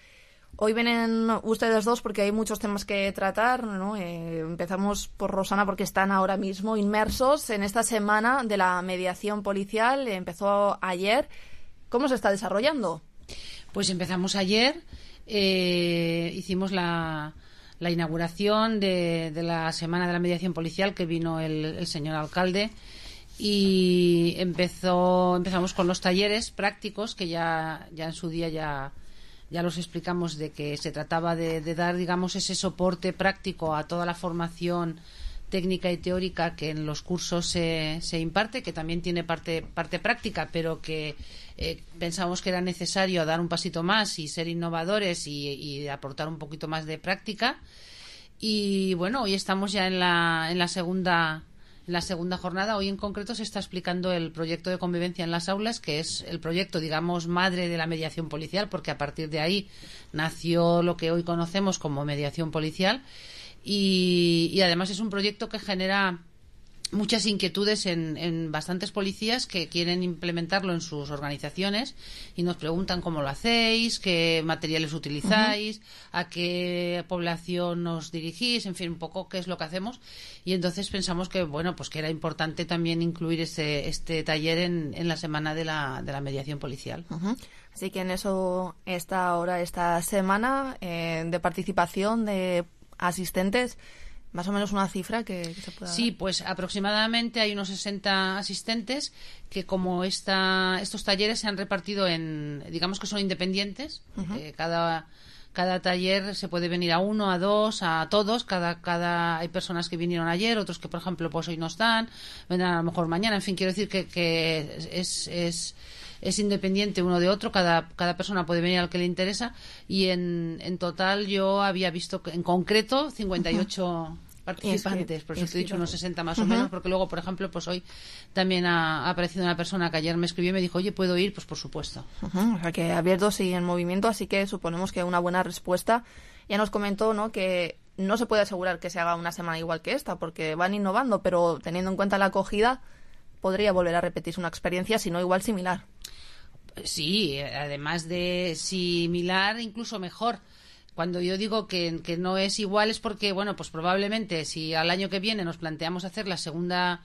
Hoy vienen ustedes dos porque hay muchos temas que tratar, ¿no? Eh, empezamos por Rosana porque están ahora mismo inmersos en esta semana de la mediación policial. Empezó ayer. ¿Cómo se está desarrollando? Pues empezamos ayer. Eh, hicimos la, la inauguración de, de la Semana de la Mediación Policial, que vino el, el señor alcalde, y empezó empezamos con los talleres prácticos que ya, ya en su día ya, ya los explicamos, de que se trataba de, de dar, digamos, ese soporte práctico a toda la formación técnica y teórica que en los cursos se, se imparte, que también tiene parte, parte práctica, pero que eh, pensamos que era necesario dar un pasito más y ser innovadores y, y aportar un poquito más de práctica. Y bueno, hoy estamos ya en la, en la segunda en la segunda jornada. Hoy en concreto se está explicando el proyecto de convivencia en las aulas, que es el proyecto, digamos, madre de la mediación policial, porque a partir de ahí nació lo que hoy conocemos como mediación policial. Y, y además es un proyecto que genera muchas inquietudes en, en bastantes policías que quieren implementarlo en sus organizaciones y nos preguntan cómo lo hacéis, qué materiales utilizáis, uh-huh. a qué población os dirigís, en fin, un poco qué es lo que hacemos. Y entonces pensamos que, bueno, pues que era importante también incluir este, este taller en, en la semana de la, de la mediación policial. Uh-huh. Así que en eso está ahora esta semana eh, de participación de asistentes. Más o menos una cifra que, que se pueda Sí, dar. pues aproximadamente hay unos sesenta asistentes que, como esta, estos talleres se han repartido en, digamos que son independientes. Uh-huh. eh, cada cada taller se puede venir a uno, a dos, a todos. Cada cada hay personas que vinieron ayer, otros que, por ejemplo, pues hoy no están, vendrán a lo mejor mañana. En fin, quiero decir que, que es es es independiente uno de otro, cada, cada persona puede venir al que le interesa, y en, en total yo había visto en concreto cincuenta y ocho uh-huh. participantes, por eso te he dicho unos sesenta más uh-huh. o menos, porque luego, por ejemplo, pues hoy también ha, ha aparecido una persona que ayer me escribió y me dijo, oye, ¿puedo ir? Pues por supuesto. Uh-huh. O sea que abiertos y en movimiento, así que suponemos que una buena respuesta. Ya nos comentó, ¿no?, que no se puede asegurar que se haga una semana igual que esta, porque van innovando, pero teniendo en cuenta la acogida, podría volver a repetirse una experiencia, si no igual similar. Sí, además de similar, incluso mejor. Cuando yo digo que, que no es igual es porque, bueno, pues probablemente si al año que viene nos planteamos hacer la segunda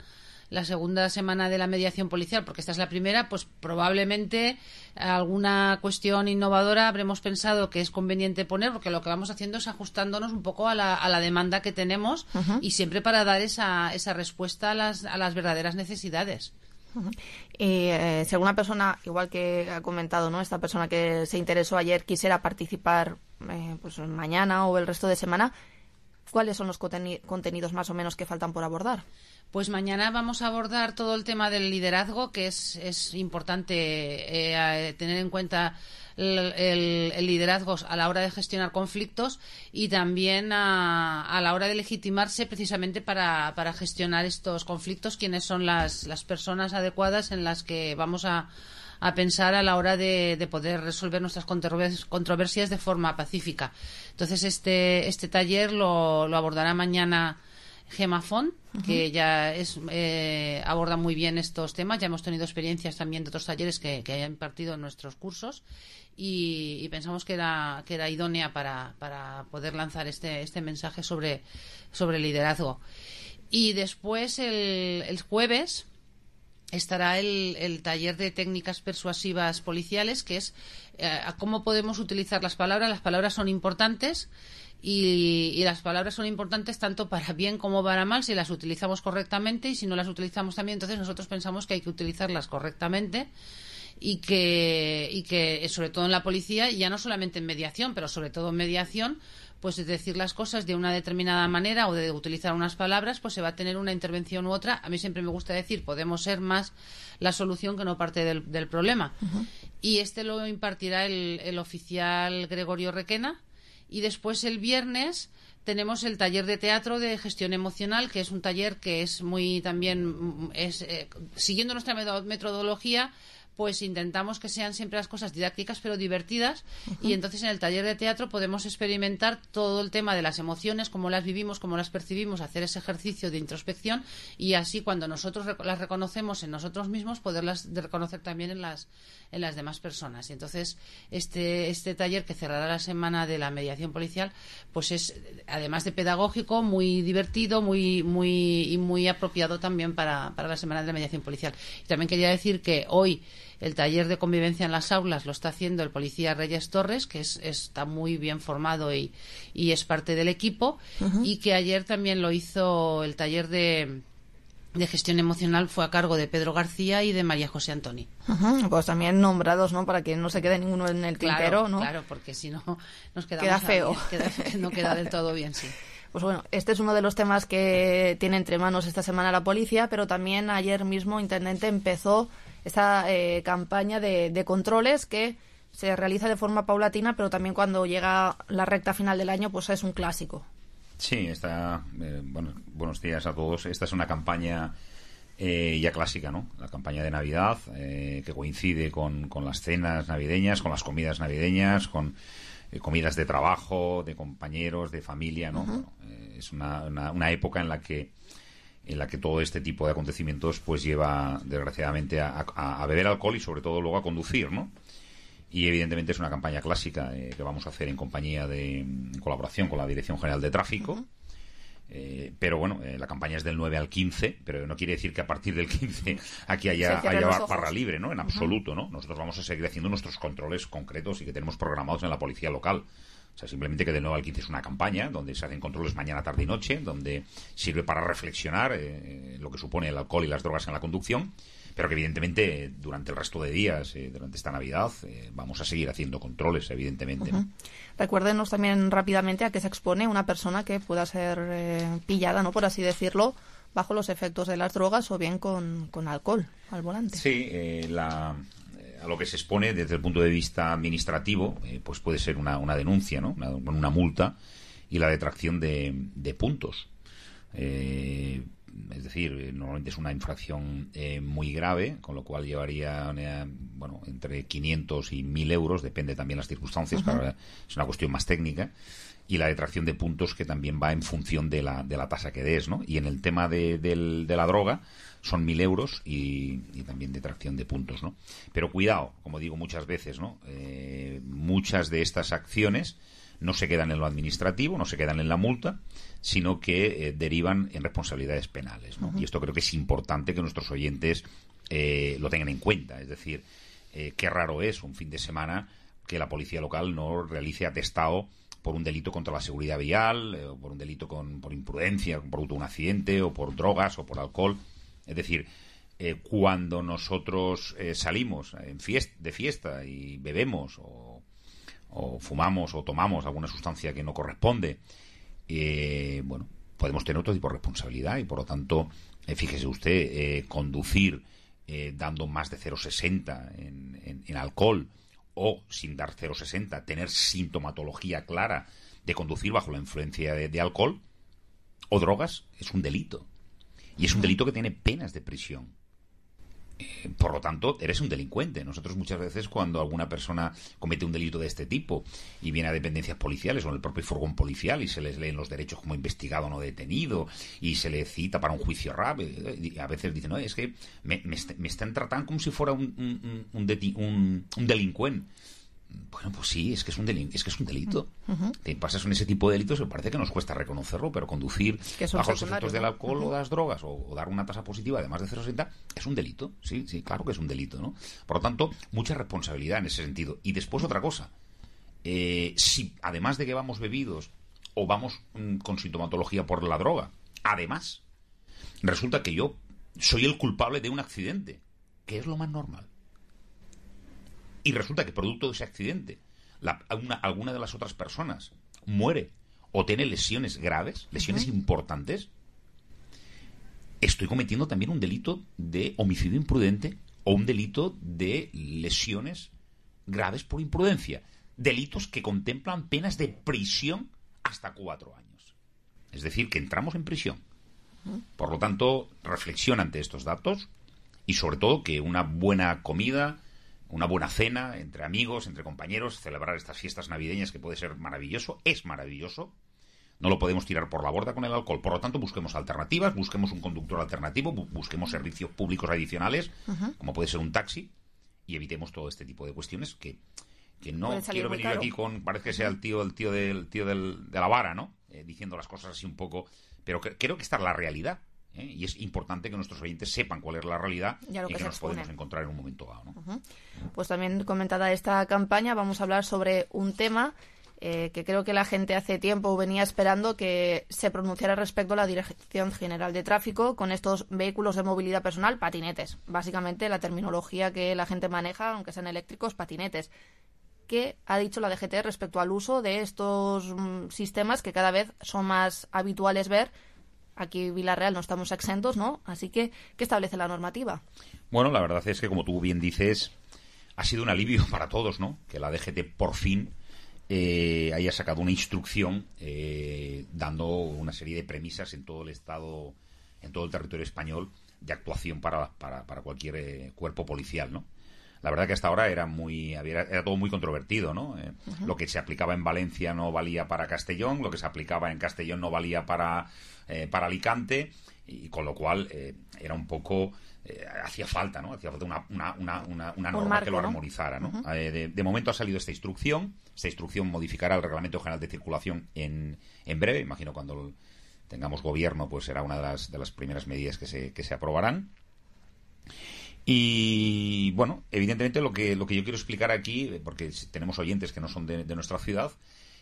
la segunda semana de la mediación policial, porque esta es la primera, pues probablemente alguna cuestión innovadora habremos pensado que es conveniente poner, porque lo que vamos haciendo es ajustándonos un poco a la, a la demanda que tenemos uh-huh. y siempre para dar esa, esa respuesta a las, a las verdaderas necesidades. Uh-huh. Y eh, si alguna persona, igual que ha comentado, ¿no?, esta persona que se interesó ayer, quisiera participar eh, pues mañana o el resto de semana, ¿cuáles son los conteni- contenidos más o menos que faltan por abordar? Pues mañana vamos a abordar todo el tema del liderazgo, que es, es importante eh, tener en cuenta el, el, el liderazgo a la hora de gestionar conflictos y también a, a la hora de legitimarse precisamente para, para gestionar estos conflictos, quiénes son las, las personas adecuadas en las que vamos a, a pensar a la hora de, de poder resolver nuestras controversias de forma pacífica. Entonces este, este taller lo, lo abordará mañana Gemma Font, uh-huh. que ya es, eh, aborda muy bien estos temas. Ya hemos tenido experiencias también de otros talleres que, que haya impartido en nuestros cursos y, y pensamos que era, que era idónea para, para poder lanzar este, este mensaje sobre, sobre liderazgo. Y después el, el jueves estará el, el taller de técnicas persuasivas policiales, que es eh, cómo podemos utilizar las palabras. Las palabras son importantes y, y las palabras son importantes tanto para bien como para mal si las utilizamos correctamente, y si no las utilizamos también, entonces nosotros pensamos que hay que utilizarlas correctamente. Y que, y que sobre todo en la policía, ya no solamente en mediación, pero sobre todo en mediación, pues de decir las cosas de una determinada manera o de utilizar unas palabras, pues se va a tener una intervención u otra. A mí siempre me gusta decir, podemos ser más la solución que no parte del, del problema. Uh-huh. Y este lo impartirá el, el oficial Gregorio Requena. Y después el viernes tenemos el taller de teatro de gestión emocional, que es un taller que es muy también, es eh, siguiendo nuestra metodología, pues intentamos que sean siempre las cosas didácticas pero divertidas. Uh-huh. Y entonces en el taller de teatro podemos experimentar todo el tema de las emociones, cómo las vivimos, cómo las percibimos, hacer ese ejercicio de introspección, y así cuando nosotros rec- las reconocemos en nosotros mismos, poderlas reconocer también en las en las demás personas. Y entonces este este taller, que cerrará la semana de la mediación policial, pues es, además de pedagógico, muy divertido, muy muy y muy apropiado también para, para la semana de la mediación policial. Y también quería decir que hoy el taller de convivencia en las aulas lo está haciendo el policía Reyes Torres, que es, está muy bien formado y, y es parte del equipo. Uh-huh. Y que ayer también lo hizo el taller de, de gestión emocional, fue a cargo de Pedro García y de María José Antoni. Uh-huh. Pues también nombrados, ¿no? Para que no se quede ninguno en el tintero, claro, ¿no? Claro, porque si no nos quedamos queda feo. Queda, no queda del todo bien, sí. Pues bueno, este es uno de los temas que tiene entre manos esta semana la policía, pero también ayer mismo Intendente empezó esta eh, campaña de, de controles que se realiza de forma paulatina, pero también cuando llega la recta final del año, pues es un clásico. Sí, esta, eh, bueno, buenos días a todos. Esta es una campaña eh, ya clásica, ¿no? La campaña de Navidad, eh, que coincide con, con las cenas navideñas, con las comidas navideñas, con eh, comidas de trabajo, de compañeros, de familia, ¿no? Uh-huh. Bueno, eh, es una, una, una época en la que en la que todo este tipo de acontecimientos pues lleva desgraciadamente a, a, a beber alcohol y sobre todo luego a conducir, ¿no? Y evidentemente es una campaña clásica eh, que vamos a hacer en compañía de en colaboración con la Dirección General de Tráfico. Uh-huh. eh, pero bueno, eh, la campaña es del nueve al quince, pero no quiere decir que a partir del quince aquí haya, haya barra libre, ¿no? En absoluto, ¿no? Nosotros vamos a seguir haciendo nuestros controles concretos y que tenemos programados en la policía local. O sea, simplemente que del nueve al quince es una campaña donde se hacen controles mañana, tarde y noche, donde sirve para reflexionar eh, lo que supone el alcohol y las drogas en la conducción, pero que evidentemente durante el resto de días, eh, durante esta Navidad, eh, vamos a seguir haciendo controles, evidentemente. Uh-huh. ¿No? Recuérdenos también rápidamente a qué se expone una persona que pueda ser eh, pillada, ¿no? Por así decirlo, bajo los efectos de las drogas o bien con, con alcohol al volante. Sí, eh, la... a lo que se expone desde el punto de vista administrativo, eh, pues puede ser una, una denuncia, ¿no? Una, una multa y la detracción de, de puntos. Eh, es decir, eh, normalmente es una infracción eh, muy grave, con lo cual llevaría eh, bueno, entre quinientos y mil euros, depende también las circunstancias, uh-huh. Para, es una cuestión más técnica. Y la detracción de puntos, que también va en función de la, de la tasa que des, ¿no? Y en el tema de, de, de la droga son mil euros y, y también detracción de puntos, ¿no? Pero cuidado, como digo muchas veces, ¿no? Eh, muchas de estas acciones no se quedan en lo administrativo, no se quedan en la multa, sino que eh, derivan en responsabilidades penales, ¿no? Uh-huh. Y esto creo que es importante que nuestros oyentes eh, lo tengan en cuenta. Es decir, eh, qué raro es un fin de semana que la policía local no realice atestado por un delito contra la seguridad vial, eh, o por un delito con, por imprudencia, por un accidente, o por drogas, o por alcohol. Es decir, eh, cuando nosotros eh, salimos en fiesta, de fiesta y bebemos, o, o fumamos, o tomamos alguna sustancia que no corresponde, eh, bueno, podemos tener otro tipo de responsabilidad y, por lo tanto, eh, fíjese usted, eh, conducir eh, dando más de cero coma sesenta en, en, en alcohol, o sin dar cero coma sesenta, tener sintomatología clara de conducir bajo la influencia de, de alcohol o drogas, es un delito. Y es un delito que tiene penas de prisión. Eh, por lo tanto, eres un delincuente. Nosotros muchas veces, cuando alguna persona comete un delito de este tipo y viene a dependencias policiales o en el propio furgón policial y se les leen los derechos como investigado no detenido y se le cita para un juicio rápido, y a veces dicen, no, es que me, me, me están tratando como si fuera un, un, un, deti- un, un delincuente. Bueno, pues sí, es que es un delito. Es que es un delito. Uh-huh. Te pasas con ese tipo de delitos, me parece que nos cuesta reconocerlo, pero conducir bajo los efectos del alcohol uh-huh. o de las drogas, o, o dar una tasa positiva de más de cero coma sesenta, es un delito. Sí, sí, claro que es un delito, ¿no? Por lo tanto, mucha responsabilidad en ese sentido. Y después otra cosa. Eh, si además de que vamos bebidos o vamos mm, con sintomatología por la droga, además, resulta que yo soy el culpable de un accidente, que es lo más normal. Y resulta que producto de ese accidente la, una, alguna de las otras personas muere o tiene lesiones graves, lesiones uh-huh. importantes, estoy cometiendo también un delito de homicidio imprudente o un delito de lesiones graves por imprudencia. Delitos que contemplan penas de prisión hasta cuatro años. Es decir, que entramos en prisión. Uh-huh. Por lo tanto, reflexión ante estos datos y sobre todo que una buena comida, una buena cena entre amigos, entre compañeros, celebrar estas fiestas navideñas que puede ser maravilloso, es maravilloso. No lo podemos tirar por la borda con el alcohol. Por lo tanto, busquemos alternativas, busquemos un conductor alternativo, bu- busquemos servicios públicos adicionales, uh-huh. como puede ser un taxi, y evitemos todo este tipo de cuestiones que, que no quiero venir yo aquí con, parece que sea el tío, el tío, del, tío del, de la vara, ¿no? Eh, diciendo las cosas así un poco, pero que, creo que esta es la realidad. ¿Eh? Y es importante que nuestros oyentes sepan cuál es la realidad y que, que nos expone. Podemos encontrar en un momento dado, ¿no? Uh-huh. Pues también comentada esta campaña, vamos a hablar sobre un tema eh, que creo que la gente hace tiempo venía esperando que se pronunciara respecto a la Dirección General de Tráfico con estos vehículos de movilidad personal, patinetes. Básicamente la terminología que la gente maneja, aunque sean eléctricos, patinetes. ¿Qué ha dicho la D G T respecto al uso de estos mm, sistemas que cada vez son más habituales ver? Aquí en Villarreal no estamos exentos, ¿no? Así que, ¿qué establece la normativa? Bueno, la verdad es que, como tú bien dices, ha sido un alivio para todos, ¿no? Que la D G T por fin eh, haya sacado una instrucción eh, dando una serie de premisas en todo el Estado, en todo el territorio español, de actuación para, para, para cualquier eh, cuerpo policial, ¿no? La verdad que hasta ahora era muy era, era todo muy controvertido, ¿no? Eh, uh-huh. Lo que se aplicaba en Valencia no valía para Castellón, lo que se aplicaba en Castellón no valía para, eh, para Alicante, y con lo cual eh, era un poco... Eh, hacía falta, ¿no? Hacía falta una, una, una, una, una norma marco, que lo armonizara, ¿no? Uh-huh. Eh, de, de momento ha salido esta instrucción. Esta instrucción modificará el Reglamento General de Circulación en, en breve. Imagino cuando tengamos gobierno, pues será una de las, de las primeras medidas que se, que se aprobarán. Y bueno, evidentemente lo que lo que yo quiero explicar aquí, porque tenemos oyentes que no son de, de nuestra ciudad,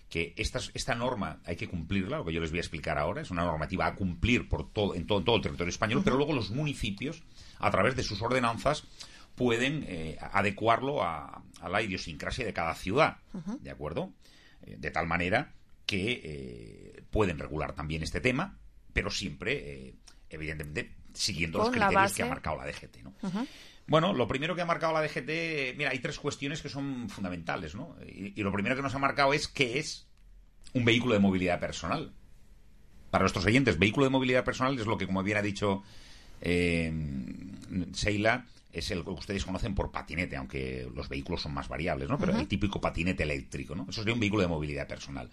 que esta, esta norma hay que cumplirla, lo que yo les voy a explicar ahora, es una normativa a cumplir por todo, en, todo, en todo el territorio español, uh-huh. pero luego los municipios, a través de sus ordenanzas, pueden eh, adecuarlo a, a la idiosincrasia de cada ciudad, uh-huh. ¿de acuerdo? Eh, de tal manera que eh, pueden regular también este tema, pero siempre, eh, evidentemente, siguiendo Con los criterios que ha marcado la D G T, ¿no? Uh-huh. Bueno, lo primero que ha marcado la D G T, mira, hay tres cuestiones que son fundamentales, ¿no? Y, y lo primero que nos ha marcado es qué es un vehículo de movilidad personal. Para nuestros oyentes, vehículo de movilidad personal es lo que, como bien ha dicho eh, Sheila, es el que ustedes conocen por patinete, aunque los vehículos son más variables, ¿no? Pero uh-huh. el típico patinete eléctrico, ¿no? Eso sería un vehículo de movilidad personal.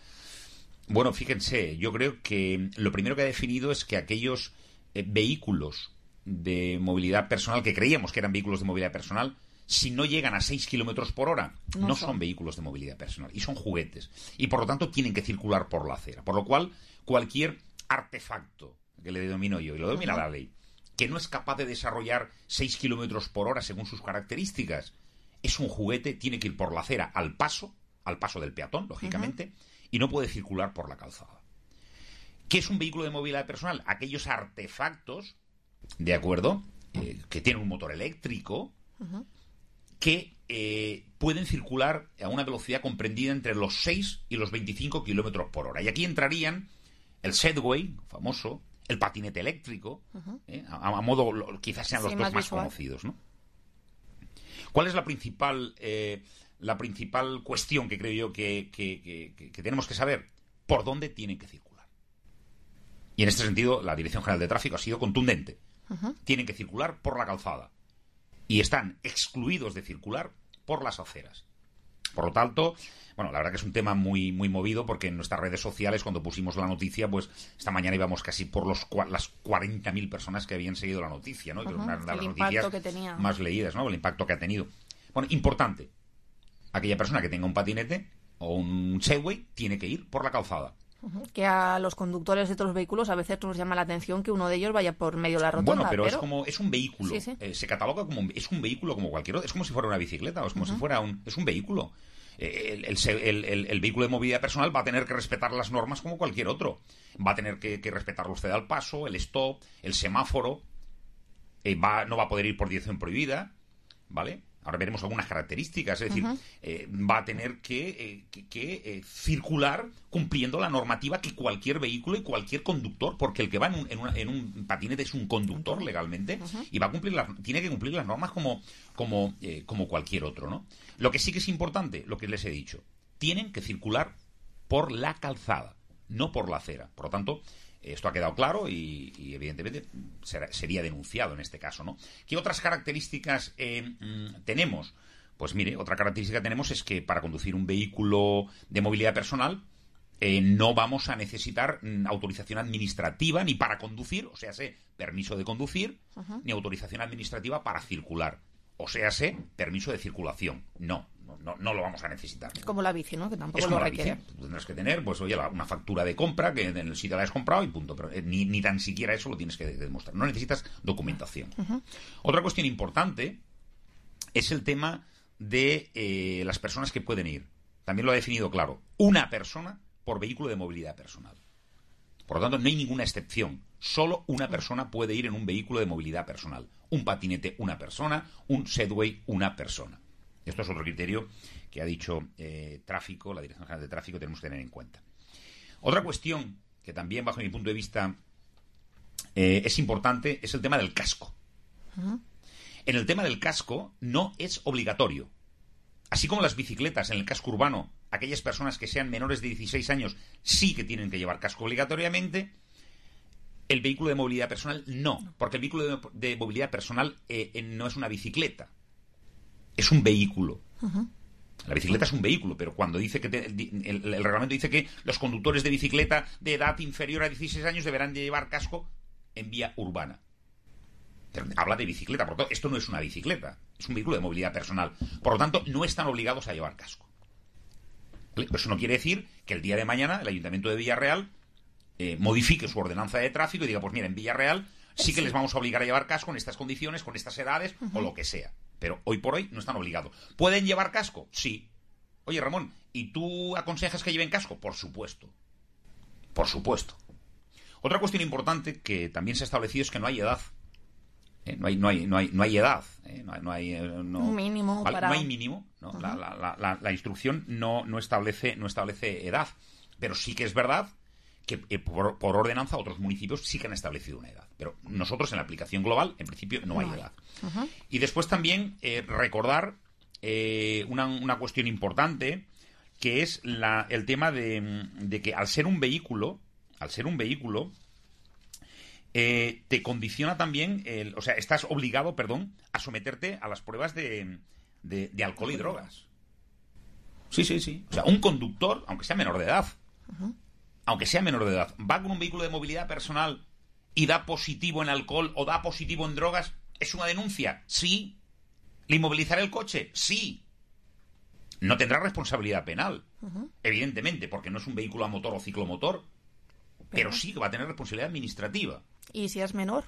Bueno, fíjense, yo creo que lo primero que ha definido es que aquellos eh, vehículos de movilidad personal que creíamos que eran vehículos de movilidad personal, si no llegan a seis kilómetros por hora, no, no son. son vehículos de movilidad personal y son juguetes. Y por lo tanto tienen que circular por la acera. Por lo cual, cualquier artefacto, que le denomino yo, y lo denomina uh-huh. la ley, que no es capaz de desarrollar seis kilómetros por hora según sus características, es un juguete, tiene que ir por la acera al paso, al paso del peatón, lógicamente, uh-huh. y no puede circular por la calzada. ¿Qué es un vehículo de movilidad personal? Aquellos artefactos, ¿de acuerdo?, eh, que tienen un motor eléctrico, uh-huh. que eh, pueden circular a una velocidad comprendida entre los seis y los veinticinco kilómetros por hora. Y aquí entrarían el Segway, famoso, el patinete eléctrico, uh-huh. eh, a, a modo, lo, quizás sean los sí, dos más, más conocidos, ¿no? ¿Cuál es la principal, eh, la principal cuestión que creo yo que, que, que, que, que tenemos que saber? ¿Por dónde tienen que circular? Y en este sentido, la Dirección General de Tráfico ha sido contundente. Uh-huh. Tienen que circular por la calzada. Y están excluidos de circular por las aceras. Por lo tanto, bueno, la verdad que es un tema muy muy movido, porque en nuestras redes sociales, cuando pusimos la noticia, pues esta mañana íbamos casi por los las cuarenta mil personas que habían seguido la noticia, ¿no? Uh-huh. Una de las noticias más leídas, ¿no? El impacto que ha tenido. Bueno, importante. aquella persona que tenga un patinete o un Segway tiene que ir por la calzada. Que a los conductores de otros vehículos a veces nos llama la atención que uno de ellos vaya por medio de la rotonda. Bueno, pero, pero... es como es un vehículo. Sí, sí. Eh, se cataloga como un, es un vehículo como cualquier otro. Es como si fuera una bicicleta o es como uh-huh. si fuera un es un vehículo. Eh, el, el, el, el vehículo de movilidad personal va a tener que respetar las normas como cualquier otro. Va a tener que, que respetar los ceda al paso, el stop, el semáforo. Eh, va, no va a poder ir por dirección prohibida, ¿vale? Ahora veremos algunas características, es decir, uh-huh. eh, va a tener que, eh, que, que eh, circular cumpliendo la normativa que cualquier vehículo y cualquier conductor, porque el que va en un, en una, en un patinete es un conductor legalmente uh-huh. y va a cumplir las, tiene que cumplir las normas como, como, eh, como cualquier otro, ¿no? Lo que sí que es importante, lo que les he dicho, tienen que circular por la calzada, no por la acera. Por lo tanto, esto ha quedado claro y, y evidentemente será, sería denunciado en este caso, ¿no? ¿Qué otras características eh, mm, tenemos? Pues mire, otra característica que tenemos es que para conducir un vehículo de movilidad personal eh, no vamos a necesitar mm, autorización administrativa ni para conducir, o sea, sé, permiso de conducir, uh-huh. ni autorización administrativa para circular, o sea, sé, permiso de circulación. No. No, no lo vamos a necesitar. Es como la bici, ¿no? Que tampoco es como lo la requiere. Bici. Tú tendrás que tener, pues oye, la, una factura de compra que en el sitio la has comprado y punto. Pero eh, ni, ni tan siquiera eso lo tienes que demostrar. No necesitas documentación. Uh-huh. Otra cuestión importante es el tema de eh, las personas que pueden ir. También lo ha definido claro. Una persona por vehículo de movilidad personal. Por lo tanto, no hay ninguna excepción. Solo una persona puede ir en un vehículo de movilidad personal. Un patinete, una persona. Un Segway, una persona. Esto es otro criterio que ha dicho eh, tráfico, la Dirección General de Tráfico, tenemos que tener en cuenta. Otra cuestión que también, bajo mi punto de vista, eh, es importante, es el tema del casco. Uh-huh. En el tema del casco no es obligatorio. Así como las bicicletas en el casco urbano, aquellas personas que sean menores de dieciséis años sí que tienen que llevar casco obligatoriamente, el vehículo de movilidad personal no, porque el vehículo de, de movilidad personal eh, eh, no es una bicicleta. Es un vehículo. Uh-huh. La bicicleta es un vehículo, pero cuando dice que te, el, el, el reglamento dice que los conductores de bicicleta de edad inferior a dieciséis años deberán de llevar casco en vía urbana. Pero habla de bicicleta, por lo tanto, esto no es una bicicleta, es un vehículo de movilidad personal. Por lo tanto, no están obligados a llevar casco. ¿Vale? Pero eso no quiere decir que el día de mañana el Ayuntamiento de Villarreal eh, modifique su ordenanza de tráfico y diga, pues mira, en Villarreal sí que les vamos a obligar a llevar casco en estas condiciones, con estas edades, uh-huh. o lo que sea. Pero hoy por hoy no están obligados. ¿Pueden llevar casco? Sí. Oye, Ramón, ¿y tú aconsejas que lleven casco? Por supuesto. Por supuesto. Otra cuestión importante que también se ha establecido es que no hay edad. ¿Eh? No hay, no hay, no hay, no hay edad. ¿Eh? No hay, no hay, eh, no, Un mínimo. ¿vale? Para... No hay mínimo. ¿No? Uh-huh. la, la, la, la instrucción no, no, establece, no establece edad. Pero sí que es verdad que eh, por, por ordenanza otros municipios sí que han establecido una edad. Pero nosotros en la aplicación global, en principio, no, no hay edad. Uh-huh. Y después también eh, recordar eh, una, una cuestión importante, que es la, el tema de, de que al ser un vehículo, al ser un vehículo, eh, te condiciona también, el, o sea, estás obligado, perdón, a someterte a las pruebas de, de, de alcohol y drogas. Sí, sí, sí. O sea, un conductor, aunque sea menor de edad, uh-huh. aunque sea menor de edad, va con un vehículo de movilidad personal y da positivo en alcohol o da positivo en drogas, ¿es una denuncia? Sí. ¿Le inmovilizará el coche? Sí. No tendrá responsabilidad penal, uh-huh. evidentemente, porque no es un vehículo a motor o ciclomotor, pero, pero sí que va a tener responsabilidad administrativa. ¿Y si es menor?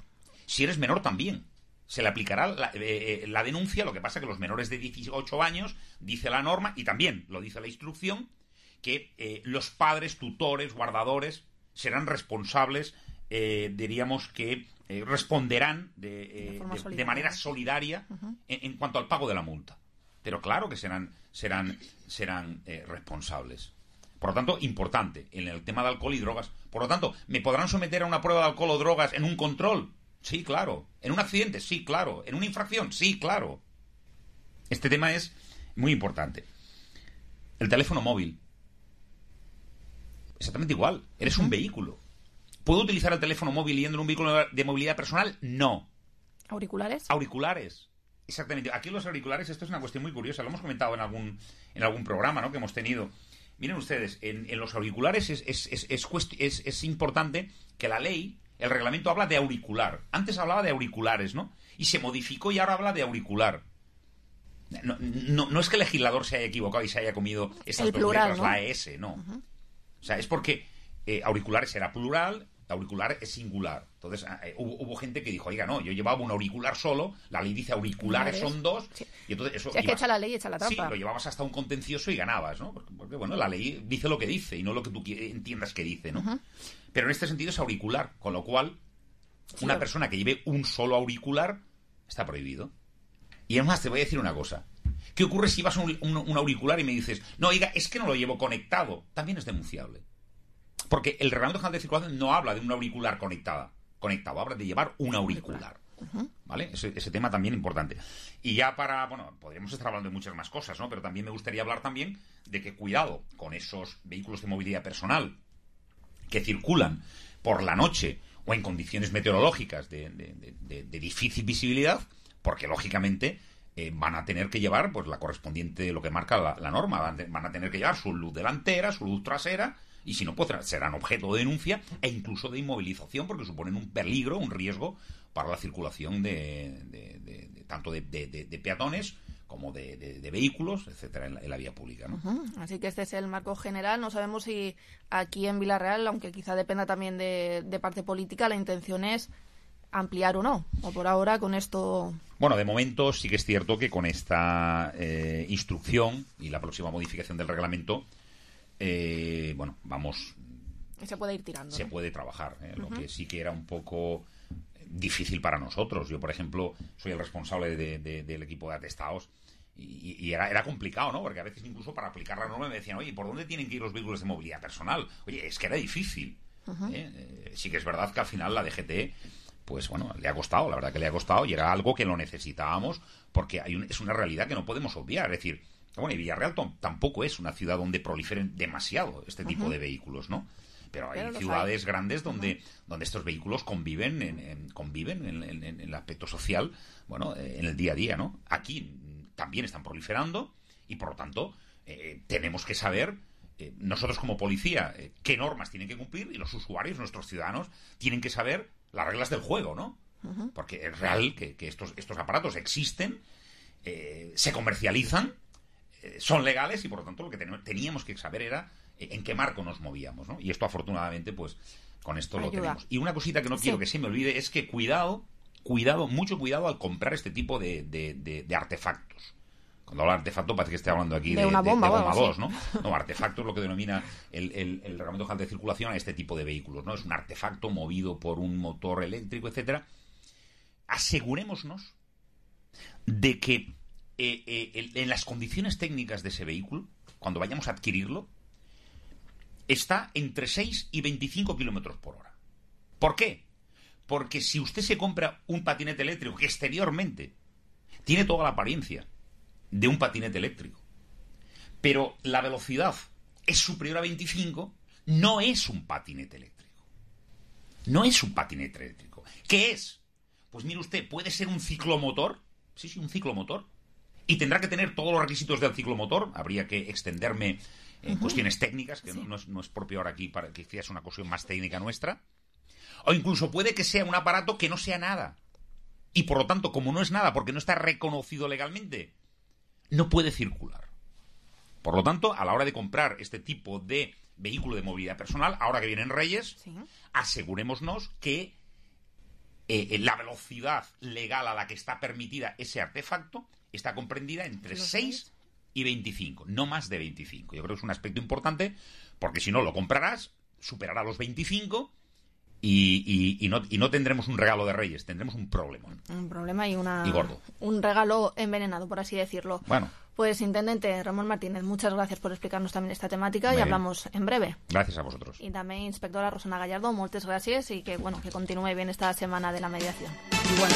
Si eres menor también. Se le aplicará la, eh, la denuncia, lo que pasa que los menores de dieciocho años, dice la norma, y también lo dice la instrucción, que eh, los padres, tutores, guardadores, serán responsables, eh, diríamos que eh, responderán de, eh, de, de, de manera solidaria uh-huh. en, en cuanto al pago de la multa. Pero claro que serán, serán, serán eh, responsables. Por lo tanto, importante, en el tema de alcohol y drogas. Por lo tanto, ¿me podrán someter a una prueba de alcohol o drogas en un control? Sí, claro. ¿En un accidente? Sí, claro. ¿En una infracción? Sí, claro. Este tema es muy importante. El teléfono móvil. Exactamente igual. Eres un vehículo. ¿Puedo utilizar el teléfono móvil yendo en un vehículo de movilidad personal? No. ¿Auriculares? Auriculares. Exactamente. Aquí los auriculares, esto es una cuestión muy curiosa. Lo hemos comentado en algún, en algún programa, ¿no?, que hemos tenido. Miren ustedes, en, en los auriculares es, es, es, es, es, es importante que la ley, el reglamento habla de auricular. Antes hablaba de auriculares, ¿no? Y se modificó y ahora habla de auricular. No, no, no es que el legislador se haya equivocado y se haya comido esas el dos plural, letras, ¿no? la S, no. Uh-huh. O sea, es porque eh, auriculares era plural, auricular es singular. Entonces eh, hubo, hubo gente que dijo, oiga, no, yo llevaba un auricular solo, la ley dice auriculares son dos, sí. y entonces eso... Si es que ibas, echa la ley, echa la trampa. Sí, lo llevabas hasta un contencioso y ganabas, ¿no? Porque, porque, bueno, la ley dice lo que dice y no lo que tú entiendas que dice, ¿no? Uh-huh. Pero en este sentido es auricular, con lo cual sí, una persona que lleve un solo auricular está prohibido. Y además te voy a decir una cosa. ¿Qué ocurre si vas a un, un, un auricular y me dices, no, oiga, es que no lo llevo conectado? También es denunciable. Porque el Reglamento General de Circulación no habla de un auricular conectada, conectado, habla de llevar un auricular. Uh-huh. ¿Vale? Ese, ese tema también importante. Y ya para, bueno, podríamos estar hablando de muchas más cosas, ¿no? Pero también me gustaría hablar también de que cuidado con esos vehículos de movilidad personal que circulan por la noche o en condiciones meteorológicas de, de, de, de, de difícil visibilidad, porque lógicamente eh, van a tener que llevar pues la correspondiente, lo que marca la, la norma, van, van a tener que llevar su luz delantera, su luz trasera, y si no, pues serán objeto de denuncia e incluso de inmovilización, porque suponen un peligro, un riesgo para la circulación de, de, de, de tanto de, de, de, de peatones como de, de, de vehículos, etcétera, en la, en la vía pública, ¿no? Uh-huh. Así que este es el marco general. No sabemos si aquí en Vila-real, aunque quizá dependa también de, de parte política, la intención es ampliar o no, o por ahora con esto... Bueno, de momento sí que es cierto que con esta eh, instrucción y la próxima modificación del reglamento, eh, bueno, vamos... Se puede ir tirando. Se ¿no? puede trabajar, ¿eh? Uh-huh. Lo que sí que era un poco difícil para nosotros. Yo, por ejemplo, soy el responsable de, de, del equipo de atestados y, y era, era complicado, ¿no? Porque a veces incluso para aplicar la norma me decían, oye, ¿por dónde tienen que ir los vehículos de movilidad personal? Oye, es que era difícil. Uh-huh. ¿eh? Eh, sí que es verdad que al final la D G T... pues bueno, le ha costado, la verdad que le ha costado y era algo que lo necesitábamos porque hay un, es una realidad que no podemos obviar. Es decir, bueno, y Villarreal t- tampoco es una ciudad donde proliferen demasiado este tipo uh-huh. de vehículos, ¿no? Pero hay Pero ciudades hay. grandes donde, uh-huh. donde estos vehículos conviven en, en, conviven en, en, en el aspecto social, bueno, en el día a día, ¿no? Aquí también están proliferando y por lo tanto eh, tenemos que saber... Eh, nosotros como policía, eh, qué normas tienen que cumplir y los usuarios, nuestros ciudadanos, tienen que saber las reglas del juego, ¿no? Uh-huh. Porque es real que, que estos, estos aparatos existen, eh, se comercializan, eh, son legales y por lo tanto lo que ten- teníamos que saber era eh, en qué marco nos movíamos, ¿no? Y esto afortunadamente, pues, con esto Ayuda. lo tenemos. Y una cosita que no sí. quiero que se me olvide es que cuidado, cuidado, mucho cuidado al comprar este tipo de, de, de, de artefactos. Cuando hablo de artefacto parece que esté hablando aquí de, de una bomba, de, de bomba bueno, dos, sí. ¿no? No, artefacto es lo que denomina el, el, el Reglamento General de Circulación a este tipo de vehículos, ¿no? Es un artefacto movido por un motor eléctrico, etcétera. Asegurémonos de que eh, eh, en las condiciones técnicas de ese vehículo, cuando vayamos a adquirirlo, está entre seis y veinticinco kilómetros por hora. ¿Por qué? Porque si usted se compra un patinete eléctrico que exteriormente tiene toda la apariencia de un patinete eléctrico, pero la velocidad es superior a veinticinco, no es un patinete eléctrico. No es un patinete eléctrico. ¿Qué es? Pues mire usted, puede ser un ciclomotor, sí, sí, un ciclomotor, y tendrá que tener todos los requisitos del ciclomotor. Habría que extenderme en uh-huh. cuestiones técnicas, que sí. no, no, es, no es propio ahora aquí, para que sea una cuestión más técnica nuestra. O incluso puede que sea un aparato que no sea nada. Y por lo tanto, como no es nada, porque no está reconocido legalmente, no puede circular. Por lo tanto, a la hora de comprar este tipo de vehículo de movilidad personal, ahora que vienen Reyes, sí. asegurémonos que eh, la velocidad legal a la que está permitida ese artefacto está comprendida entre seis y veinticinco, no más de veinticinco. Yo creo que es un aspecto importante, porque si no lo comprarás, superará los veinticinco y, y, y, no, y no tendremos un regalo de Reyes, tendremos un problema. Un problema y, una, y gordo. Un regalo envenenado, por así decirlo. Bueno. Pues, Intendente Ramón Martínez, muchas gracias por explicarnos también esta temática Bien. y hablamos en breve. Gracias a vosotros. Y también, Inspectora Rosana Gallardo, muchas gracias y que, bueno, que continúe bien esta semana de la mediación. Y bueno...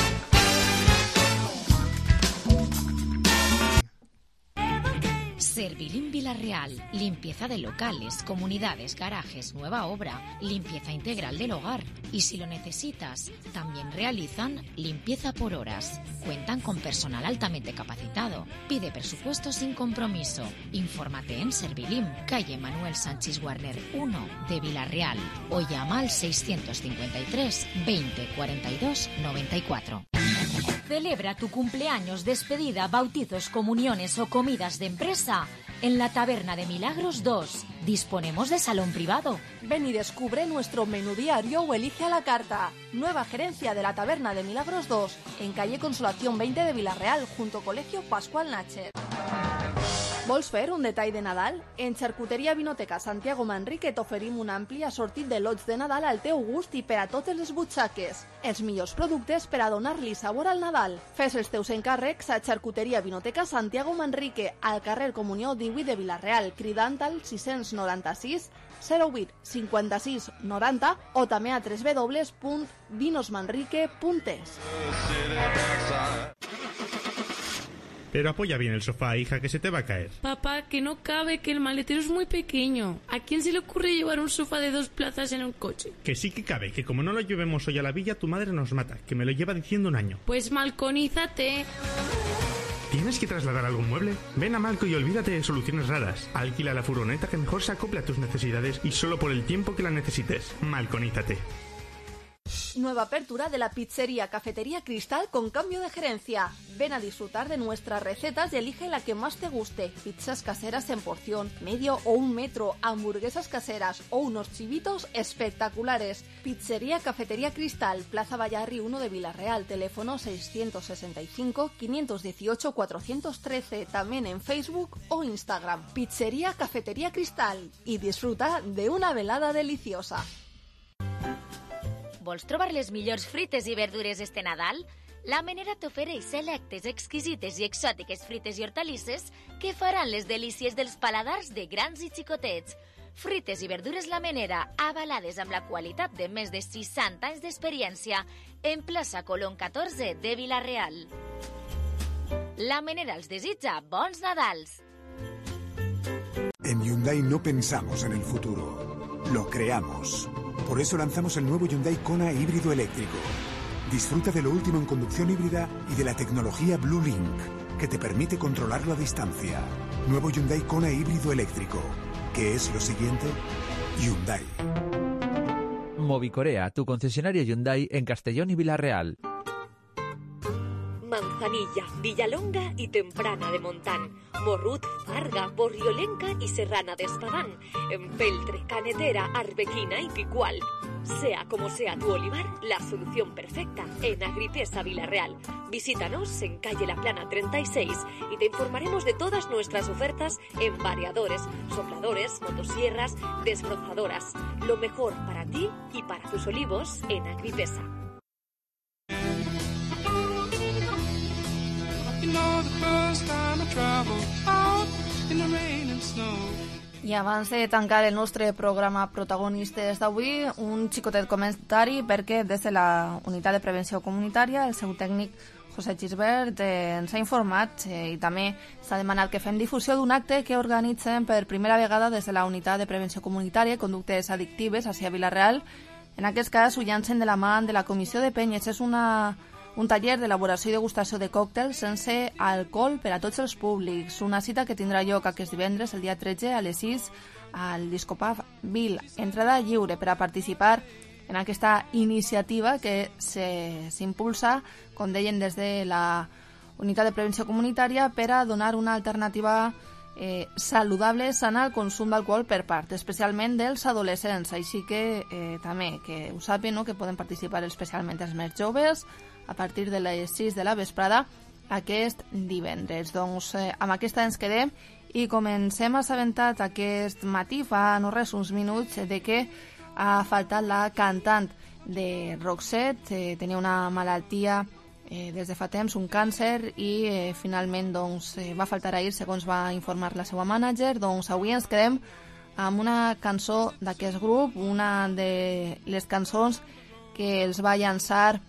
Servilín Vila-real, limpieza de locales, comunidades, garajes, nueva obra, limpieza integral del hogar. Y si lo necesitas, también realizan limpieza por horas. Cuentan con personal altamente capacitado. Pide presupuesto sin compromiso. Infórmate en Servilín, calle Manuel Sánchez Warner uno de Vila-real o llama al seiscientos cincuenta y tres veinte cuarenta y dos noventa y cuatro. Celebra tu cumpleaños, despedida, bautizos, comuniones o comidas de empresa en la Taberna de Milagros dos. Disponemos de salón privado. Ven y descubre nuestro menú diario o elige a la carta. Nueva gerencia de la Taberna de Milagros dos, en calle Consolación veinte de Villarreal, junto al Colegio Pascual Nácher. Vols fer un detall de Nadal? En Xarcuteria Vinoteca Santiago Manrique t'oferim un ampli assortit de lots de Nadal al teu gust i per a totes les butxaques. Els millors productes per a donar-li sabor al Nadal. Fes els teus encàrrecs a Xarcuteria Vinoteca Santiago Manrique, al carrer Comunió divuit de Villarreal, cridant al sis noranta-sis zero vuit cinquanta-sis noranta o també a w w w punt vinosmanrique punt es. Pero apoya bien el sofá, hija, que se te va a caer. Papá, que no cabe, que el maletero es muy pequeño. ¿A quién se le ocurre llevar un sofá de dos plazas en un coche? Que sí que cabe, que como no lo llevemos hoy a la villa, tu madre nos mata, que me lo lleva diciendo un año. Pues malconízate. ¿Tienes que trasladar algún mueble? Ven a Malco y olvídate de soluciones raras. Alquila la furgoneta que mejor se acople a tus necesidades y solo por el tiempo que la necesites. Malconízate. Nueva apertura de la pizzería Cafetería Cristal con cambio de gerencia. Ven a disfrutar de nuestras recetas y elige la que más te guste. Pizzas caseras en porción, medio o un metro, hamburguesas caseras o unos chivitos espectaculares. Pizzería Cafetería Cristal, Plaza Vallarri uno de Villarreal, teléfono seiscientos sesenta y cinco, quinientos dieciocho, cuatrocientos trece, también en Facebook o Instagram. Pizzería Cafetería Cristal y disfruta de una velada deliciosa. Vols trobar les millors frites i verdures este Nadal? La Menera t'ofereix selectes, exquisites i exòtiques frites i hortalisses que faran les delícies dels paladars de grans i xicotets. Frites i verdures La Menera, avalades amb la qualitat de més de seixanta anys d'experiència, en plaça Colón catorze de Villarreal. La Menera els desitja bons Nadals. En Hyundai no pensamos en el futuro, lo creamos. Por eso lanzamos el nuevo Hyundai Kona híbrido eléctrico. Disfruta de lo último en conducción híbrida y de la tecnología Blue Link, que te permite controlarlo a distancia. Nuevo Hyundai Kona híbrido eléctrico. ¿Qué es lo siguiente? Hyundai. Movicorea, tu concesionario Hyundai en Castellón y Villarreal. Manzanilla, Villalonga y Temprana de Montán, Morrut, Farga, Borriolenca y Serrana de Espadán, Empeltre, Canetera, Arbequina y Picual. Sea como sea tu olivar, la solución perfecta en Agripesa Villarreal. Visítanos en calle La Plana treinta y seis y te informaremos de todas nuestras ofertas en variadores, sopladores, motosierras, desbrozadoras. Lo mejor para ti y para tus olivos en Agripesa. I abans de tancar el nostre programa protagonistes d'avui, un xicotet comentari perquè des de la Unitat de Prevenció Comunitària el seu tècnic José Gisbert eh, ens ha informat eh, i també s'ha demanat que fem difusió d'un acte que organitzen per primera vegada des de la Unitat de Prevenció Comunitària Conductes Addictives a Villarreal. En aquest cas ho llancen de la mà de la Comissió de Penyes. És una un taller d'elaboració i degustació de còctels sense alcohol per a tots els públics. Una cita que tindrà lloc aquest divendres, el dia tretze, a les sis, al Discopub Vil. Entrada lliure per a participar en aquesta iniciativa que s'impulsa, com deien, des de la Unitat de Prevenció Comunitària per a donar una alternativa eh, saludable, sana al consum d'alcohol per part, especialment dels adolescents. Així que eh, també que ho sàpiguen, no?, que poden participar especialment els més joves a partir de les sis de la vesprada aquest divendres. Doncs eh, amb aquesta ens quedem i comencem assabentat aquest matí, fa no res, uns minuts, de que ha faltat la cantant de Roxette. Eh, tenia una malaltia eh, des de fa temps, un càncer, i eh, finalment doncs, eh, va faltar ahir, segons va informar la seva mànager. Doncs avui ens quedem amb una cançó d'aquest grup, una de les cançons que els va llançar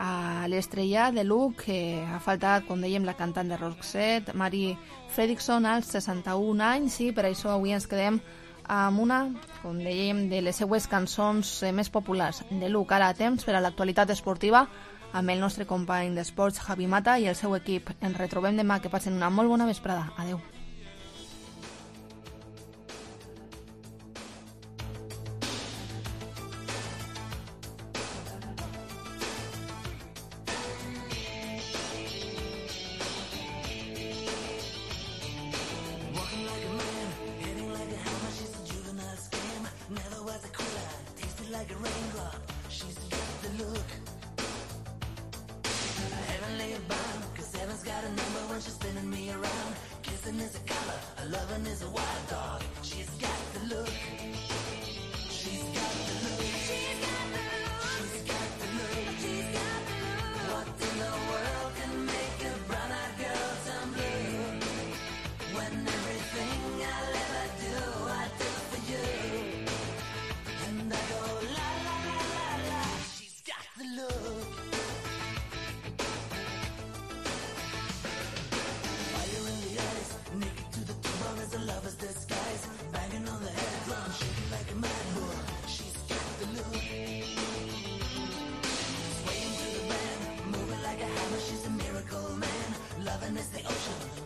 a l'estrella de Luc, que ha faltat, com dèiem, la cantant de Roxette, Mary Fredrickson, als seixanta-un anys, i per això avui ens quedem amb una, com dèiem, de les seues cançons més populars de Luc. Ara temps per a l'actualitat esportiva amb el nostre company d'esports, Javi Mata, i el seu equip. Ens retrobem demà. Que passen una molt bona vesprada. Adeu. is a color, a loving is a wild dog. She's got the look. She's got the look. She's got the look. She's got the look. She's got the look. What in the world can make a brown-eyed girl turn blue? When everything I'll ever do, I do for you. And I go la la la la la. She's got the look. Fire in the eyes, naked to the bone as a lover's disguise. Banging on the head drum, shaking like a mad bull. She's got the look. Swaying to the band, moving like a hammer. She's a miracle man. Loving is the ocean.